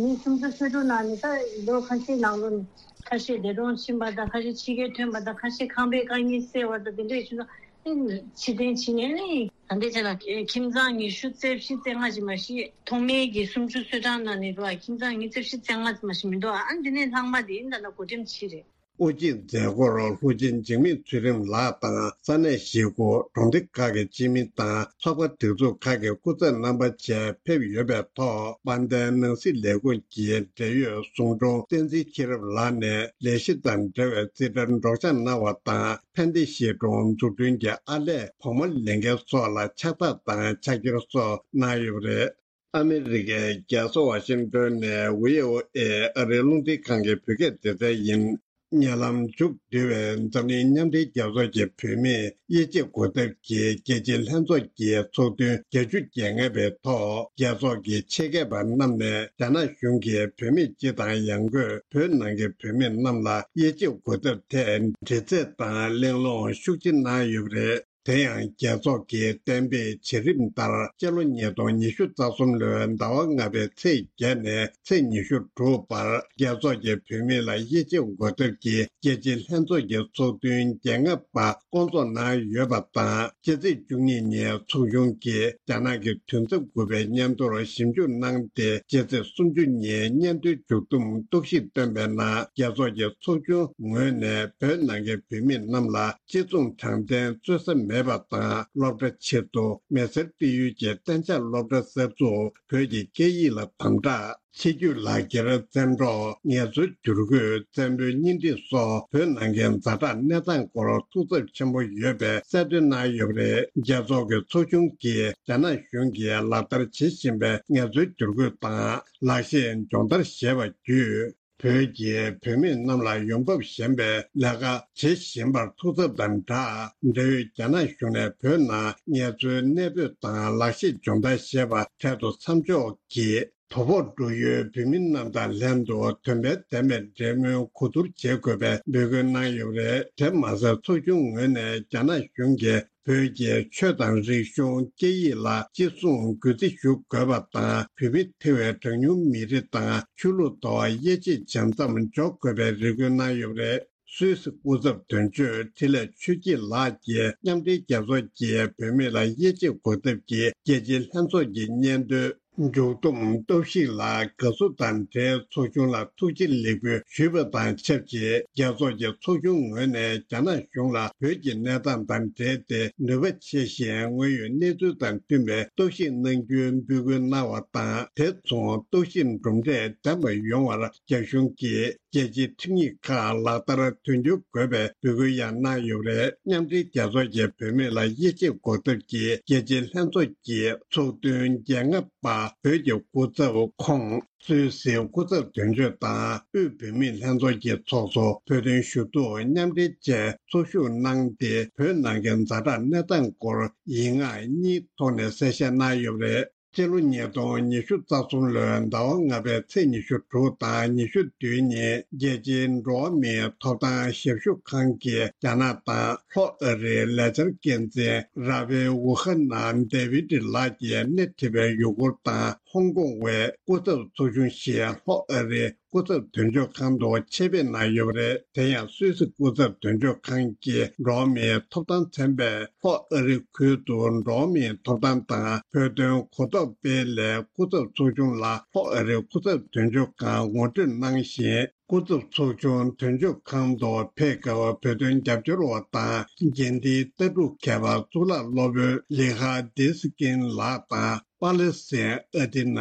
མི་སུམ་ཅུ་སོ་དྲུག་ནང་ནས་ད་ལོ་ཁ་ཤས་ནང་ལོ་ནས་ཁ་ཤས་འདས་གྲོངས་ཕྱིན་པ་དང་། ཁ་ཤས་ཕྱི་རྒྱལ་ཐོན་པ་དང་། ཁ་ཤས་ཁང་པའི་དཀའ་ངལ་སེལ་བ་དང་། དེ་འདྲས་བྱུང་ན་ནི་ཕྱིར་འཐེན་བྱེད་ནས་ནི། ད་ལྟའི་ཆ་ལ་ཁྱིམ་ཚང་ཉི་ཤུ་རྩ་བཞི་རྩ་ལྔ་ཞིག་མ་གཞི་ཐོག་མའི་གི་སུམ་ཅུ་སོ་གྲངས་ནང་ནས་འགྲོ་བ། ཁྱིམ་ཚང་ཉི་ཤུ་རྩ་བཞི་རྩ་ལྔ་ཞིག་མ་གཞི་མི་འདུག་ཨ། ཨ་འདི་ནས་ལྷག་མ་དེ་ཡིན་ད་ལྟ་བགོ་འགྲེམས་བྱས་རེད། དབུ་འབྱེད་མཛད་སྒོར་ལྷུ་ཆེན་འཇིགས་མེད་ཚུལ་ཁྲིམས་ལགས་དང་ས་གནས་གཞིས་ཁོངས་གྲོང་སྡེ་ཁག་གི་སྤྱི་མི་དང་ཚོགས་པ་སྒྲིག་འཛུགས་ཁག་གི་སྐུ་ཚབ་རྣམ་པ་བཅས་ཕེབས་ཡོད་པའི་ཐོག་དཔལ་ལྡན་ནང་སྲིད་ལས་ཁུངས་ཀྱི་འབྲེལ་ཡོད་ཟུང་དྲུང་བསྟན་འཛིན་ཤེས་རབ་ལགས་ནས་ལས་གཞི་དང་འབྲེལ་བའི་རྩིས་ཁྲར་སྒྲོག་སྦྱང་གནང་བ་དང་། ཕན་བདེ་གཞིས་གྲོང་འཛུགས་སྐྲུན་གྱི་ཨར་ལས་བུ་མོ་ལེན་མཁན་སོགས་ལ་ཕྱག་རྟགས་དང་ཕྱག་འཁྱེར་སོགས་གནང་ཡོད་པ་རེད། ཨ་མི་རི་ཀའི་རྒྱལ་ས་ཝ་ཤིང་ཏོན་ནས་བྷི་ཨོ་ཨེ་ཨ་རིའི་རླུང་འཕྲིན་ཁང་གི་བོད་སྐད་སྡེ་ཚན་ཡིན། ཉེ་ལམ་མཇུག་བསྡུས་པའི་འཛམ་གླིང་མཉམ་འབྲེལ་རྒྱལ་ཚོགས་ཀྱི་བུད་མེད་དབྱེ་འབྱེད་འགོག་ཐབས་ཀྱི་རྒྱལ་སྤྱིའི་ལྷན་ཚོགས་ཀྱི་ཚོགས་ཐུན་བརྒྱད་ཅུ་གྱ་ལྔ་པའི་ཐོག་རྒྱལ་ཚོགས་ཀྱི་ཆེད་མཁས་པ་རྣམས་ནས་རྒྱ་ནག་གཞུང་གིས་བུད་མེད་སྤྱི་དང་ཡང་སྒོས་བོད་ནང་གི་བུད་མེད་རྣམས་ལ་དབྱེ་འབྱེད་འགོག་ཐབས་ཐད་འདྲི་རྩད་དང་གླེང་སློང་ཤུགས་ཆེ་གནང་ཡོད་པ་རེད། དེ་ཡང་རྒྱལ་ཚོགས་ཀྱིས་གཏན་འབེབས་བྱེད་རིམ་ལྟར་སྤྱི་ལོ་ཉིས་སྟོང་ཉི་ཤུ་རྩ་གསུམ་ལོའི་ཟླ་བ་ལྔ་པའི་ཚེས་བརྒྱད་ནས་ཚེས་ཉི་ཤུ་དྲུག་བར་རྒྱལ་ཚོགས་ཀྱི་བུད་མེད་ལ་དབྱེ་འབྱེད་འགོག་ཐབས་ཀྱི་རྒྱལ་སྤྱིའི་ལྷན་ཚོགས་ཀྱི་ཚོགས་ཐུན་བརྒྱད་ལྔ་པ་བསྐོང་ཚོགས་གནང་ཡོད་པ་དང་། ཕྱི་ཚེས་བཅུ་གཉིས་ཉིན་ཚོགས་ཆུང་གིས་རྒྱ་ནག་གི་དུས་མཚམས་དགུ་པའི་སྙན་ཐོར་ཞིབ་འཇུག་གནང་སྟེ། ཕྱི་ཚེས་སུམ་ཅུ་ཉིན་སྙན་ཐོའི་མཇུག་བསྡོམས་གཏུག་བཤེར་བཏོན་པའི་ནང་། རྒྱལ་ཚོགས་ཀྱི་ཚོགས་ཆུང་ངོས་ནས་བོད་ནང་གི་བུད་མེད་རྣམས་ལ་གཅིག་མཚུངས་དྲང་བདེན་རྩོད་ས་མེད་པ་དང་། སློབ་གྲྭ་ཆེད་དུ་མི་སེར་སྤེལ་ཡུལ་གྱི་གཏན་འཇགས་སློབ་གྲྭ་གསར་འཛུགས། བོད་ཀྱི་སྐད་ཡིག་ལ་དམ་དྲག་ཕྱི་སྐྱོད་ལག་འཁྱེར་བཙན་འཕྲོག་ངལ་རྩོལ་བསྒྱུར་བཀོད་བཙན་པོའི་གཉེན་སྒྲིག་སོགས་བོད་ནང་གི་ཛ་དྲག་གནས་སྟངས་སྐོར་ཐུགས་འཚབ་ཆེན་པོ་ཡོད་པའི་གསལ་སྟོན་གནང་ཡོད་པ་རེད། རྒྱལ་ཚོགས་ཀྱི་ཚོགས་ཆུང་གིས་རྒྱ་ནག་གཞུང་གིས་ལག་བསྟར་བྱེད་བཞིན་པའི་ངལ་རྩོལ་བསྒྱུར་བཀོད་དང་ལག་ཤེས་སྦྱོང་བརྡར་ཞེས་པ་བརྒྱུད། བོད་ཀྱི་བུད་མེད་རྣམས་ལ་ཡོང་འབབ་ཞན་པའི་ལས་ཀ་བྱེད་བཞིན་པར་ཐུགས་འཚབ་དང་སྦྲགས། འབྲེལ་ཡོད་རྒྱ་ནག་གཞུང་ནས་བོད་ནང་ངལ་རྩོལ་གནས་སྤོས་དང་ལག་ཤེས་སྦྱོང་བརྡར་ཞེས་པ་འཕྲལ་དུ་མཚམས་འཇོག་གིས། དོ་ཕོག་འགྲོ་ཡུལ་བོད་མི་རྣམས་དང་ལྷན་དུ་དོན་ཕན་ལྡན་པའི་འབྲེལ་མོལ་གོ་བསྡུར་བྱེད་དགོས་པའི་འབོད་སྐུལ་གནང་ཡོད་པ་རེད། དེ་མ་ཟད་ཚོགས་ཆུང་ངོས་ནས་རྒྱ་ནག་གཞུང་གིས་བོད་ཀྱི་ཆོས་དང་རིག་གཞུང་སྐད་ཡིག་ལ་གཅེས་སྲུང་གུས་བརྩི་ཞུ་དགོས་པ་དང་། བོད་མི་ཐེ་བའི་གྲངས་ཉུང་མི་རིགས་དང་ཆོས་ལུགས་ཐོག་དབྱེ་འབྱེད་བྱེད་མཚམས་འཇོག་དགོས་པའི་རེ་སྐུལ་གནང་ཡོད་པ་རེད། སུད་སི་སྐུ་ཚབ་དོན་གཅོད་འཕྲིན་ལས་ཆོས་སྐྱིད་ལགས་ཀྱིས་མཉམ་འབྲེལ་རྒྱལ་ཚོགས་ཀྱི་བུད་མེད་ལ་དབྱེ་འབྱེད་འགོག་ཐབས་ཀྱི་རྒྱལ་སྤྱིའི་ལྷན་ཚོགས་ཀྱི་སྙན་ཐོའི་མཇུག་བསྡོམས་གཏུག་བཤེར་ལ་དགའ་བསུ་དང་འབྲེལ་ཚོགས་ཆུང་ལ་ཐུགས་རྗེ་ལེགས་འབུལ་ཞུས་པ་དང་ཆབས་ཅིག་རྒྱལ་ཚོགས་ཀྱི་ཚོགས་ཆུང་ངོས་ནས་རྒྱ་ནག་གཞུང་ལ་བོད་ཀྱི་གནས་སྟངས་དང་འབྲེལ་ཏེ་ནུས་པ་ཆེ་ཞིང་དངོས་ཡོད་གནས་ཚུལ་དང་མཐུན་པའི་གཏུག་བཤེར་གནང་རྒྱུའི་འབོད་སྐུལ་གནང་བ་དང་། དེ་མཚུངས་གཏུག་བཤེར་གྲུབ་འབྲས་ལྡན་པ་ཡོང་བར་རྒྱ་གཞུང་གིས། རྒྱལ་སྤྱིའི་ཁྲིམས་ཡིག་ཁག་ལག་བསྟར་དོན་འཁྱོལ་དགོས་པའི་འབོད་སྐུལ་ཡང་གནང་ཡོད་པ་རེད། མཉམ་འབྲེལ་རྒྱལ་ཚོགས་ཀྱི་བུད་མེད་ལ་དབྱེ་འབྱེད་འགོག་ཐབས་ཀྱི་རྒྱལ་སྤྱིའི་ལྷན་ཚོགས་ཀྱི་ཚོགས་ཐུན་བརྒྱད་ལྔ་པ་བོད་ཀྱི་སྐུ་ཚབ་ཁོང་། སུད་སིའི་སྐུ་ཚབ་དོན་གཅོད་དང་དབུས་བོད་མིའི་ལྷན་ཚོགས་ཀྱི་ཚོགས་གཙོ་བོད་དོན་ཞུ་གཏུག་མཉམ་འབྲེལ་བཅས་ཚོགས་ཞུགས་གནང་སྟེ། བོད་ནང་གི་ཛ་དྲག་གནས་སྟངས་སྐོར་ཡིག་ངག་གཉིས་ཐོག་ནས་གསལ་བཤད་གནང་ཡོད་པ་རེད། སྤྱི་ལོ་ཉིས་སྟོང་ཉི་ཤུ་རྩ་གསུམ་ལོའི་ཟླ་བ་ལྔ་པའི་ཚེས་ཉི་ཤུ་དྲུག་དང་ཉི་ཤུ་བདུན་ཉིན་རྒྱལ་སྤྱིའི་འགྲོ་བ་མིའི་ཐོབ་ཐང་ཞབས་ཞུ་ཁང་གིས་རྒྱ་ནག་དང་ལྷོ་ཨ་རིའི་ལས་འཆར་འགན་འཛིན་ར་ཕེ་ཝུ་ཧ་ན་ཌེ་བིད་ལགས་ཀྱིས་སྣེ་ཁྲིད་པའི་ཡུ་གུར་དང་ཧོང་ཀོང་བའི་སྐུ་ཚབ་ཚོགས་ཆུང་ཞིག་ལྷོ་ཨ་རིའི་སྐུ་ཚབ་དོན་གཅོད་ཁང་དུ་ཆེད་ཕེབས་གནང་ཡོད་པ་རེད། དེ་ཡང་སུད་སི་སྐུ་ཚབ་དོན་གཅོད་ཁང་གི་འགྲོ་བ་མིའི་ཐོབ་ཐང་ཚན་པས་ལྷོ་ཨ་རི་ཁུལ་དུ་འགྲོ་བ་མིའི་ཐོབ་ཐང་དང་བོད་དོན་གོ་རྟོགས་སྤེལ་སླད་སྐུ་ཚབ་ཚོགས་ཆུང་ལ་ལྷོ་ཨ་རི་སྐུ་ཚབ་དོན་གཅོད་ཁང་ངོ་སྤྲོད་གནང་ཞིང་། སྐུ་ཚབ་ཚོགས་ཆུང་དོན་གཅོད་ཁང་དུ་ཕེབས་སྐབས་བོད་དོན་རྒྱབ་སྐྱོར་བ་དང་། རྒྱན་ལྡན་ལྟ་གྲུབ་མཁས་པ་གཙུག་ལག་སློབ་དཔོན་ལི་ཧ་ཌི་སི་ཀིན་ལགས་དང་། པཱ་ལེ་སི་ཐན་ཨ་ཏི་ན་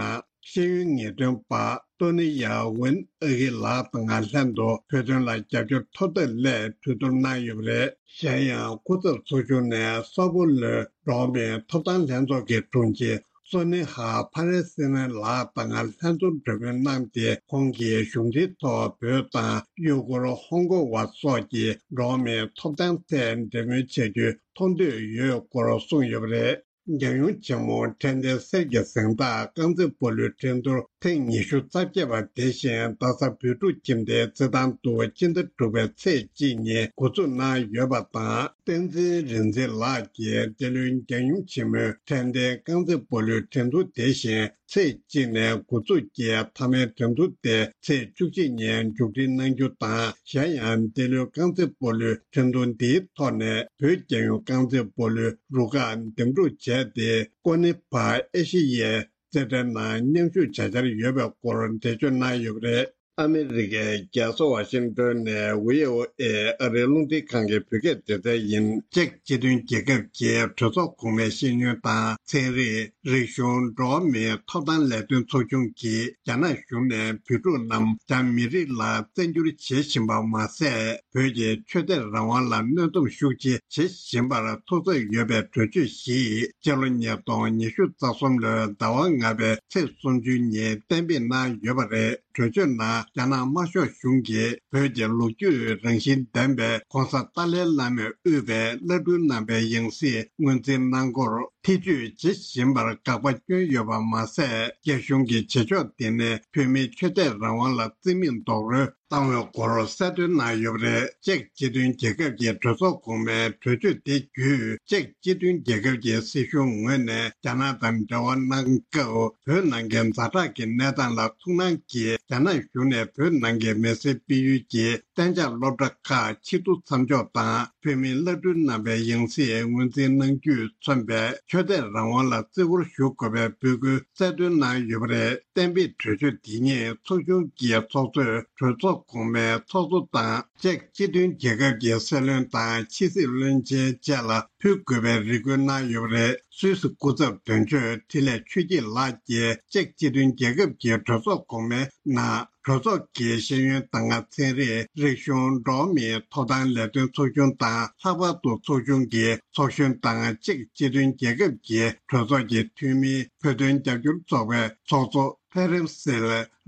ཤེས་ཡོན་ངེས་སྟོན་པ་ཏོ་ནི་ཡ་ཝིན་ཨ་ཁི་ལགས་དང་ལྷན་དུ་བོད་དོན་ལ་རྒྱབ་སྐྱོར་མཐོར་འདེགས་སླད་གྲོས་བསྡུར་གནང་ཡོད་པ་རེད། གཞན་ཡང་སྐུ་ཚབ་ཚོགས་ཆུང་ནས་སོ་པོ་ལོའི་འགྲོ་བ་མིའི་ཐོབ་ཐང་ལྷན་ཚོགས་ཀྱི་དྲུང་ཆེ་སོ་ནི་ཧ་ཕ་རེ་སི་ནན་ལགས་དང་ལྷན་ཚོགས་གྲོས་མོལ་གནང་སྟེ། ཁོང་གིས་གཞུང་འབྲེལ་ཐོག་བོད་དང་ཡུ་གུར་ཧོང་ཀོང་བ་སོགས་ཀྱི་འགྲོ་བ་མིའི་ཐོབ་ཐང་ཐད་འབྲེལ་མོལ་བྱ་རྒྱུའི་མཐོང་འདོད་ཡོད་སྐོར་གསུངས་ཡོད་པ་རེད། རྒྱལ་ཡུམ་ཆེན་མོ་ཕྲན་ལྡན་གསེར་གྱི་གཟེངས་རྟགས་རྐང་རྩེད་སྤོ་ལོའི་འགྲན་བསྡུར་ཐེངས་ཉི་ཤུ་རྩ་བརྒྱད་པ་དེ་བཞིན་རྡ་ས་བོད་ཕྲུག་ཁྱིམ་སྡེའི་རྩེད་ཐང་དུ་སྤྱི་ཟླ་དྲུག་པའི་ཚེས་གཅིག་ཉིན་འགོ་འཛུགས་གནང་ཡོད་པ་དང་། བསྟན་འཛིན་རིག་འཛིན་ལགས་ཀྱིས་འདི་ལོའི་རྒྱལ་ཡུམ་ཆེན་མོའི་ཕྲན་ལྡན་རྐང་རྩེད་སྤོ་ལོའི་འགྲན་བསྡུར་དེ་བཞིན་ཚེས་གཅིག་ནས་འགོ་འཛུགས་ཀྱིས་མཐའ་མའི་འགྲན་བསྡུར་དེ་ཚེས་བཅུ་གཅིག་ཉིན་མཇུག་སྒྲིལ་གནང་རྒྱུ་དང་། གཞན་ཡང་འདི་ལོའི་རྐང་རྩེད་སྤོ་ལོའི་འགྲན་བསྡུར་འདིའི་ཐོག་ནས་བོད་རྒྱལ་ཡོངས་རྐང་རྩེད་སྤོ་ལོའི་རུ་ཁག་འདེམས་སྒྲུག་བྱས་ཏེ། ཀོ་ནི་ཕ་ཨེ་ཤེ་ཡའི་རྩེད་འགྲན་ནང་མཉམ་ཞུགས་བྱ་འཆར་ཡོད་པའི་སྐོར་འགྲེལ་བརྗོད་གནང་ཡོད་པ་རེད། ཨ་མི་རི་ཀའི་རྒྱལ་ས་ཝ་ཤིང་ཏོན་ནས་བྷི་ཨོ་ཨེ་ཨ་རིའི་རླུང་འཕྲིན་ཁང་གི་བོད་སྐད་སྡེ་ཚན་ཡིན། ཅེཀ་སྤྱི་མཐུན་རྒྱལ་ཁབ་ཀྱི་གྲོས་ཚོགས་གོང་མའི་ཤེས་ཡོན་དང་ཚན་རིག་རིག་གཞུང་འགྲོ་བ་མིའི་ཐོབ་ཐང་ལས་དོན་ཚོགས་ཆུང་གིས་རྒྱ་ནག་གཞུང་ནས་བོད་ཕྲུག་རྣམས་རྒྱ་མི་རིགས་ལ་བཙན་སྒྱུར་བྱེད་བཞིན་པ་མ་ཟད། བོད་ཀྱི་ཆོས་དད་རང་དབང་ལ་གནོན་སྡོམ་ཤུགས་ཆེ་བྱེད་བཞིན་པར་ཐུགས་འཚབ་ཡོད་པའི་གྲོས་ཆོད་ཞིག་སྤྱི་ལོ་ཉིས་སྟོང་ཉི་ཤུ་རྩ་གསུམ་ལོའི་ཟླ་བ་ལྔ་པའི་ཚེས་སུམ་ཅུ་ཉིན་གཏན་འབེབས་གནང་ཡོད་པ་རེད། གྲོས་ཆོད་ནང་རྒྱ་ནག་དམར་ཤོག་གཞུང་གིས་བོད་ཀྱི་ལོ་རྒྱུས་རང་བཞིན་ལྡན་པའི་གོང་ས་ཏཱ་ལའི་བླ་མས་དབུས་པའི་བླ་སྤྲུལ་རྣམ་པའི་ཡང་སྲིད་ངོས་འཛིན་གནང་སྐོར་ཐེ་བྱུས་བྱེད་བཞིན་པར་དགག་པ་བསྐྱོན་ཡོད་པ་མ་ཟད། རྒྱ་གཞུང་གི་བྱེད་ཕྱོགས་དེ་ནི་བོད་མིའི་ཆོས་དད་རང་དབང་ལ་བརྩི་མེད་རྡོག་རོལ་བཏང་བའི་སྐོར་གསལ་སྟོན་གནང་ཡོད་པ་རེད། ཅེཀ་སྤྱི་མཐུན་རྒྱལ་ཁབ་ཀྱི་གྲོས་ཚོགས་གོང་མའི་གྲོས་ཆོད་དེ་བརྒྱུད། ཅེཀ་སྤྱི་མཐུན་རྒྱལ་ཁབ་ཀྱི་སྲིད་གཞུང་ངོས་ནས་རྒྱ་ནག་དང་འབྲེལ་བ་གནང་སྐབས། བོད་ནང་གི་ཛ་དྲག་གི་གནས་སྟངས་ལ་ཐུགས་སྣང་གིས། རྒྱ་ནག་གཞུང་ནས་བོད་ནང་གི་མི་སེར་སྤེལ་ཡུལ་གྱི་གཏན་འཇགས་སློབ་གྲྭ་ཁག་ཕྱིར་བསྡུ་མཚམས་འཇོག་དང་། བོད་མིའི་བླ་སྤྲུལ་རྣམ་པའི་ཡང་སྲིད་ངོས་འཛིན་གནང་རྒྱུས་མཚོན་པའི་ཆོས་དད་རང་དབང་ལ་བརྩི་བཀུར་ཞུ་དགོས་པའི་འབོད་སྐུལ་གསལ་སྟོན་གནང་ཡོད་པ་རེད། གཏན་འབེབས་གྲོས་ཆོད་འདི་ཉིད་ཚོགས་ཆུང་གི་ཚོགས་གཙོས་གྲོས་ཚོགས་གོང་མའི་ཚོགས་གཙོ་དང་། ཅེཀ་སྤྱི་མཐུན་རྒྱལ་ཁབ་ཀྱི་སྲིད་བློན་དང་ཕྱི་སྲིད་བློན་ཆེན་བཅས་ལ་ཕུལ་དགོས་པའི་རེ་སྐུལ་གནང་ཡོད་པ་རེད། སུད་སི་སྐུ་ཚབ་དོན་གཅོད་འཕྲིན་ལས་ཆོས་སྐྱིད་ལགས་ཀྱིས་ཅེཀ་སྤྱི་མཐུན་རྒྱལ་ཁབ་ཀྱི་གྲོས་ཚོགས་གོང་མའི་ནང་གྲོས་ཚོགས་ཀྱི་ཤེས་ཡོན་དང་ཚན་རིག་རིག་གཞུང་འགྲོ་བ་མིའི་ཐོབ་ཐང་ལས་དོན་ཚོགས་ཆུང་དང་། ལྷག་པར་དུ་ཚོགས་ཆུང་གི་ཚོགས་གཞོན་དང་། ཅེཀ་སྤྱི་མཐུན་རྒྱལ་ཁབ་ཀྱི་གྲོས་ཚོགས་ཀྱི་འཐུས་མིའི་བོད་དོན་རྒྱབ་སྐྱོར་ཚོགས་པའི་ཚོགས་གཙོ་ཕེ་རེམ་སིལ་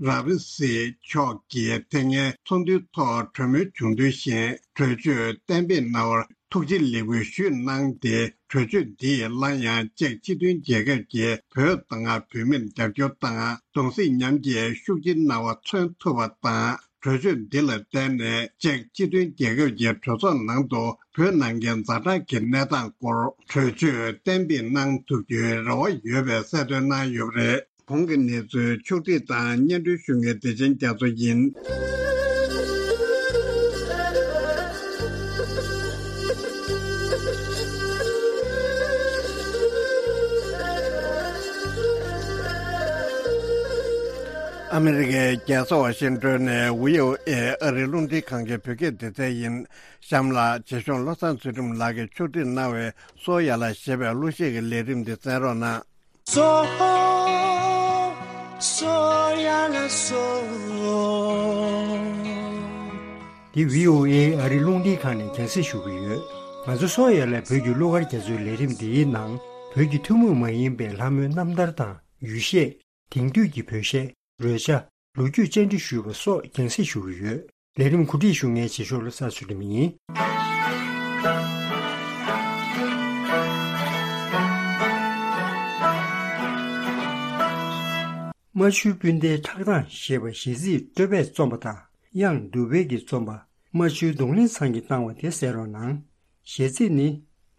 ར་བི་སི་མཆོག་གིས་དེ་སྔའི་ཚོགས་འདུའི་ཐོག་གྲོས་མོལ་བྱུང་དོན་བཞིན་གྲོས་ཆོད་གཏན་འབེབས་གནང་བར་ཐུགས་རྗེ་ལེགས་འབུལ་ཞུས་གནང་སྟེ། གྲོས་ཆོད་འདིས་སླར་ཡང་ཅེཀ་སྤྱི་མཐུན་རྒྱལ་ཁབ་ཀྱིས་བོད་དང་བོད་མིར་རྒྱབ་སྐྱོར་དང་གདུང་སེམས་མཉམ་སྐྱེད་ཤུགས་ཆེ་གནང་བ་མཚོན་ཐུབ་པ་དང་། གྲོས་ཆོད་འདི་ལ་བརྟེན་ནས་ཅེཀ་སྤྱི་མཐུན་རྒྱལ་ཁབ་ཀྱི་གྲོས་ཚོགས་ནང་དུ་བོད་ནང་གི་ཛ་དྲག་གི་གནས་སྟངས་སྐོར་གྲོས་ཆོད་གཏན་འབེབས་གནང་ཐུབ་རྒྱུའི་རེ་བ་ཡོད་པའི་གསལ་སྟོན་གནང་ཡོད་པ་རེད། གོང་གི་གནས་ཚུལ་ཕྱོགས་སྒྲིག་དང་སྙན་སྒྲོན་ཞུ་མཁན་བདེ་ཆེན་རྒྱ་མཚོ་ཡིན། ཨ་མི་རི་ཀའི་རྒྱལ་ས་ཝ་ཤིང་ཏོན་ནས་བྷི་ཨོ་ཨེ་ཨ་རིའི་རླུང་འཕྲིན་ཁང་གི་བོད་སྐད་སྡེ་ཚན་ཡིན། གཤམ་ལ་རྗེ་གཞུང་བློ་བཟང་ཚུལ་ཁྲིམས་ལགས་ཀྱིས་ཕྱོགས་སྒྲིག་གནང་བའི་སོ་ཡ་ལ་ཞེས་པའི་གླུ་གཞས་ཀྱི་ལས་རིམ་འདི་གསན་རོགས་གནང་། སོ། སོ་ཡ་ལ་སོ། འདི་བྷི་ཨོ་ཨེ་ཨ་རིའི་རླུང་འཕྲིན་ཁང་ནས་རྒྱང་སྲིང་ཞུ་གི་ཡོད། ང་ཚོ་སོ་ཡ་ལ་བོད་ཀྱི་གླུ་གར་རྒྱ་མཚོའི་ལས་རིམ་འདིའི་ནང་བོད་ཀྱི་ཐུན་མོང་མ་ཡིན་པའི་ལྷ་མོའི་རྣམ་ཐར་དང་ཡུལ་གཞས། དེང་དུས་ཀྱི་བོད་གཞས། རོལ་ཆ། ལོ་རྒྱུས་བཅར་འདྲི་ཞུས་པ་སོགས་རྒྱང་སྲིང་ཞུ་གི་ཡོད། ལས་རིམ་གོ་སྒྲིག་ཞུ་མཁན་རྗེ་ཤོག་བློ་བཟང་ཚུལ་ཁྲིམས་ཡིན། རྨ་ཆུའི་སྤུན་ཟླའི་ཁྲག་དང་ཞེས་པ་གཞས་ཚིག་སྤྲོས་པས་རྩོམ་པ་དང་། དབྱངས་འདུས་པའི་གིས་རྩོམ་པ། རྨ་ཆུའི་རྡུང་ལེན་ཚང་གིས་བཏང་བ་དེ་གསན་རོགས་གནང་། གཞས་ཚིག་ནི།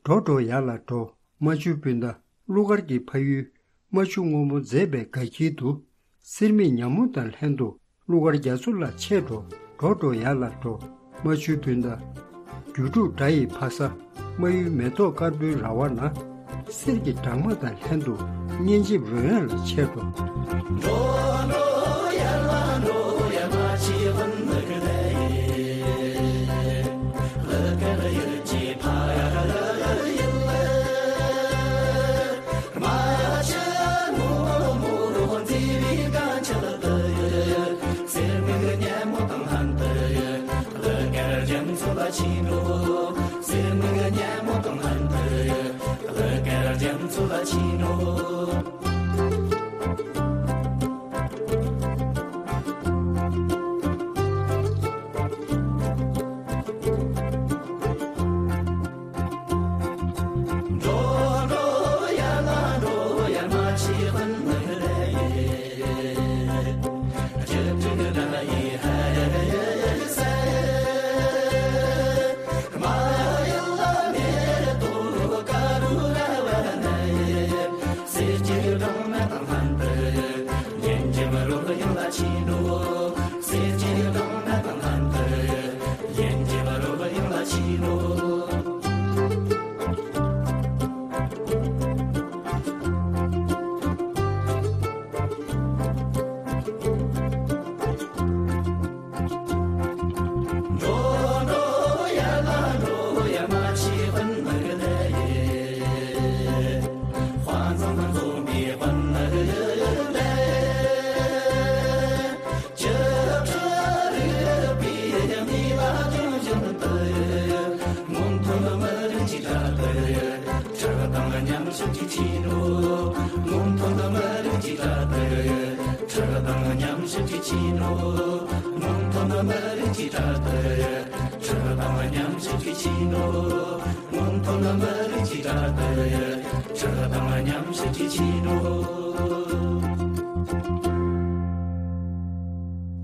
འགྲོ་འགྲོ་ཡར་ལ་འགྲོ། རྨ་ཆུའི་སྤུན་ཟླ། གླུ་གར་གྱི་ཕ་ཡུལ། རྨ་ཆུ་སྔོན་མོ་མཛེས་པའི་དགའ་འཁྱིལ་དུ། སེར་མིག་ཉ་མོ་དང་ལྷན་དུ། གླུ་གར་རྒྱ་མཚོ་ལ་ཆས་འགྲོ། འགྲོ་འགྲོ་ཡར་ལ་འགྲོ། རྨ་ཆུའི་སྤུན་ཟླ། རྒྱུ་དྲུག་སྒྲ་ཡི་ཕ་ས། རྨ་ཡུལ་མེ་ཏོག་དཀར་པོའི་ར་བ་ན། གསེར་གྱི་སྦྲང་མ་དང་ལྷན་དུ། སྙན་འཇེབས་རོལ་དབྱངས་ལ་ཆས་འགྲོ།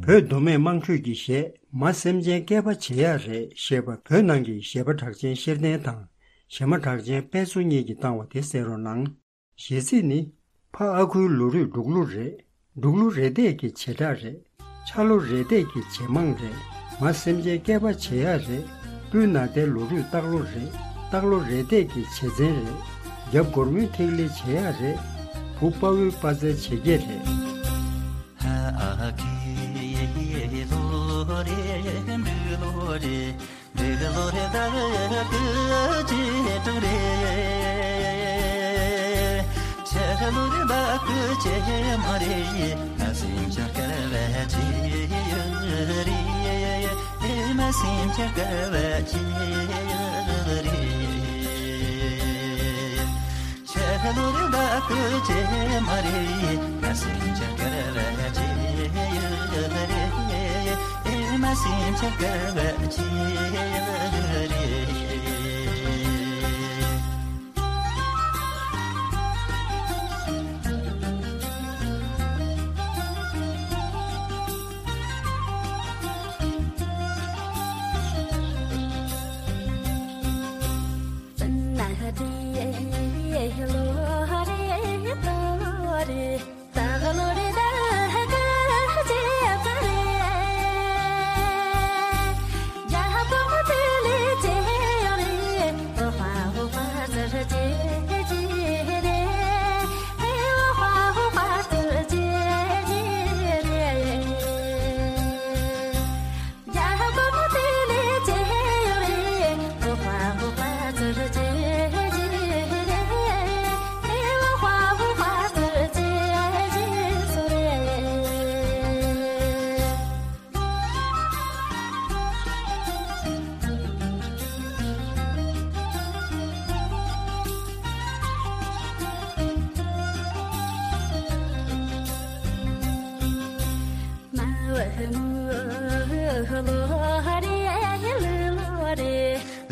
བོད་མདོ་སྨད་དམངས་ཁྲོད་ཀྱི་གཞས། མ་སེམས་ཅན་སྐལ་པ་བྱེད་ཡག་རེད་ཞེས་པ་བོད་ནང་གི་གཞས་པ་གྲགས་ཅན་ཤེར་ལྡན་དང་གཞས་མ་གྲགས་ཅན་དཔལ་འཚོ་གཉིས་ཀྱིས་བཏང་བ་དེ་གསན་རོགས་གནང་། གཞས་ཚིག་ནི། ཕ་ཨ་ཁུའི་ལོ་རུས་འབྲུག་ལོ་རེད། འབྲུག་ལོ་རེ་འདས་ཀྱི་བྱེ་བྲག་རེད། ཆ་ལོ་རེ་འདས་ཀྱི་བྱེ་མང་རེད། མ་སེམས་ཅན་སྐལ་པ་བྱེད་ཡག་རེད། སྤུན་ན་ཏའི་ལོ་རུས་སྟག་ལོ་རེད། སྟག་ལོ་རེ་འདས་ཀྱི་བྱེ་ཚན་རེད། རྒྱབ་སྒོར་མོའི་ཐིག་ལེ་བྱེད་ཡག་རེད། བུ་དཔའ་བོའི་དཔའ་རྩལ་བྱེད་ཀྱི་རེད། ཧ་ཨ་ཁི་ལོ་རེ་འབྲུག་ལོ་རེ། འབྲུག་ལོ་རེ་ཟླ་བའི་བཅུ་དྲུག་རེད། ཆར་ལོ་རེ་ཟླ་བའི་བྱེ་མ་རེད། ང་སེམས་ཅན་སྐལ་བ་ཆེ་ཡོད་རེད། ང་སེམས་ཅན་སྐལ་བ་ཆེ་ཡོད་རེད། ཆར་ལོ་རེ་ཟླ་བའི་བྱེ་མ་རེད། ང་སེམས་ཅན་སྐལ་བ་ཆེ་ཡོད་རེད། ཨེ་མ་སེམས་ཅན་སྐལ་བ་ཆེ་ཡོད་རེད། ལུག་ལོ་རེ་ཟླ་བའི་བྱེ་མ་རེད།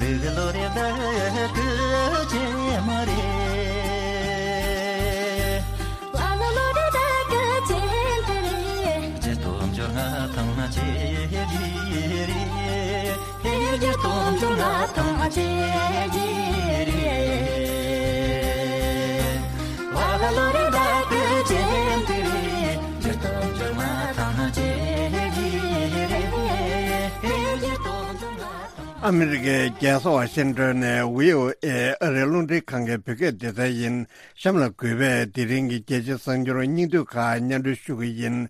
ལ་ལ་ལོ་རེ་ཟླ་བའི་བྱེ་མ་རེད། བརྒྱད་སྟོང་བཅོ་ལྔ་ཐང་ན་བྱེ་རེ་རེད། བརྒྱད་སྟོང་བཅོ་ལྔ་ཐང་ན་བྱེ་རེ་རེད། ལ་ལ་ལོ་རེ་ཟླ་བའི་བྱེ་མ་རེད། བརྒྱད་སྟོང་བཅོ་ལྔ་ཐང་ན་བྱེ་རེ་རེད། བརྒྱད་སྟོང་བཅོ་ལྔ་ཨ་མི་རི་ཀའི་རྒྱལ་ས་ཝ་ཤིང་ཏོན་ནས་བྷི་ཨོ་ཨེ་ཨ་རིའི་རླུང་འཕྲིན་ཁང་གི་བོད་སྐད་སྡེ་ཚན་ཡིན། གཤམ་ལ་གུས་པས་དེ་རིང་གི་རྒྱལ་སྤྱིའི་གསར་འགྱུར་སྙིང་བསྡུས་ཁག་སྙན་སྒྲོན་ཞུ་གི་ཡིན།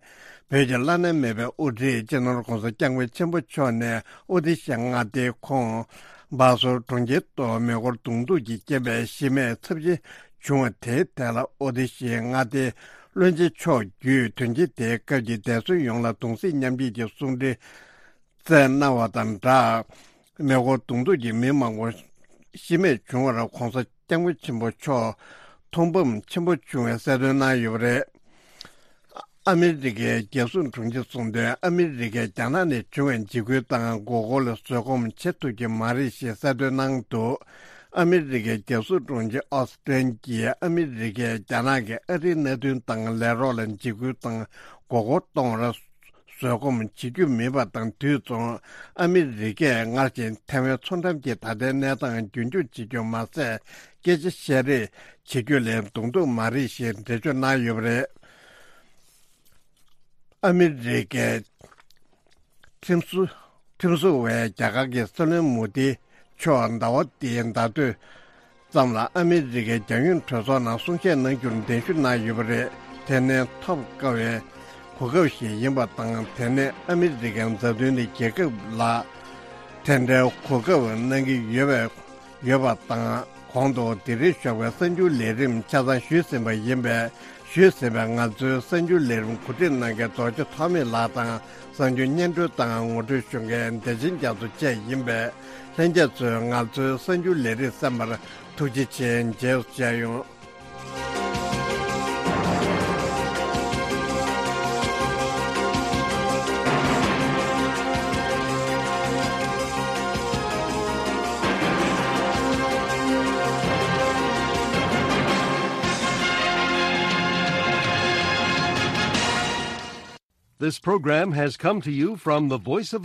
བོད་ཀྱི་བླ་ན་མེད་པའི་དབུ་ཁྲིད་སྤྱི་ནོར་༧གོང་ས་༧སྐྱབས་མགོན་ཆེན་པོ་མཆོག་ནས་ཨོ་ཏི་ཤི་མངའ་སྡེའི་ཁོངས་སྦ་སོར་གྲོང་ཁྱེར་དུ་མེ་འཁོར་གདོང་ཐུག་གི་རྐྱེན་པས་ཤི་རྨས་ཚབས་ཆེ་བྱུང་བ་དེའི་ཐད་ལ་ཨོ་ཏི་ཤི་མངའ་སྡེའི་བློན་ཆེན་མཆོག་བརྒྱུད་དོན་རྐྱེན་དེའི་སྐབས་ཀྱི་འདས་གསོན་ཡོངས་ལ་གདུང་སེམས་མཉམ་སྐྱེད་ཀྱི་གསུང་འཕྲིན་བསྩལ་གནང་བ་དང་སྦྲགས། མེ་འཁོར་གདོང་ཐུག་གིས་མི་མང་པོ་ཤི་རྨས་བྱུང་བར་༧གོང་ས་༧སྐྱབས་མགོན་ཆེན་པོ་མཆོག་མཐོང་ཕམ་ཆེན་པོ་བྱུང་བའི་གསལ་སྟོན་གནང་ཡོད་པ་རེད། ཨ་མི་རི་ཀའི་རྒྱལ་སྲུང་དྲུང་ཆེ་གསུངས་དོན། ཨ་མི་རི་ཀས་རྒྱ་ནག་ནས་བྱུང་བའི་འཇིགས་སྐུལ་དང་མགོ་སྐོར་ལ་བཟོད་སྒོམ་བྱེད་ཐུབ་ཀྱི་མ་རེད་ཞེས་གསལ་སྟོན་གནང་འདུག་ཨ་མི་རི་ཀའི་རྒྱལ་སྲུང་དྲུང་ཆེ་ཨོ་སི་ཏན་གྱིས་ཨ་མི་རི་ཀས་རྒྱ་ནག་གིས་ཨ་རིའི་མནའ་མཐུན་དང་ལས་རོགས་ལ་འཇིགས་སྐུལ་དང་མགོ་སྐོར་གཏོང་བར་བཟོད་སྒོམ་བྱེད་རྒྱུ་མིན་པ་དང་། དུས་མཚུངས་ཨ་མི་རི་ཀས་སྔར་བཞིན་ཐའེ་ཝན་མཚོ་འགྲམ་གྱི་ད་ལྟའི་གནས་སྟངས་རྒྱུན་འཁྱོངས་བྱེད་རྒྱུ་མ་ཟད། སྐད་ཆ་བཤད་རེས་བྱེད་རྒྱུ་ལས་གདོང་ཐུག་མ་རེད་ཞེས་འགྲེལ་བརྗོད་གནང་ཡོད་པ་རེད། ཨ་མི་རི་ཀའི་ཁྲིམས་བཟོ་ཁྲིམས་བཟོ་བས་རྒྱ་གར་གྱི་སྲིད་བློན་མོ་དི་མཆོག་ཟླ་བ་འདིའི་ཟླ་སྟོད་ཙམ་ལ་ཨ་མི་རི་ཀའི་རྒྱལ་ཡོངས་གྲོས་ཚོགས་ནང་གསུང་བཤད་གནང་རྒྱུར་གདན་ཞུ་གནང་ཡོད་པ་རེད། དེ་ནི་ཐོབ་དཀའ་བའི་གོ་སྐབས་ཤིག་ཡིན་པ་དང་། དེ་ནི་ཨ་མི་རི་ཀའི་མཛའ་མཐུན་ནི་རྒྱལ་ཁབ་ལ་དེ་འདྲའི་གོ་སྐབས་གནང་གི་ཡོད་པའི་ཡོད་པ་དང་། གོང་དུ་དེ་རིང་ཞོགས་པའི་གསར་འགྱུར་ལས་རིམ་ཆ་ཚང་ཞུས་ཟིན་པ་ཡིན་པས། ཞུས་ཟིན་པའི་ང་ཚོའི་གསར་འགྱུར་ལས་རིམ་གོ་སྒྲིག་གནང་མཁན་རྡོ་རྗེ་ཐོགས་མེད་ལགས་དང་། གསར་འགྱུར་སྙན་སྒྲོན་དང་ངོ་སྤྲོད་ཞུ་མཁན་བདེ་ཆེན་རྒྱ་མཚོ་བཅས་ཡིན་པས། ལྷན་རྒྱས་ཚོས་ང་ཚོའི་གསར་འགྱུར་ལས་རིམ་གསན་པར་ཐུགས་རྗེ་ཆེ། མཇལ་མཇལ་ཡོང་། This program has come to you from the Voice of